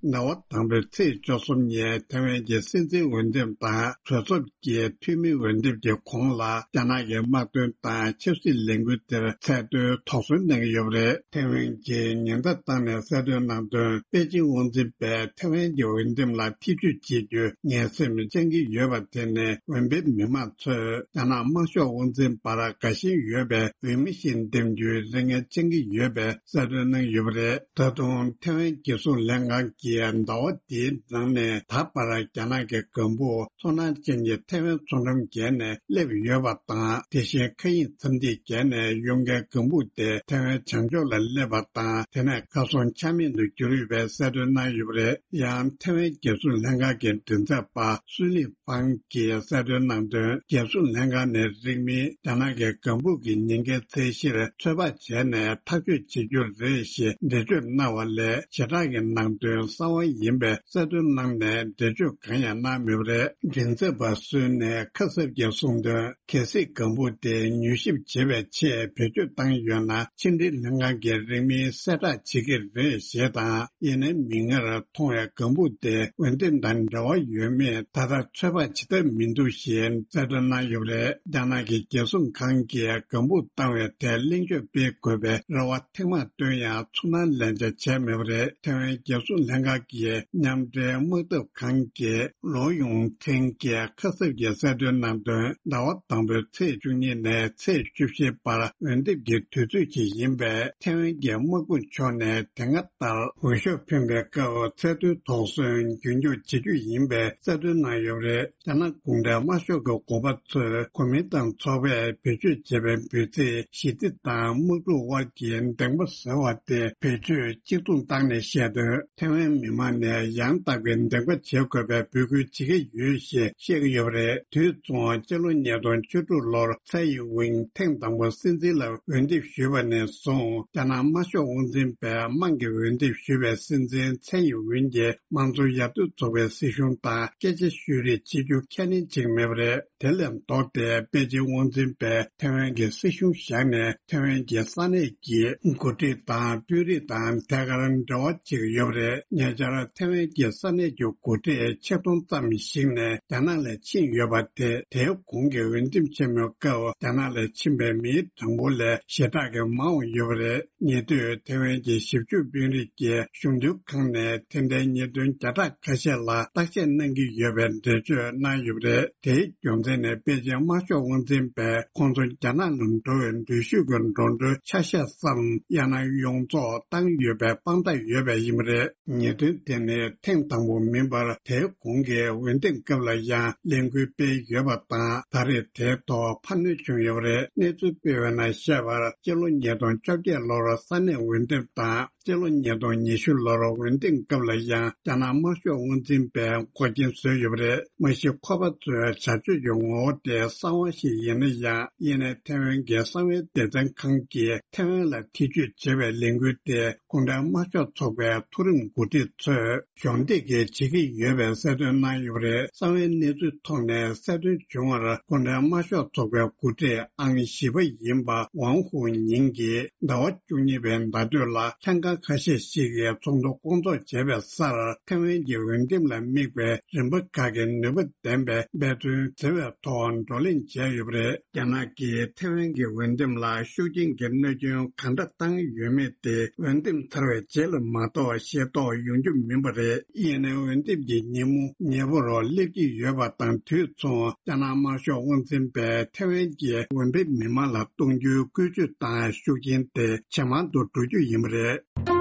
ཟླ་བ་དང་པོའི་ཚེས་བཅུ་གསུམ་ཉིན་ཐའེ་ཝན་གྱི་སྲིད་འཛིན་འོས་འདེམས་དང་གྲོས་ཚོགས་ཀྱི་འཐུས་མི་འོས་འདེམས་ཀྱི་གོང་ལ་རྒྱ་ནག་གི་དམག་དོན་དང་ཆབ་སྲིད་ལས་འགུལ་དེར་ཚད་མཐོའི་དོགས་ཟོན་གནང་གི་ཡོད་པ་རེད། ཐའེ་ཝན་གྱིས་ཉེན་བརྡ་བཏང་ནས་གསལ་སྟོན་གནང་དོན། པེ་ཅིང་དབང་འཛིན་པས་ཐའེ་ཝན་གྱི་འོས་འདེམས་ལ་ཐེ་ཇུས་བྱེད་རྒྱུའི་ངན་སེམས་བཅངས་ཀྱི་ཡོད་པ་དེ་ནི་འོས་འཕེན་མི་མང་ཚོས་རྒྱ་ནག་དམར་ཤོག་དབང་འཛིན་བར་དགའ་ཞེན་ཡོད་པའི་འོས་མི་ཞིག་འདེམས་རྒྱུའི་རེ་ངན་བཅངས་ཀྱི་ཡོད་པའི་གསལ་སྟོན་གནང་ཡོད་པ་རེད། ད་དུང་ཐའེ་ཝན་རྒྱལ་སྲུང་ལྷན་ཁང་གིས་ཟླ་བ་འདིའི་ནང་ནས་ད་བར་རྒྱ་ནག་གི་ལྒང་བུ་ཚོར་སྣང་ཅན་གྱི་ཐའེ་ཝན་མཚོ་འགྲམ་བརྒལ་ནས་སླེབས་ཡོད་པ་དང་། དེ་བཞིན་མཁའ་དབྱིངས་མཚམས་ཐིག་བརྒལ་ནས་གཡུག་མཁན་ལྒང་བུ་དེ་ཐའེ་ཝན་བྱང་ཕྱོགས་ལ་སླེབས་པ་དང་། དེ་ནས་མཁའ་སྲུང་ཆ་མེད་དུ་གྱུར་ཡོད་པའི་གསལ་སྟོན་གནང་ཡོད་པ་རེད། ཡང་ཐའེ་ཝན་རྒྱལ་སྲུང་ལྷན་ཁང་གི་མགྲིན་ཚབ་པ་སུའུ་ལི་ཧྥང་གིས་གསལ་སྟོན་གནང་དོན། རྒྱལ་སྲུང་ལྷན་ཁང་ནས་རིང་མིན་རྒྱ་ནག་གི་ལྒང་བུ་གི་ཉེན་ཁའི་ཚད་གཞིར་ཚོད་དཔག་བྱས་ནས་ཐག་གཅོད་བྱེད་རྒྱུ་རེད་ཞེས་འགྲེལ་བརྗོད་གནང་བ་ལས། ཞེ་དྲག་གི་ནང་དོན་གསར་བ་ཡིན་པའི་གསལ་སྟོན་གནང་ནས་འགྲེལ་བརྗོད་གང་ཡང་གནང་མེད་པ་རེད། མགྲིན་ཚབ་པ་སུའུ་ནས་ཁ་གསབ་ཀྱིས་གསུངས་དོན། གལ་སྲིད་ལྒང་བུ་དེ་མྱུལ་ཞིབ་བྱེད་པའི་ཆེད་བེད་སྤྱོད་བཏང་ཡོད་ན། ཕྱི་འབྲེལ་ལྷན་ཁང་གིས་རིང་མིན་གསལ་བསྒྲགས་བྱེད་ཀྱི་རེད་ཞེས་དང་། ཡིན་ནའི་མིག་སྔར་མཐོང་བའི་ལྒང་བུ་དེ་འོས་འདེམས་དང་འབྲེལ་བ་ཡོད་མེད་ད་ལྟ་ཚོད་དཔག་བྱེད་ཐབས་མི་འདུག་ཞེས་གསལ་སྟོན་གནང་ཡོད་པ་རེད། རྒྱ་ནག་གི་རྒྱལ་སྲུང་ཁང་གིས་ལྒང་བུ་བཏང་བའི་ཐད་གླེང་བརྗོད་སྤེལ་དགོས་པའི་རེ་བ་ཐེངས་མང་བཏོན་ཡང་ཚོར་སྣང་ལེན་ཆ་བྱས་མེད་པ་རེད། ཐའེ་ཝན་རྒྱལ་སྲུང་ལྷན་ཁང་གི་མཉམ་འབྲེལ་དམག་འཐབ་ཁང་གི་ལོ་ཡུང་ཐེང་གིས་ཁ་གསབ་ཀྱིས་གསལ་སྟོན་གནང་དོན། ཟླ་བ་དང་པོའི་ཚེས་བཅུ་གཉིས་ནས་ཚེས་བཅུ་བཞིའི་བར་འོས་འདེམས་ཀྱི་དུས་ཚོད་ཅིག་ཡིན་པས། ཐའེ་ཝན་གྱི་དམག་དཔུང་ཕྱོགས་ནས་དེ་སྔ་ལྟར་འོས་ཤོག་འཕེན་པའི་སྐབས་ཚད་མཐོའི་དོགས་ཟོན་རྒྱུན་འཁྱོངས་བྱེད་རྒྱུ་ཡིན་པའི་གསལ་སྟོན་གནང་ཡོད་པ་རེད། རྒྱ་ནག་གུང་ཁྲན་དམར་ཤོག་གི་འགོ་པ་ཚོས་གོ་མིན་ཏང་ཚོགས་པས་བེད་སྤྱོད་བྱས་པའི་འབོད་ཚིག་ཞི་བདེ་དང་དམག་འཁྲུག་དབར་གྱི་འདེམས་པ་ཟེར་བ་དེ་བེད་སྤྱོད་གཅིག་མཚུངས་བཏང་ནས་བཤད་དོན། ཐའེ་ཝན་ མི་མང་ནས་ཡང་དག་པའི་འདེམས་ཀ་བྱེད་དགོས་པའི་འབོད་སྐུལ་བྱེད་ཀྱི་ཡོད་ཞེས་བཤད་ཀྱི་ཡོད་པ་རེད། དུས་མཚུངས་སྤྱི་ལོ་ཉིས་སྟོང་བཅུ་དྲུག་ལོར་ཚའེ་ཡིན་ཝིན་ཐེངས་དང་པོ་སྲིད་འཛིན་ལ་འོས་འདེམས་ཞུས་པ་ནས་བཟུང་རྒྱ་ནག་དམར་ཤོག་དབང་འཛིན་པས་དམངས་ཀྱིས་འོས་འདེམས་ཞུས་པའི་སྲིད་འཛིན་ཚའེ་ཡིན་ཝིན་གྱིས་དམངས་གཙོ་ཡར་ཐོན་ཚོགས་པའི་སྲིད་གཞུང་དང་སྐད་ཆ་ཤོད་རེས་བྱེད་རྒྱུ་ཁས་ལེན་བྱེད་ཀྱི་མེད་པ་རེད། དེ་ལས་ལྡོག་སྟེ་པེ་ཅིང་དབང་འཛིན་པས་ཐེ་ཝན་གྱི་སྲིད་གཞུང་བཞག་ནས་ཐེ་ཝན་གྱི་ས་གནས་ཀྱི་འགོ་ཁྲིད་དང་དཔོན་རིགས་དང་ཐད་ཀར་འབྲེལ་བ་བྱེད་ཀྱི་ཡོད་པ་རེད། ཉེ་ཆར་ཐེ་ཝན་གྱི་ས་གནས་ཀྱི་འགོ་ཁྲིད་ཆིག་སྟོང་ཙམ་ཞིག་ནས་རྒྱ་ནག་ལ་ཕྱིན་ཡོད་པ་དེ་དེའི་གོང་གི་འོས་འདེམས་ཆེན་མོའི་སྐབས་རྒྱ་ནག་ལ་ཕྱིན་པའི་མིའི་གྲངས་འབོར་ལས་ཞེ་དྲག་གིས་མང་བ་ཡོད་པ་རེད། ཉེ་དུས་ཐེ་ཝན་གྱི་ཞིབ་འཇུག་དཔོན་རིགས་ཀྱིས་གཞུང་དོན་ཁང་ནས་དེ་འདྲའི་ཉེས་དོན་བརྒྱ་ཕྲག་ཁ་ཤས་ལ་བརྟག་དཔྱད་གནང་གི་ཡོད་པའི་འགྲེལ་བརྗོད་གནང་ཡོད་པ་རེད། དེའི་རྒྱུ་མཚན་ནི་པེ་ཅིང་དམར་ཤོག་དབང་འཛིན་པས་ཁོང་ཚོ་རྒྱ་ནག་ལ་འགྲོ་བའི་འགྲུལ་བཞུད་ཀྱི་འགྲོ་གྲོན་ཆ་ཤས་སམ་ཡང་ན་ཡོངས་རྫོགས་བཏང་ཡོད་པའི་དཔང་རྟགས་ཡོད་པ་ཡིན་པ་རེད། ཉེས་དོན་དེ་ནི་ཐེངས་དང་པོ་མིན་པར་དེའི་གོང་གི་འོས་འདེམས་སྐབས་ལ་ཡང་ལས་འགུལ་སྤེལ་ཡོད་པ་དང་ད་རེས་དེའི་ཐོག་འཕར་སྣོན་བྱུང་ཡོད་པ་རེད། གནས་ཚུལ་སྤེལ་བའི་ནང་བཤད་པར་སྤྱི་ལོ་ཉིས་སྟོང་བཅོ་བརྒྱད་ལོར་ས་གནས་འོས་འདེམས་དང་སྤྱི་ལོ་ཉིས་སྟོང་ཉི་ཤུ་ལོར་འོས་འདེམས་སྐབས་ལ་ཡང་རྒྱ་ནག་དམར་ཤོག་དབང་འཛིན་པས་འགོག་རྐྱེན་བཟོས་ཡོད་པ་རེད། མ་གཞི་ཁོ་པ་ཚོའི་བྱ་སྤྱོད་ཀྱི་ངོ་བོ་དེ་གསང་བ་ཞིག་ཡིན་ན་ཡང་། ཡིན་ནའི་ཐེ་ཝན་གྱི་གསང་བའི་སྡེ་ཚན་ཁང་གིས་ཐེ་ཝན་ལ་ཐེ་བྱུས་བྱེད་པའི་ལས་འགུལ་དེ་གུང་ཁྲན་དམར་ཤོག་ཚོགས་པའི་མཐོ་རིམ་འགོ་ཁྲིད་ཚོས་གཞོགས་འདེགས་ཀྱིས་བྱེད་ཀྱི་ཡོད་པའི་གསལ་སྟོན་གནང་ཡོད་པ་རེད། གསང་བའི་གནས་ཚུལ་ཐོག་ནས་གསལ་སྟོན་བྱུང་བར་གུང་ཁྲན་དམར་ཤོག་ཚོགས་པའི་འགོ་ཁྲིད་ཨང་བཞི་པ་ཡིན་པ་ཝང་ཧུའུ་ཉིང་གིས་ཟླ་བ་བཅུ་གཉིས་པའི་ཟླ་སྟོད་ལ་ལྷན་ཁང་ཁ་ཤས་ཤིག་གིས་ཚོགས་འདུ་སྐོང་ཚོགས་བྱས་པའི་སར་ཐེ་ཝན་གྱི་འོས་འདེམས་ལ་དམིགས་པའི་རིམ་པ་ཁག་གི་ནུས་པ་ལྡན་པའི་འབད་བརྩོན་བྱེད་པའི་ཐོག་བགྲོ་གླེང་བྱས་ཡོད་པ་རེད། རྒྱ་ནག་གིས་ཐེ་ཝན་གྱི་འོས་འདེམས་ལ་ཤུགས་རྐྱེན་གྱི་གནོད་སྐྱོན་གང་འདྲ་བཏང་ཡོད་མེད་དེ་འོས་འདེམས་ཚར་བའི་རྗེས་ལ་མ་གཏོགས་ཤེས་རྟོགས་ཡོང་རྒྱུ་མིན་པ་རེད། ཡིན་ནའི་འོས་འདེམས་ཀྱི་ཉིན་མོ་ཉེ་བོར་སླེབས་ཀྱི་ཡོད་པ་དང་དུས་མཚུངས་རྒྱ་ནག་དམར་ཤོག་དབང་འཛིན་པས་ཐེ་ཝན་གྱི་འོས་འཕེན་མི་མང་ལ་གཏོང་རྒྱུའི་བཀོལ་སྤྱོད་དང་ཤུགས་རྐྱེན་དེ་ཇེ་མང་དུ་འགྲོ་རྒྱུ་ཡིན་པ་རེད།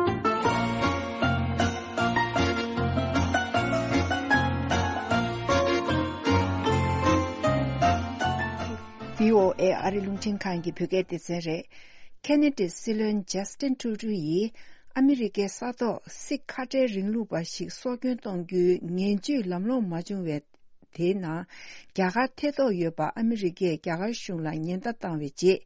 བྷི་ཨོ་ཨེ་ཨ་རི་རླུང་འཕྲིན་ཁང་གི་བོད་སྐད་སྡེ་ཚན་རེད། ཁེ་ན་ཌའི་སྲིད་བློན་ཇ་སི་ཊིན་ཊུ་རུ་ཌོ་ཡིས་ཨ་མི་རི་ཀའི་ས་ཐོག་སིག་ཁ་བྲལ་རིང་ལུགས་པ་ཞིག་སྲོག་སྐྱོན་གཏོང་རྒྱུའི་ངན་ཇུས་ལམ་ལྷོང་མ་བྱུང་བའི། དེའི་ནང་རྒྱ་གར་ཐེ་གཏོགས་ཡོད་པ་ཨ་མི་རི་ཀས་རྒྱ་གར་གཞུང་ལ་ཉེན་བརྡ་བཏང་བའི་རྗེས།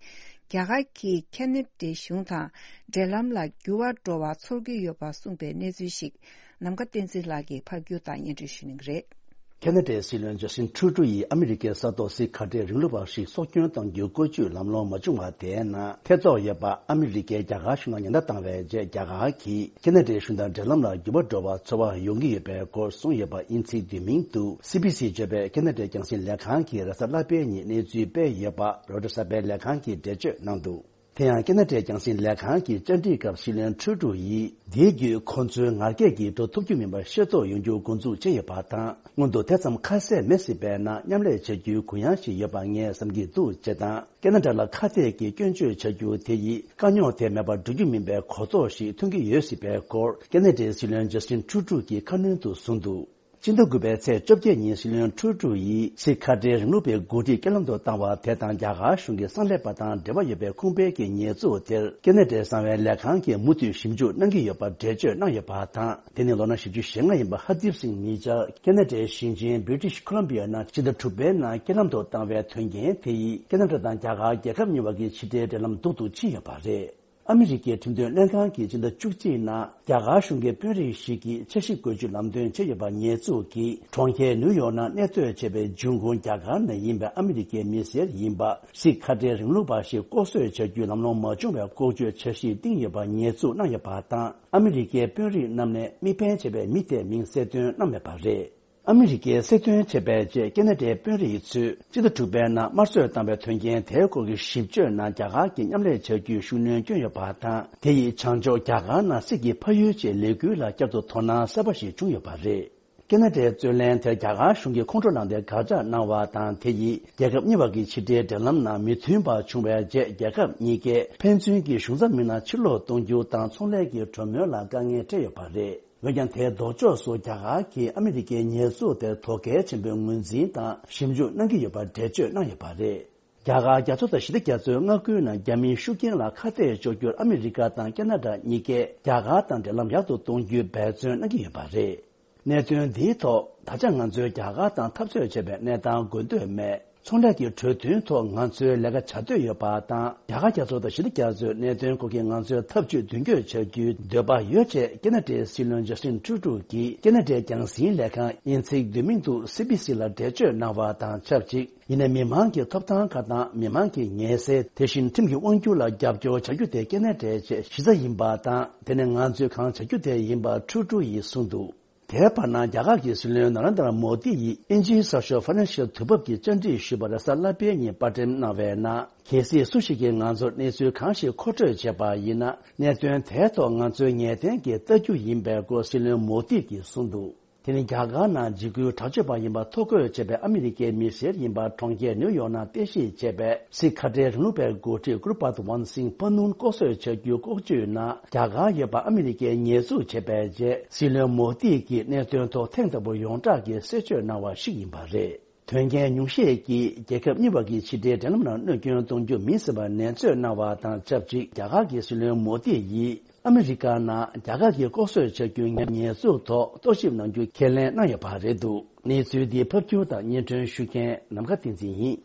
རྒྱ་གར་གྱིས་ཁེ་ན་ཌའི་གཞུང་དང་འབྲེལ་ལམ་ལ་འགྱུར་བ་འགྲོ་བ་ཚོར་གྱི་ཡོད་པ་གསུངས་པའི་གནས་ཚུལ་ཞིག་ནམ་མཁའ་བསྟན་འཛིན་ལགས་ཀྱིས་ཕབ་སྒྱུར་དང་སྙན་སྒྲོན་ཞུ་གནང་གི་རེད། ཁེ་ན་ཌའི་སྲིད་བློན་ཇ་སི་ཊིན་ཊུ་རུ་ཌོ་ཡིས་ཨ་མི་རི་ཀའི་ས་ཐོག་སིག་ཁ་བྲལ་རིང་ལུགས་པ་ཞིག་སྲོག་སྐྱོན་གཏང་རྒྱུའི་བཀོལ་སྤྱོད་ལམ་ལྷོང་མ་བྱུང་བ་དེའི་ནང་ཐེ་གཏོགས་ཡོད་པ་ཨ་མི་རི་ཀས་རྒྱ་གར་གཞུང་ལ་ཉེན་བརྡ་བཏང་བའི་རྗེས། རྒྱ་གར་གྱིས་ཁེ་ན་ཌའི་གཞུང་དང་འབྲེལ་ལམ་ལ་འགྱུར་བ་འགྲོ་བ་ཚོར་བ་ཡོང་གི་ཡོད་པའི་སྐོར་གསུངས་ཡོད་པ་ཨིན་ཚིག་བསྡུས་མིང་དུ་སི་བྷི་སི་བརྗོད་པའི་ཁེ་ན་ཌའི་རྒྱང་སྲིང་ལས་ཁང་གིས་རེས་གཟའ་ལྷག་པའི་ཉིན་གནས་ཚུལ་སྤེལ་ཡོད་པ་རོའི་ཊར་གསར་པའི་ལས་ཁང་གིས་འགྲེལ་བརྗོད་གནང་འདུག་དེ་ཡང་ཁེ་ན་ཌའི་རྒྱང་སྲིང་ལས་ཁང་གི་བཅར་འདྲིའི་སྐབས་སྲིད་བློན་ཊུ་རུ་ཌོ་ཡིས་འདིའི་བརྒྱུད་ཁོ་ཚོའི་ངར་སྐད་ཀྱིས་འགྲོ་ཐུབ་རྒྱུ་མིན་པ་ཤེས་རྟོགས་ཡོང་རྒྱུ་འགོ་འཛུགས་བྱས་ཡོད་པ་དང་། སྔོན་དུ་དེ་ཙམ་ཁ་གསལ་མེད་སྲིད་པའི་ནང་མཉམ་ལས་བྱ་རྒྱུའི་གུ་ཡངས་ཤིག་ཡོད་པ་ངས་བསམ་གྱི་འདུག་ཅེས་དང་། ཁེ་ན་ཌ་ལ་ཁ་གཏད་ཀྱིས་སྐྱོན་བརྗོད་བྱ་རྒྱུ་དེ་ཡིས་དཀའ་རྙོག་དེ་མེད་པར་འགྲོ་རྒྱུ་མིན་པའི་གོ་རྟོགས་ཤིག་ཐོན་གྱི་ཡོད་སྲིད་པའི་སྐོར་ཁེ་ན་ཌའི་སྲིད་བློན་ཇ་སི་ཊིན་ཊུ་རུ་ཌོ་ཡིས་ཁ་སྣོན་དུ་གསུངས་འདུག་སྤྱི་ཟླ་དགུ་པའི་ཚེས་བཅོ་བརྒྱད་ཉིན་སྲིད་བློན་ཊུ་རུ་ཌོ་ཡིས་སིག་ཁ་བྲལ་རིང་ལུགས་པའི་འགོ་ཁྲིད་རྐྱེན་ལམ་དུ་བཏང་བ་དེ་དང་རྒྱ་གར་གཞུང་གི་གསང་ལས་པ་དང་འབྲེལ་བ་ཡོད་པའི་ཁུངས་སྤེལ་གྱི་ཉེས་འཛུགས་དེར་ཁེ་ན་ཌའི་གསང་བའི་ལས་ཁང་གིས་མུ་མཐུད་ཞིབ་འཇུག་གནང་གི་ཡོད་པར་འགྲེལ་བརྗོད་གནང་ཡོད་པ་དང་། དེ་ནི་ལོ་ན་བཞི་བཅུ་ཞེ་ལྔ་ཡིན་པ་ཧར་དིབ་སིང་མི་ཇར་ཁེ་ན་ཌའི་ཞིང་ཆེན་བྷི་རི་ཊིཤ་ཁོ་ལམ་བི་ཡ་ནང་སྤྱི་ཟླ་དྲུག་པའི་ནང་རྐྱེན་ལམ་དུ་བཏང་བའི་དོན་རྐྱེན་དེ་ཡིས་ཁེ་ན་ཌ་དང་རྒྱ་གར་རྒྱལ་ཁབ་གཉིས་བར་གྱི་ཕྱི་འབྲེལ་འབྲེལ་ལམ་སྡུག་ཏུ་ཕྱིན་ཡོད་པ་རེད། ཨ་མི་རི་ཀའི་ཁྲིམས་དོན་ལྷན་ཁང་གིས་སྤྱི་ཟླ་བཅུ་གཅིག་ནང་རྒྱ་གར་གཞུང་གི་དཔོན་རིགས་ཤིག་གིས་འཆར་གཞི་བཀོད་ཇུས་ལམ་སྟོན་བྱས་ཡོད་པ་ཉེས་འཛུགས་ཀྱིས་གྲོང་ཁྱེར་ནིའུ་ཡོག་ནང་གནས་སྡོད་བྱས་པའི་འབྱུང་ཁུངས་རྒྱ་གར་ནས་ཡིན་པའི་ཨ་མི་རི་ཀའི་མི་སེར་ཡིན་པ་སིག་ཁ་བྲལ་རིང་ལུགས་པ་ཞིག་ལྐོག་གསོད་བྱ་རྒྱུའི་ལམ་ལྷོང་མ་བྱུང་བའི་ལྐོག་ཇུས་འཆར་གཞི་བཏིང་ཡོད་པ་ཉེས་འཛུགས་གནང་ཡོད་པ་དང་། ཨ་མི་རི་ཀའི་དཔོན་རིགས་རྣམས་ནས་དམིགས་འབེན་བྱས་པའི་མི་དེའི་མིང་གསལ་སྟོན་གནང་མེད་པ་རེད། ཨ་མི་རི་ཀས་གསལ་སྟོན་བྱས་པའི་རྗེས་ཁེ་ན་ཌའི་དཔོན་རིགས་ཚོས་སྤྱི་ཟླ་དྲུག་པའི་ནང་དམར་གསོད་བཏང་བའི་དོན་རྐྱེན་དེའི་སྐོར་གྱི་ཞིབ་དཔྱོད་ནང་རྒྱ་གར་གྱིས་མཉམ་ལས་བྱ་རྒྱུའི་ཤུགས་སྣོན་བསྐྱོན་ཡོད་པ་དང་། དེ་ཡིས་བྱང་ཕྱོགས་རྒྱ་གར་ནང་སིག་གི་ཕ་ཡུལ་ཆེད་ལས་འགུལ་ལ་བསྐྱར་དུ་དོ་སྣང་གསར་པ་ཞིག་བྱུང་ཡོད་པ་རེད། ཁེ་ན་ཌའི་རྩོད་གླེང་དེར་རྒྱ་གར་གཞུང་གིས་ཁོང་ཁྲོ་ལངས་ཏེ་དགག་བྱ་གནང་བ་དང་། དེ་ཡིས་རྒྱལ་ཁབ་གཉིས་བར་གྱི་ཕྱི་འབྲེལ་འབྲེལ་ལམ་ནང་མི་མཐུན་པ་བྱུང་བའི་རྗེས། རྒྱལ་ཁབ་གཉིས་ཀས་ཕན་ཚུན་གྱི་གཞུང་ཚབ་མི་སྣ་ཕྱིར་ལོག་གཏོང་རྒྱུ་དང་ཚོང་ལས་ཀྱི་གྲོས་མོལ་ལ་དཀའ་ངལ་འཕྲད་ཡོད་པ་རེད། འོན་ཀྱང་། དེའི་ལྡོག་ཕྱོགས་སུ་རྒྱ་གར་གྱིས་ཨ་མི་རི་ཀའི་ཉེས་འཛུགས་དེར་དོ་གལ་ཆེན་པོའི་ངོས་འཛིན་དང་ཞིབ་འཇུག་གནང་གི་ཡོད་པར་འགྲེལ་བརྗོད་གནང་ཡོད་པ་རེད། རྒྱ་གར་རྒྱ་མཚོ་དང་ཞི་བདེ་རྒྱ་མཚོའི་མངའ་ཁུལ་ནང་རྒྱ་མིའི་ཤུགས་རྐྱེན་ལ་ཁ་གཏད་གཅོག་རྒྱུར་ཨ་མི་རི་ཀ་དང་ཁ་ན་ཌ་གཉིས་ཀས་རྒྱ་གར་དང་འབྲེལ་ལམ་ཡག་ཏུ་གཏོང་རྒྱུའི་འབད་བརྩོན་གནང་གི་ཡོད་པ་རེད། གནད་དོན་འདིའི་ཐོག་ད་ཆ་ང་ཚོས་རྒྱ་གར་དང་འཐབ་རྩོད་བྱེད་པའི་གནས་སྟངས་དགོས་འདོད་མེད། ཚོང་ལས་ཀྱི་གྲོས་མཐུན་ཐོག་ང་ཚོའི་ལས་ཀ་བྱ་འདོད་ཡོད་པ་དང་། རྒྱ་གར་རྒྱ་མཚོ་དང་ཞི་བདེ་རྒྱ་མཚོའི་གནད་དོན་སྐོར་གྱི་ང་ཚོའི་ཐབས་ཇུས་མདུན་སྐྱོད་བྱ་རྒྱུའི་འདོད་པ་ཡོད་ཅེས་ཁ་ན་ཌའི་སྲིད་བློན་ཇ་སི་ཊིན་ཊུ་རུ་ཌོ་གིས་ཁ་ན་ཌའི་རྒྱང་སྲིང་ལས་ཁང་དབྱིན་ཚིག་བསྡུས་མིང་དུ་སི་བྷི་སི་ལ་འགྲེལ་བརྗོད་གནང་བ་དང་ཆབས་ཅིག་ཡིན་ནའི་མི་མང་གི་ཐོབ་ཐང་ཁག་དང་མི་མང་གི་ངལ་སེལ། དེ་བཞིན་ཁྲིམས་ཀྱི་དབང་སྒྱུར་ལ་རྒྱབ་སྐྱོར་བྱ་རྒྱུ་དེ་ཁ་ན་ཌའི་ཆེས་གཞི་རྩ་ཡིན་པ་དང་། དེ་ནི་ང་ཚོས་གང་བྱ་རྒྱུ་དེ་ཡིན་པ་ཊུ་རུ་ཌོ་ཡིས་གསུངས་འདུག་དེའི་བར་ན་རྒྱ་གར་གྱི་སྲིད་བློན་ན་རེན་དྲ་མོ་དི་ཡིས་དབྱིན་ཇིའི་གསར་ཤོག་ཕ་ནན་ཤལ་དུས་བབ་ཀྱིས་བཅར་འདྲི་ཞུས་པར་རེས་གཟའ་ལྷག་པའི་ཉིན་པར་སྐྲུན་གནང་བའི་ནང་། གལ་སྲིད་སུ་ཞིག་གིས་ང་ཚོར་གནས་ཚུལ་གང་ཞིག་མཁོ་སྤྲོད་བྱས་པ་ཡིན་ན། གནད་དོན་དེའི་ཐོག་ང་ཚོའི་ངེས་གཏན་གྱི་ལྟ་རྒྱུ་ཡིན་པའི་སྐོར་སྲིད་བློན་མོ་དི་གིས་གསུངས་འདུག་དེ་ནི་རྒྱ་གར་ནང་འཇིགས་སྐུལ་དྲག་སྤྱོད་པ་ཡིན་པ་ཐོ་འགོད་བྱས་པའི་ཨ་མི་རི་ཀའི་མི་སེར་ཡིན་པ་གྲོང་ཁྱེར་ནིའུ་ཡོག་ནང་རྟེན་གཞི་བྱས་པའི་སིག་ཁ་བྲལ་རིང་ལུགས་པའི་འགོ་ཁྲིད་གུ་རུ་པད་ཝན་སིང་པ་ནུན་ལྐོག་གསོད་བྱ་རྒྱུའི་ལྐོག་ཇུས་ནང་རྒྱ་གར་ཡོད་པ་ཨ་མི་རི་ཀས་ཉེས་འཛུགས་བྱས་པའི་རྗེས། སྲིད་བློན་མོ་དི་གིས་གནད་དོན་ཐོག་ཐེངས་དང་པོ་ཡོངས་གྲགས་ཀྱི་གསལ་བརྗོད་གནང་བ་ཞིག་ཡིན་པ་རེད། དོན་རྐྱེན་ཉུང་ཤས་ཀྱིས་རྒྱལ་ཁབ་གཉིས་བར་གྱི་ཕྱི་འབྲེལ་འབྲེལ་ལམ་ནང་གནོད་སྐྱོན་གཏོང་རྒྱུ་མིན་ཟེར་བ་ནན་བརྗོད་གནང་བ་དང་ཆབས་ཅིག་རྒྱ་གར་གྱི་སྲིད་བློན་མོ་དི་ཡིས་ཨ་མི་རི་ཀ་ནང་རྒྱ་གར་གྱིས་ལྐོག་གསོད་བྱ་རྒྱུའི་ཉེས་འཛུགས་ཐོག་རྟོག་ཞིབ་གནང་རྒྱུ་ཁས་ལེན་གནང་ཡོད་པ་རེད་འདུག་གནས་ཚུལ་འདི་ཕབ་སྒྱུར་དང་སྙན་སྒྲོན་ཞུ་མཁན་ནམ་མཁའ་བསྟན་འཛིན་ཡིན།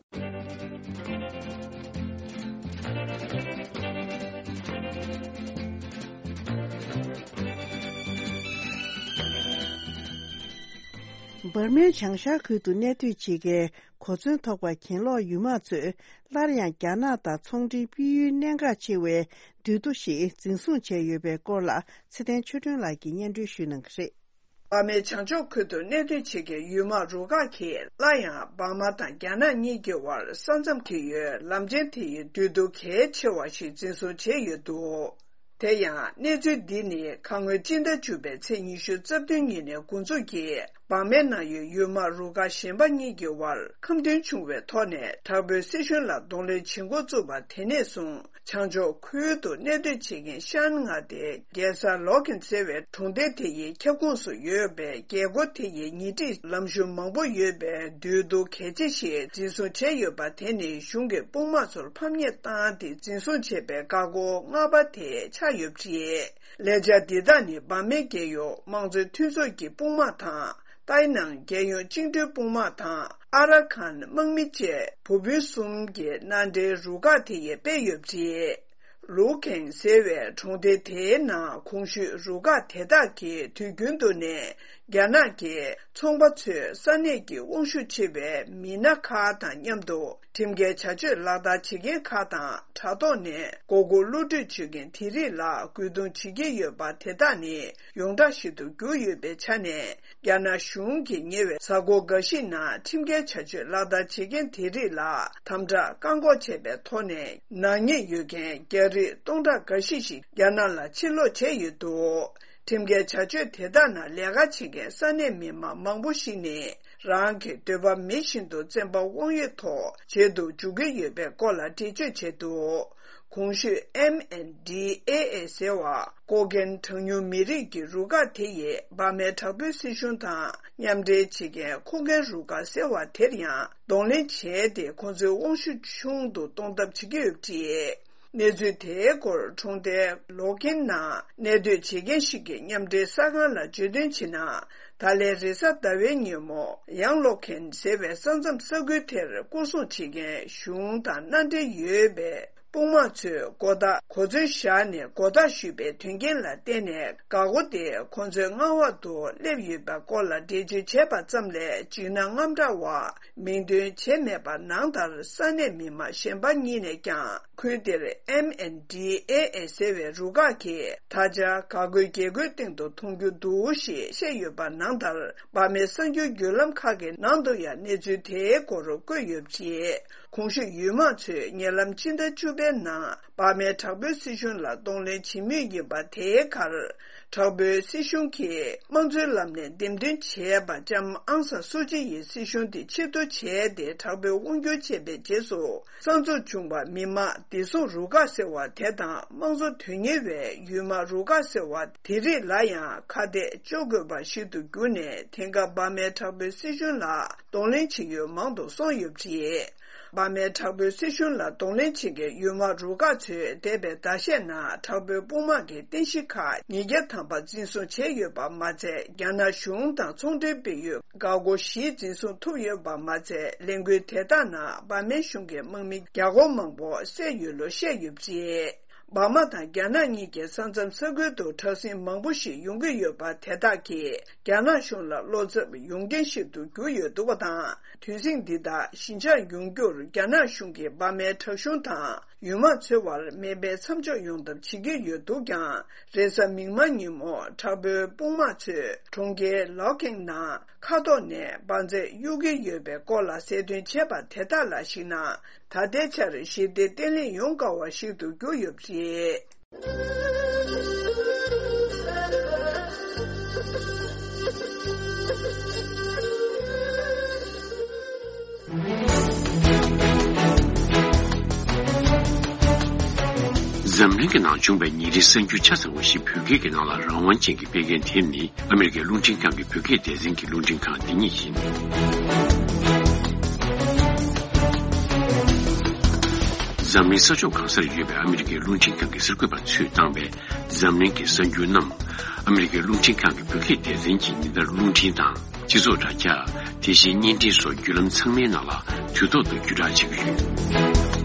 འབར་མའི་བྱང་ཤར་ཁུལ་དུ་གནས་སྡོད་བྱེད་མཁན་གོ་མཚོན་ཐོགས་པ་གྱེན་ལོག་ཡུལ་དམག་ཚོས་སླར་ཡང་རྒྱ་ནག་དང་ཚོང་འབྲེལ་སྤེལ་ཡུལ་གནད་འགག་ཆེ་བའི་འདུས་སྡོད་ཞིག་འཛིན་བཟུང་བྱས་ཡོད་པའི་སྐོར་ལ་ཚེ་བརྟན་ཆོས་སྒྲོན་ལགས་ཀྱིས་སྙན་སྒྲོན་ཞུ་གནང་གི་རེད། འབར་མའི་བྱང་ཕྱོགས་ཁུལ་དུ་གནས་སྡོད་བྱེད་མཁན་ཡུལ་དམག་རུ་ཁག་གིས་སླར་ཡང་འབར་མ་དང་རྒྱ་ནག་གཉིས་ཀྱི་དབར་ས་མཚམས་འཁེལ་ཡུལ་ལམ་ཆེན་དེ་ཡི་འདུས་སྡོད་གལ་ཆེ་བ་ཞིག་འཛིན་བཟུང་བྱས་ཡོད་འདུག་དེ་ཡང་གནས་ཚུལ་འདི་ནི་ཁ་སྔོན་སྤྱི་ཟླ་བཅུ་པའི་ཚེས་ཉི་ཤུ་རྩ་བདུན་ཉིན་ནས་འགོ་འཛུགས་ཀྱིས་འབར་མའི་ནང་ཡོད་ཡུལ་དམག་རུ་ཁག་གཞན་པ་གཉིས་ཀྱི་དབར་ཁ་མཐུན་བྱུང་བའི་ཐོག་ནས་དྲག་པོའི་སྲིད་གཞུང་ལ་གདོང་ལེན་བྱེད་འགོ་བཙུགས་པ་དེ་ནས་བཟུང་། བྱང་ཕྱོགས་ཁུལ་དུ་གནས་སྡོད་བྱེད་མཁན་ཤན་མངའ་སྡེའི་རྒྱལ་ས་ལོ་ཁན་ཟེར་བའི་གྲོང་སྡེ་དེ་ཡི་ཁྱབ་ཁོངས་སུ་ཡོད་པའི་རྒྱལ་སྒོ་དེ་ཡི་ཉེ་འཁྲིས་ལམ་གཞུང་མང་པོ་ཡོད་པའི་འདུས་སྡོད་གལ་ཆེ་ཞིག་འཛིན་བཟུང་བྱས་ཡོད་པ་དེ་ནི་གཞུང་གི་དཔུང་དམག་ཚོར་ཕམ་ཉེས་བཏང་སྟེ་འཛིན་བཟུང་བྱས་པའི་འགག་སྒོ་ལྔ་པ་དེ་ཆགས་ཡོད་པ་རེད། ལས་འཆར་འདི་དག་ནི་འབར་མའི་རྒྱལ་ཡོངས་དམངས་གཙོའི་མཐུན་ཚོགས་ཀྱི་དཔུང་དམག་དང་། ཏའི་ནང་རྒྱལ་ཡོངས་བཅིངས་འགྲོལ་དཔུང་དམག་དང་ཨ་ར་ཁན་དམག་མི་བཅས་བུ་སྤུན་གསུམ་གྱི་མནའ་འབྲེལ་རུ་ཁག་དེ་ཡིས་སྤེལ་ཡོད་པ་རེད། ལུའུ་ཁེང་ཟེར་བའི་གྲོང་སྡེ་དེའི་ནང་གོང་ཞུས་རུ་ཁག་དེ་དག་གིས་དུས་རྒྱུན་དུ་ནས་རྒྱ་ནག་གི་ཚོང་པ་ཚོས་ས་གནས་ཀྱི་དབང་ཤུགས་ཆེ་བའི་མི་སྣ་ཁག་དང་མཉམ་དུ་ཁྲིམས་འགལ་བྱ་སྤྱོད་ལག་བསྟར་བྱེད་མཁན་ཁག་དང་དྲ་ཐོག་ནས་མགོ་སྐོར་གློད་གྲོལ་བྱེད་མཁན་དེ་རིགས་ལ་རྒོལ་རྡུང་བྱེད་ཀྱི་ཡོད་པ་དེ་དག་ནི་ཡོངས་གྲགས་ཤིག་ཏུ་གྱུར་ཡོད་པའི་ཆ་ནས། རྒྱ་ནག་གཞུང་གིས་ཉེ་བའི་གཟའ་འཁོར་འགའ་ཞིག་ནང་ཁྲིམས་འགལ་བྱ་སྤྱོད་ལག་བསྟར་བྱེད་མཁན་དེ་རིགས་ལ་དམ་དྲག་བཀག་འགོག་བྱས་པའི་ཐོག་ནས་ནག་ཉེས་ཡོད་མཁན་རྒྱ་རིགས་སྟོང་ཕྲག་འགའ་ཤས་ཤིག་རྒྱ་ནག་ལ་ཕྱིར་ལོག་བྱས་ཡོད་འདུག་ཁྲིམས་འགལ་བྱ་སྤྱོད་དེ་དག་ནང་ལས་ཀ་བྱེད་མཁན་ས་གནས་མི་མང་མང་པོ་ཞིག་ནི་རང་གི་འདོད་པ་མེད་བཞིན་དུ་བཙན་པ་དབང་ཡོད་ཐོག་བྱེད་དུ་འཇུག་གི་ཡོད་པའི་སྐོར་ལ་འགྲེལ་བརྗོད་བྱས་འདུག་གོང་ཞུས་ཨེམ་ཨེན་ཌི་ཨེ་ཨེ་ཟེར་བ་ཀོ་ཀན་གྲངས་ཉུང་མི་རིགས་ཀྱི་རུ་ཁག་དེ་ཡིས་འབར་མའི་དྲག་པོའི་སྲིད་གཞུང་དང་མཉམ་འབྲེལ་བྱེད་མཁན་ཁུ་ཁན་རུ་ཁག་ཟེར་བ་དེར་ཡང་གདོང་ལེན་བྱས་ཏེ་ཁོང་ཚོའི་དབང་ཤུགས་ཆུང་དུ་གཏོང་ཐབས་བྱེད་ཀྱི་ཡོད་པ་རེད། གནས་ཚུལ་དེའི་སྐོར་གྲོང་རྡལ་ལོ་ཁན་ནང་གནས་སྡོད་བྱེད་མཁན་ཞིག་གིས་མཉམ་འབྲེལ་གསར་ཁང་ལ་བརྗོད་དོན་བྱས་ན། ད་ལན་རེས་གཟའ་ཟླ་བའི་ཉིན་མོ་ཡང་ལོ་ཁན་ཟེར་བའི་ས་མཚམས་ས་ཁུལ་དེར་སྐོར་སྲུང་བྱེད་མཁན་གཞུང་དང་མནའ་འབྲེལ་ཡོད་པའི་དཔུང་དམག་ཚོས་མགོ་བདག་གོ་མཚོན་བཞག་ནས་མགོ་བདག་ཞུས་པའི་དོན་རྐྱེན་ལ་བརྟེན་ནས་འགག་སྒོ་དེ་ཁོང་ཚོའི་མངའ་འོག་ཏུ་སླེབས་ཡོད་པའི་སྐོར་ལ་འགྲེལ་བརྗོད་བྱས་པ་ཙམ་ལས་འཇིགས་སྣང་དངངས་སྐྲག་བ་མིང་འདོན་བྱས་མེད་པ་ནང་ལྟར་ས་གནས་མི་མང་གཞན་པ་གཉིས་ནས་ཀྱང་ཁུལ་དེར་ཨེམ་ཨེན་ཌི་ཨེ་ཨེ་ཟེར་བའི་རུ་ཁག་གིས་ད་ཆ་འགག་སྒོའི་རྒྱལ་སྒོའི་སྟེང་དུ་མཐོང་རྒྱུ་འདུག་ཞེས་བཤད་ཡོད་པ་ནང་ལྟར་འབར་མའི་གསར་འགྱུར་བརྒྱུད་ལམ་ཁག་གི་ནང་དུ་ཡང་གནས་ཚུལ་དེའི་སྐོར་བཀོད་ཡོད་པ་རེད། གོང་ཞུས་ཡུལ་དམག་ཚོས་ཉེ་ལམ་ཕྱི་ཟླ་བཅུ་པའི་ནང་འབར་མའི་དྲག་པོའི་སྲིད་གཞུང་ལ་གདོང་ལེན་བྱེད་མུས་ཡིན་པ་དེའི་ཁར། དྲག་པོའི་སྲིད་གཞུང་གིས་དམངས་གཙོའི་ལམ་ནས་འདེམས་ཐོན་བྱས་པ་ལྕམ་ཨང་སན་སུ་ཅི་ཡི་སྲིད་གཞུང་དེ་ཕྱིར་བསྡུ་བྱས་ཏེ་དྲག་པོའི་དབང་སྒྱུར་བྱས་པའི་རྗེས་སུ། གསར་འཛུགས་བྱུང་བ་མི་དམངས་བདེ་སྲུང་རུ་ཁག་ཟེར་བ་དེ་དང་དམངས་གཙོ་དོན་གཉེར་བའི་ཡུལ་དམག་རུ་ཁག་ཟེར་བ་དེ་རིགས་ལ་ཡང་ཁ་གཏད་གཅོག་དགོས་པ་ཞིག་ཏུ་གྱུར་ནས། དེང་སྐབས་འབར་མའི་དྲག་པོའི་སྲིད་གཞུང་ལ་གདོང་ལེན་བྱེད་ཡུལ་མང་དུ་སོང་ཡོད་པ་རེད། འབར་མའི་དྲག་པོའི་སྲིད་གཞུང་ལ་གདོང་ལེན་བྱེད་མཁན་ཡུལ་དམག་རུ་ཁག་ཚོས་འདས་པའི་ཟླ་ཤས་ནང་དྲག་པོའི་དཔུང་དམག་གི་རྟེན་གཞི་ཁག་ཉིས་བརྒྱ་ཐམ་པ་འཛིན་བཟུང་བྱས་ཡོད་པ་མ་ཚད། རྒྱ་ནག་གཞུང་དང་ཚོང་འབྲེལ་སྤེལ་ཡུལ་འགག་སྒོ་བཞི་འཛིན་བཟུང་ཐུབ་ཡོད་པ་མ་ཚད། ལས་འགུལ་དེ་དག་ནང་འབར་མའི་གཞུང་གི་དམག་མི་བརྒྱ་སྐོར་མང་པོ་བསད་ཡོད་ལུགས་བཤད་ཡོད་པ་རེད། འབར་མ་དང་རྒྱ་ནག་གཉིས་ཀྱི་ས་མཚམས་ས་ཁུལ་དུ་དྲག་ཟིང་མང་པོ་ཞིག་ཡོང་གི་ཡོད་པ་དེ་དག་གིས་རྒྱ་ནག་གཞུང་ལ་བློ་འཚབ་ཡོང་རྐྱེན་ཞིག་ཏུ་གྱུར་ཡོད་འདུག་པ་དང་། དུས་ཟིང་འདི་དག་ཞི་འཇགས་ཡོང་རྒྱུར་རྒྱ་ནག་གཞུང་གིས་འབར་མའི་དྲག་གཞུང་དང་ཡུལ་དམག་འཚོལ་བར་མེ་འཕེན་མཚམས་འཇོག་ཡོང་ཐབས་བྱེད་ཀྱི་ཡོད་འདུག་ཀྱང་། རེས་གཟའ་མིག་དམར་ཉིན་མོ་དྲག་པོའི་དཔུང་དམག་ཚོས་གྲོང་ཁྱེར་ལོ་ཁེང་ནང་མཁའ་ཐོག་ནས་འབར་རྫས་གཡུག་གི་ཡོད་པའི་སྐོར་ལ་གསལ་སྟོན་བྱས་པ་དེ་དག་ལ་གཞིགས་ན། ད་ལྟའི་ཆར་ཞི་བདེ་བརྟན་ལྷིང་ཡོང་དཀའ་བ་ཞིག་ཏུ་གྱུར་ཡོད་པ་རེད། འཛམ་གླིང་གི་ནང་བྱུང་བའི་ཉིན་རེའི་གསར་འགྱུར་ཆ་ཚང་བ་ཞིག་བོད་སྐད་ཀྱི་ནང་ལ་རང་དབང་ཅན་གྱིས་སྤེལ་མཁན་དེ་ནི། ཨ་མི་རི་ཀའི་རླུང་འཕྲིན་ཁང་གི་བོད་སྐད་སྡེ་ཚན་གྱི་རླུང་འཕྲིན་ཁང་འདི་ཉིད་ཡིན། འཛམ་གླིང་ས་ཕྱོགས་གང་སར་ཡོད་པའི་ཨ་མི་རི་ཀའི་རླུང་འཕྲིན་ཁང་གི་གསར་འགོད་པ་ཚོས་བཏང་བའི་འཛམ་གླིང་གི་གསར་འགྱུར་རྣམས། ཨ་མི་རི་ཀའི་རླུང་འཕྲིན་ཁང་གི་བོད་སྐད་སྡེ་ཚན་གྱིས་ཉིན་ལྟར་རླུང་འཕྲིན་དང་། སྤྱི་ཚོགས་དྲ་རྒྱ། དེ་བཞིན་བརྙན་འཕྲིན་སོགས་བརྒྱུད་ལམ་ཚང་མའི་ནང་ལ་དུས་ཐོག་ཏུ་བརྒྱུད་བསྒྲགས་བྱེད་ཀྱི་ཡོད།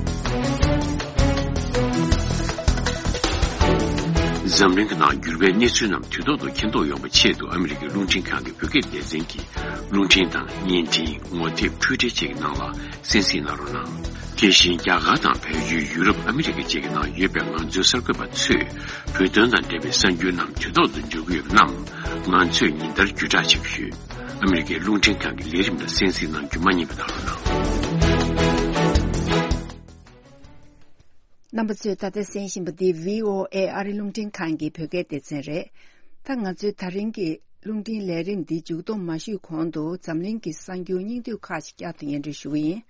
འཛམ་གླིང་གི་ནང་འགྱུར་བའི་གནས་ཚུལ་རྣམས་དུས་ཐོག་ཏུ་མཁྱེན་རྟོགས་ཡོང་བའི་ཆེད་དུ། ཨ་མི་རི་ཀའི་རླུང་འཕྲིན་ཁང་གི་བོད་སྐད་སྡེ་ཚན་གྱིས་རླུང་འཕྲིན་དང་བརྙན་འཕྲིན། ངོ་དེབ། འཕྲུལ་འཕྲིན་བཅས་ཀྱི་ནང་ལ་གསན་གཟིགས་གནང་རོགས་གནང་། དེ་བཞིན་རྒྱ་གར་དང་བལ་ཡུལ། ཡུ་རོབ། ཨ་མི་རི་ཀ་བཅས་ཀྱི་ནང་ཡོད་པའི་ང་ཚོའི་གསར་འགོད་པ་ཚོས་བོད་དོན་དང་འབྲེལ་བའི་གསར་འགྱུར་རྣམས་དུས་ཐོག་ཏུ་འབྱོར་གྱི་ཡོད་པ་རྣམས་ང་ཚོས་ཉིན་ལྟར་བརྒྱུད་བསྒྲགས་བྱེད་ཀྱི་ཡོད། ཨ་མི་རི་ཀའི་རླུང་འཕྲིན་ཁང་གི་ལས་རིམ་ལ་གསན་གཟིགས་གནང་རྒྱུ་མ་བསྙེལ་བ་གནང་རོགས་གནང་། རྣམ་པ་ཚོས་ད་ལྟ་གསན་བཞིན་པ་འདི་བྷི་ཨོ་ཨེ་ཨ་རི་རླུང་འཕྲིན་ཁང་གི་བོད་སྐད་སྡེ་ཚན་རེད། ད་ང་ཚོའི་ད་རིང་གི་རླུང་འཕྲིན་ལས་རིམ་འདི་མཇུག་སྡོམ་མ་ཞུས་གོང་དུ། འཛམ་གླིང་གི་གསར་འགྱུར་སྙིང་བསྡུས་ཁག་ཅིག་བསྐྱར་དུ་སྙན་སྒྲོན་ཞུ་གི་ཡིན།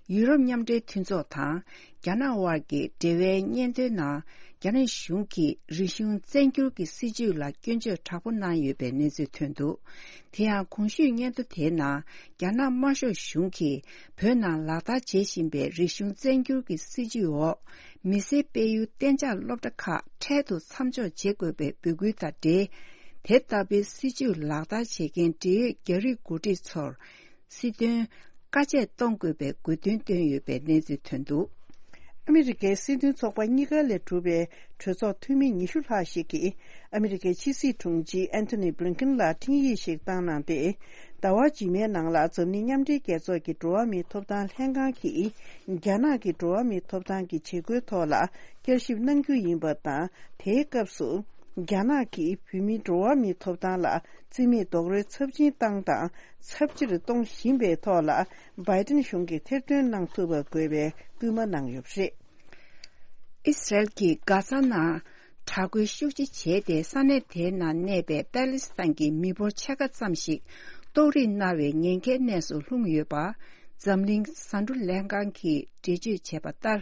ཡུ་རོབ་མཉམ་འབྲེལ་མཐུན་ཚོགས་དང་རྒྱ་ནག་དབར་གྱི་འབྲེལ་བའི་སྙན་ཐོའི་ནང་། རྒྱ་ནག་གཞུང་གིས་རིག་གཞུང་བཙན་སྒྱུར་གྱི་སྲིད་བྱུས་ལ་སྐྱོན་བརྗོད་དྲག་པོ་གནང་ཡོད་པའི་གནས་ཚུལ་ཐོན་འདུག་དེ་ཡང་གོང་ཞུས་སྙན་ཐོ་དེའི་ནང་། རྒྱ་ནག་དམར་ཤོག་གཞུང་གིས་བོད་ནང་ལག་བསྟར་བྱེད་བཞིན་པའི་རིག་གཞུང་བཙན་སྒྱུར་གྱི་སྲིད་བྱུས་འོག་མི་སེར་སྤེལ་ཡུལ་གཏན་འཇགས་སློབ་གྲྭ་ཁག་འཕྲལ་དུ་མཚམས་འཇོག་བྱེད་དགོས་པའི་འབོད་སྐུལ་དང་འབྲེལ། དེ་ལྟ་བུའི་སྲིད་བྱུས་ལག་བསྟར་བྱེད་མཁན་འབྲེལ་ཡོད་རྒྱ་རིགས་འགོ་ཁྲིད་ཚོར་སྲིད་དོན་བཀའ་ཆད་གཏོང་དགོས་པའི་དགོས་འདུན་བཏོན་ཡོད་པའི་གནས་ཚུལ་ཐོན་འདུག་ཨ་མི་རི་ཀའི་སྲིད་དོན་ཚོགས་པ་གཉིས་ཀ་ལས་གྲུབ་པའི་གྲོས་ཚོགས་འཐུས་མི་ཉི་ཤུ་ལྷག་ཞིག་གིས་ཨ་མི་རི་ཀའི་ཕྱི་སྲིད་དྲུང་ཆེ་ཨན་ཐོ་ནི་བྷི་ལིན་ཀིན་ལ་འཕྲིན་ཡིག་ཞིག་བཏང་གནང་སྟེ། ཟླ་བ་རྗེས་མའི་ནང་ལ་འཛམ་གླིང་མཉམ་འབྲེལ་རྒྱལ་ཚོགས་ཀྱི་འགྲོ་བ་མིའི་ཐོབ་ཐང་ལྷན་ཁང་གིས་རྒྱ་ནག་གི་འགྲོ་བ་མིའི་ཐོབ་ཐང་གི་བྱེད་སྒོའི་ཐོག་ལ་བསྐྱར་ཞིབ་གནང་རྒྱུ་ཡིན་པ་དང་། དེའི་སྐབས་སུ་རྒྱ་ནག་གིས་བོད་མིའི་འགྲོ་བ་མིའི་ཐོབ་ཐང་ལ་བརྩི་མེད་རྡོག་རོལ་ཚབས་ཆེན་བཏང་དང་ཚབས་ཆེར་གཏོང་བཞིན་པའི་ཐོག་ལ། བྷའི་ཏིན་གཞུང་གིས་ཐེར་འདོན་གནང་ཐུབ་པ་དགོས་པའི་སྐུལ་མ་གནང་ཡོད་པ་རེད། ཨི་སི་རལ་གྱིས་གྷ་ཛ་ནང་དྲག་རྒོལ་ཤུགས་ཆེ་བྱས་ཏེ། ས་གནས་དེའི་ནང་གནས་པའི་པེ་ལི་སི་ཐན་གྱི་མི་འབོར་ཕྱེད་ཀ་ཙམ་ཞིག་ཏོག་དབྱིབས་ན་བའི་ཉེན་ཁའི་གནས་སུ་ལྷུང་ཡོད་པ། འཛམ་གླིང་ཟ་འབྲུ་ལྷན་ཁང་གིས་འགྲེལ་བརྗོད་བྱས་པ་ལྟར།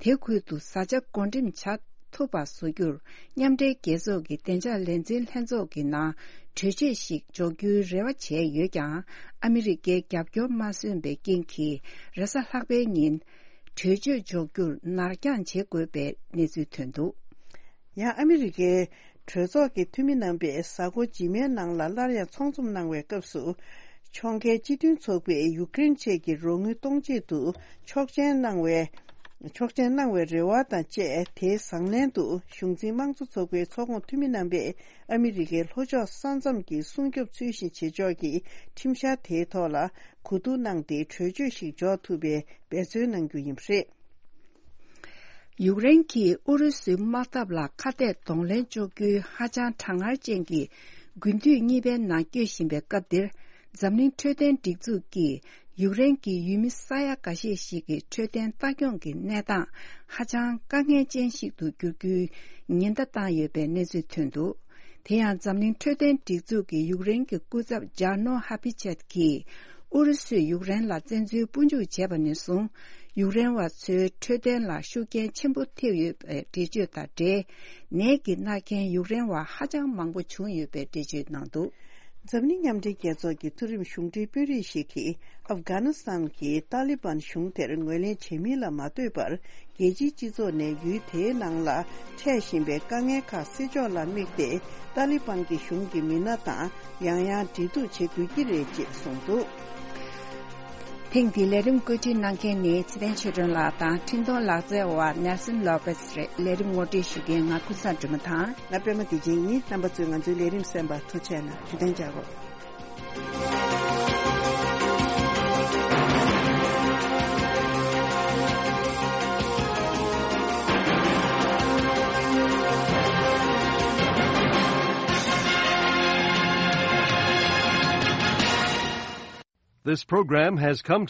དེ་ཁུལ་དུ་བཟའ་བཅའ་བགོ་འགྲེམས་བྱ་ཐུབ་པ་བཟོ་རྒྱུར། མཉམ་འབྲེལ་རྒྱལ་ཚོགས་ཀྱི་བདེ་འཇགས་ལས་འཛིན་ལྷན་ཚོགས་ཀྱི་ནང་གྲོས་ཆོད་ཞིག་འཇོག་རྒྱུའི་རེ་བ་བྱས་ཡོད་ཀྱང་། ཨ་མི་རི་ཀའི་རྒྱབ་སྐྱོར་མ་སོན་པའི་རྐྱེན་གྱིས། རེས་གཟའ་ལྷག་པའི་ཉིན་གྲོས་ཆོད་འཇོག་རྒྱུར་ནར་འགྱངས་བྱེད་དགོས་པའི་གནས་ཚུལ་ཐོན་འདུག་ཡང་ཨ་མི་རི་ཀའི་གྲོས་ཚོགས་ཀྱི་འཐུས་མི་རྣམ་པས་གཟའ་འཁོར་རྗེས་མའི་ནང་ལ་སླར་ཡང་ཚོགས་འཛོམས་གནང་བའི་སྐབས་སུ། ཕྱོགས་འགལ་སྤྱི་མཐུན་ཚོགས་པས་ཡུཀ་རེན་ཆེད་ཀྱི་རོགས་དངུལ་གཏོང་ཆེད་དུ་ཆོག་མཆན་གནང་བའི་ཆོག་མཆན་གནང་བའི་རེ་བ་དང་བཅས། དེའི་བཟང་ལན་དུ་གཞུང་འཛིན་དམངས་གཙོ་ཚོགས་པའི་ཚོགས་ཁོངས་འཐུས་མི་རྣམ་པས་ཨ་མི་རི་ཀའི་ལྷོ་ཕྱོགས་ས་མཚམས་ཀྱི་སྲུང་སྐྱོབ་ཚུལ་བཞིན་བྱེད་ཕྱོགས་ཀྱི་ཁྲིམས་འཆར་དེའི་ཐོག་ལ་གོ་བསྡུར་གནང་སྟེ། གྲོས་ཆོད་ཞིག་འཇོག་ཐུབ་པའི་འབད་བརྩོན་གནང་རྒྱུ་ཡིན་པ་རེད། ཡུཀ་རེན་གྱིས་ཨུ་རུ་སུའི་དམག་འཐབ་ལ་ཁ་གཏད་གདོང་ལེན་གཅོག་རྒྱུའི་ཧ་ཅང་གྲང་ངར་ཅན་གྱི་དགུན་དུས་གཉིས་པའི་ནང་སྐྱོད་བཞིན་པའི་སྐབས་འདིར། འཛམ་གླིང་འཕྲོད་བསྟེན་སྒྲིག་འཛུགས་ཀྱིས་ཡུཀ་རེན་གྱི་ཡུལ་མི་ས་ཡ་འགའ་ཤས་ཤིག་གི་འཕྲོད་བསྟེན་ལྟ་སྐྱོང་གི་གནས་སྟངས་ཧ་ཅང་དཀའ་ངལ་ཅན་ཞིག་ཏུ་འགྱུར་རྒྱུའི་ཉེན་བརྡ་བཏང་ཡོད་པའི་གནས་ཚུལ་ཐོན་འདུག་དེ་ཡང་འཛམ་གླིང་འཕྲོད་བསྟེན་སྒྲིག་འཛུགས་ཀྱི་ཡུཀ་རེན་གྱི་སྐུ་ཚབ་ཇཱ་ནོ་ཧ་པི་ཆད་ཀྱིས། ཨུ་རུ་སུས་ཡུཀ་རེན་ལ་བཙན་འཛུལ་དཔུང་འཇུག་བྱས་པ་ནས་བཟུང་། ཡུཀ་རེན་བ་ཚོའི་འཕྲོད་བསྟེན་ལ་ཤུགས་རྐྱེན་ཆེན་པོ་ཐེབས་ཡོད་པའི་འགྲེལ་བརྗོད་དང་འབྲེལ། ནད་ཀྱིས་མནར་མཁན་ཡུཀ་རེན་བ་ཧ་ཅང་མང་པོ་བྱུང་ཡོད་པའི་འགྲེལ་བརྗོད་གནང་འདུག་འཛམ་གླིང་མཉམ་འབྲེལ་རྒྱལ་ཚོགས་ཀྱི་མཐོ་རིམ་གཞུང་འབྲེལ་དཔོན་རིགས་ཤིག་གིས་ཨབ་གྷ་ནི་སི་ཐན་གྱི་ཏཱ་ལི་བན་གཞུང་དེར་ངོས་ལེན་བྱེད་མིན་ལ་མ་ལྟོས་པར། རྒྱལ་སྤྱིའི་སྤྱི་ཚོགས་ནས་ཡུལ་དེའི་ནང་ལ་འཕྲད་བཞིན་པའི་དཀའ་ངལ་ཁག་སེལ་ཕྱོགས་ལ་དམིགས་ཏེ། ཏཱ་ལི་བན་གྱི་གཞུང་གི་མི་སྣ་དང་ཡང་ཡང་འབྲེལ་གཏུག་བྱེད་དགོས་ཀྱི་རེད་ཅེས་གསུངས་འདུག། ཐེངས་འདིའི་ལས་རིམ་བཀོད་སྒྲིག་གནང་མཁན་ནི་ཚེ་བརྟན་ཆོས་སྒྲོན་ལགས་དང་འཕྲིན་གཏོང་ལག་རྩལ་བ་ནེལ་སན་ལོ་པེས་རེད། ལས་རིམ་ངོ་སྤྲོད་ཞུ་མཁན་ང་ཀུན་བཟང་སྒྲོལ་མ་དང་། ང་པད་མ་བདེ་ཆེན་ཡིན། རྣམ་པ་ཚོས་ང་ཚོའི་ལས་རིམ་གསན་པར་ཐུགས་རྗེ་གནང་། བདེ་ལེགས། This program has come to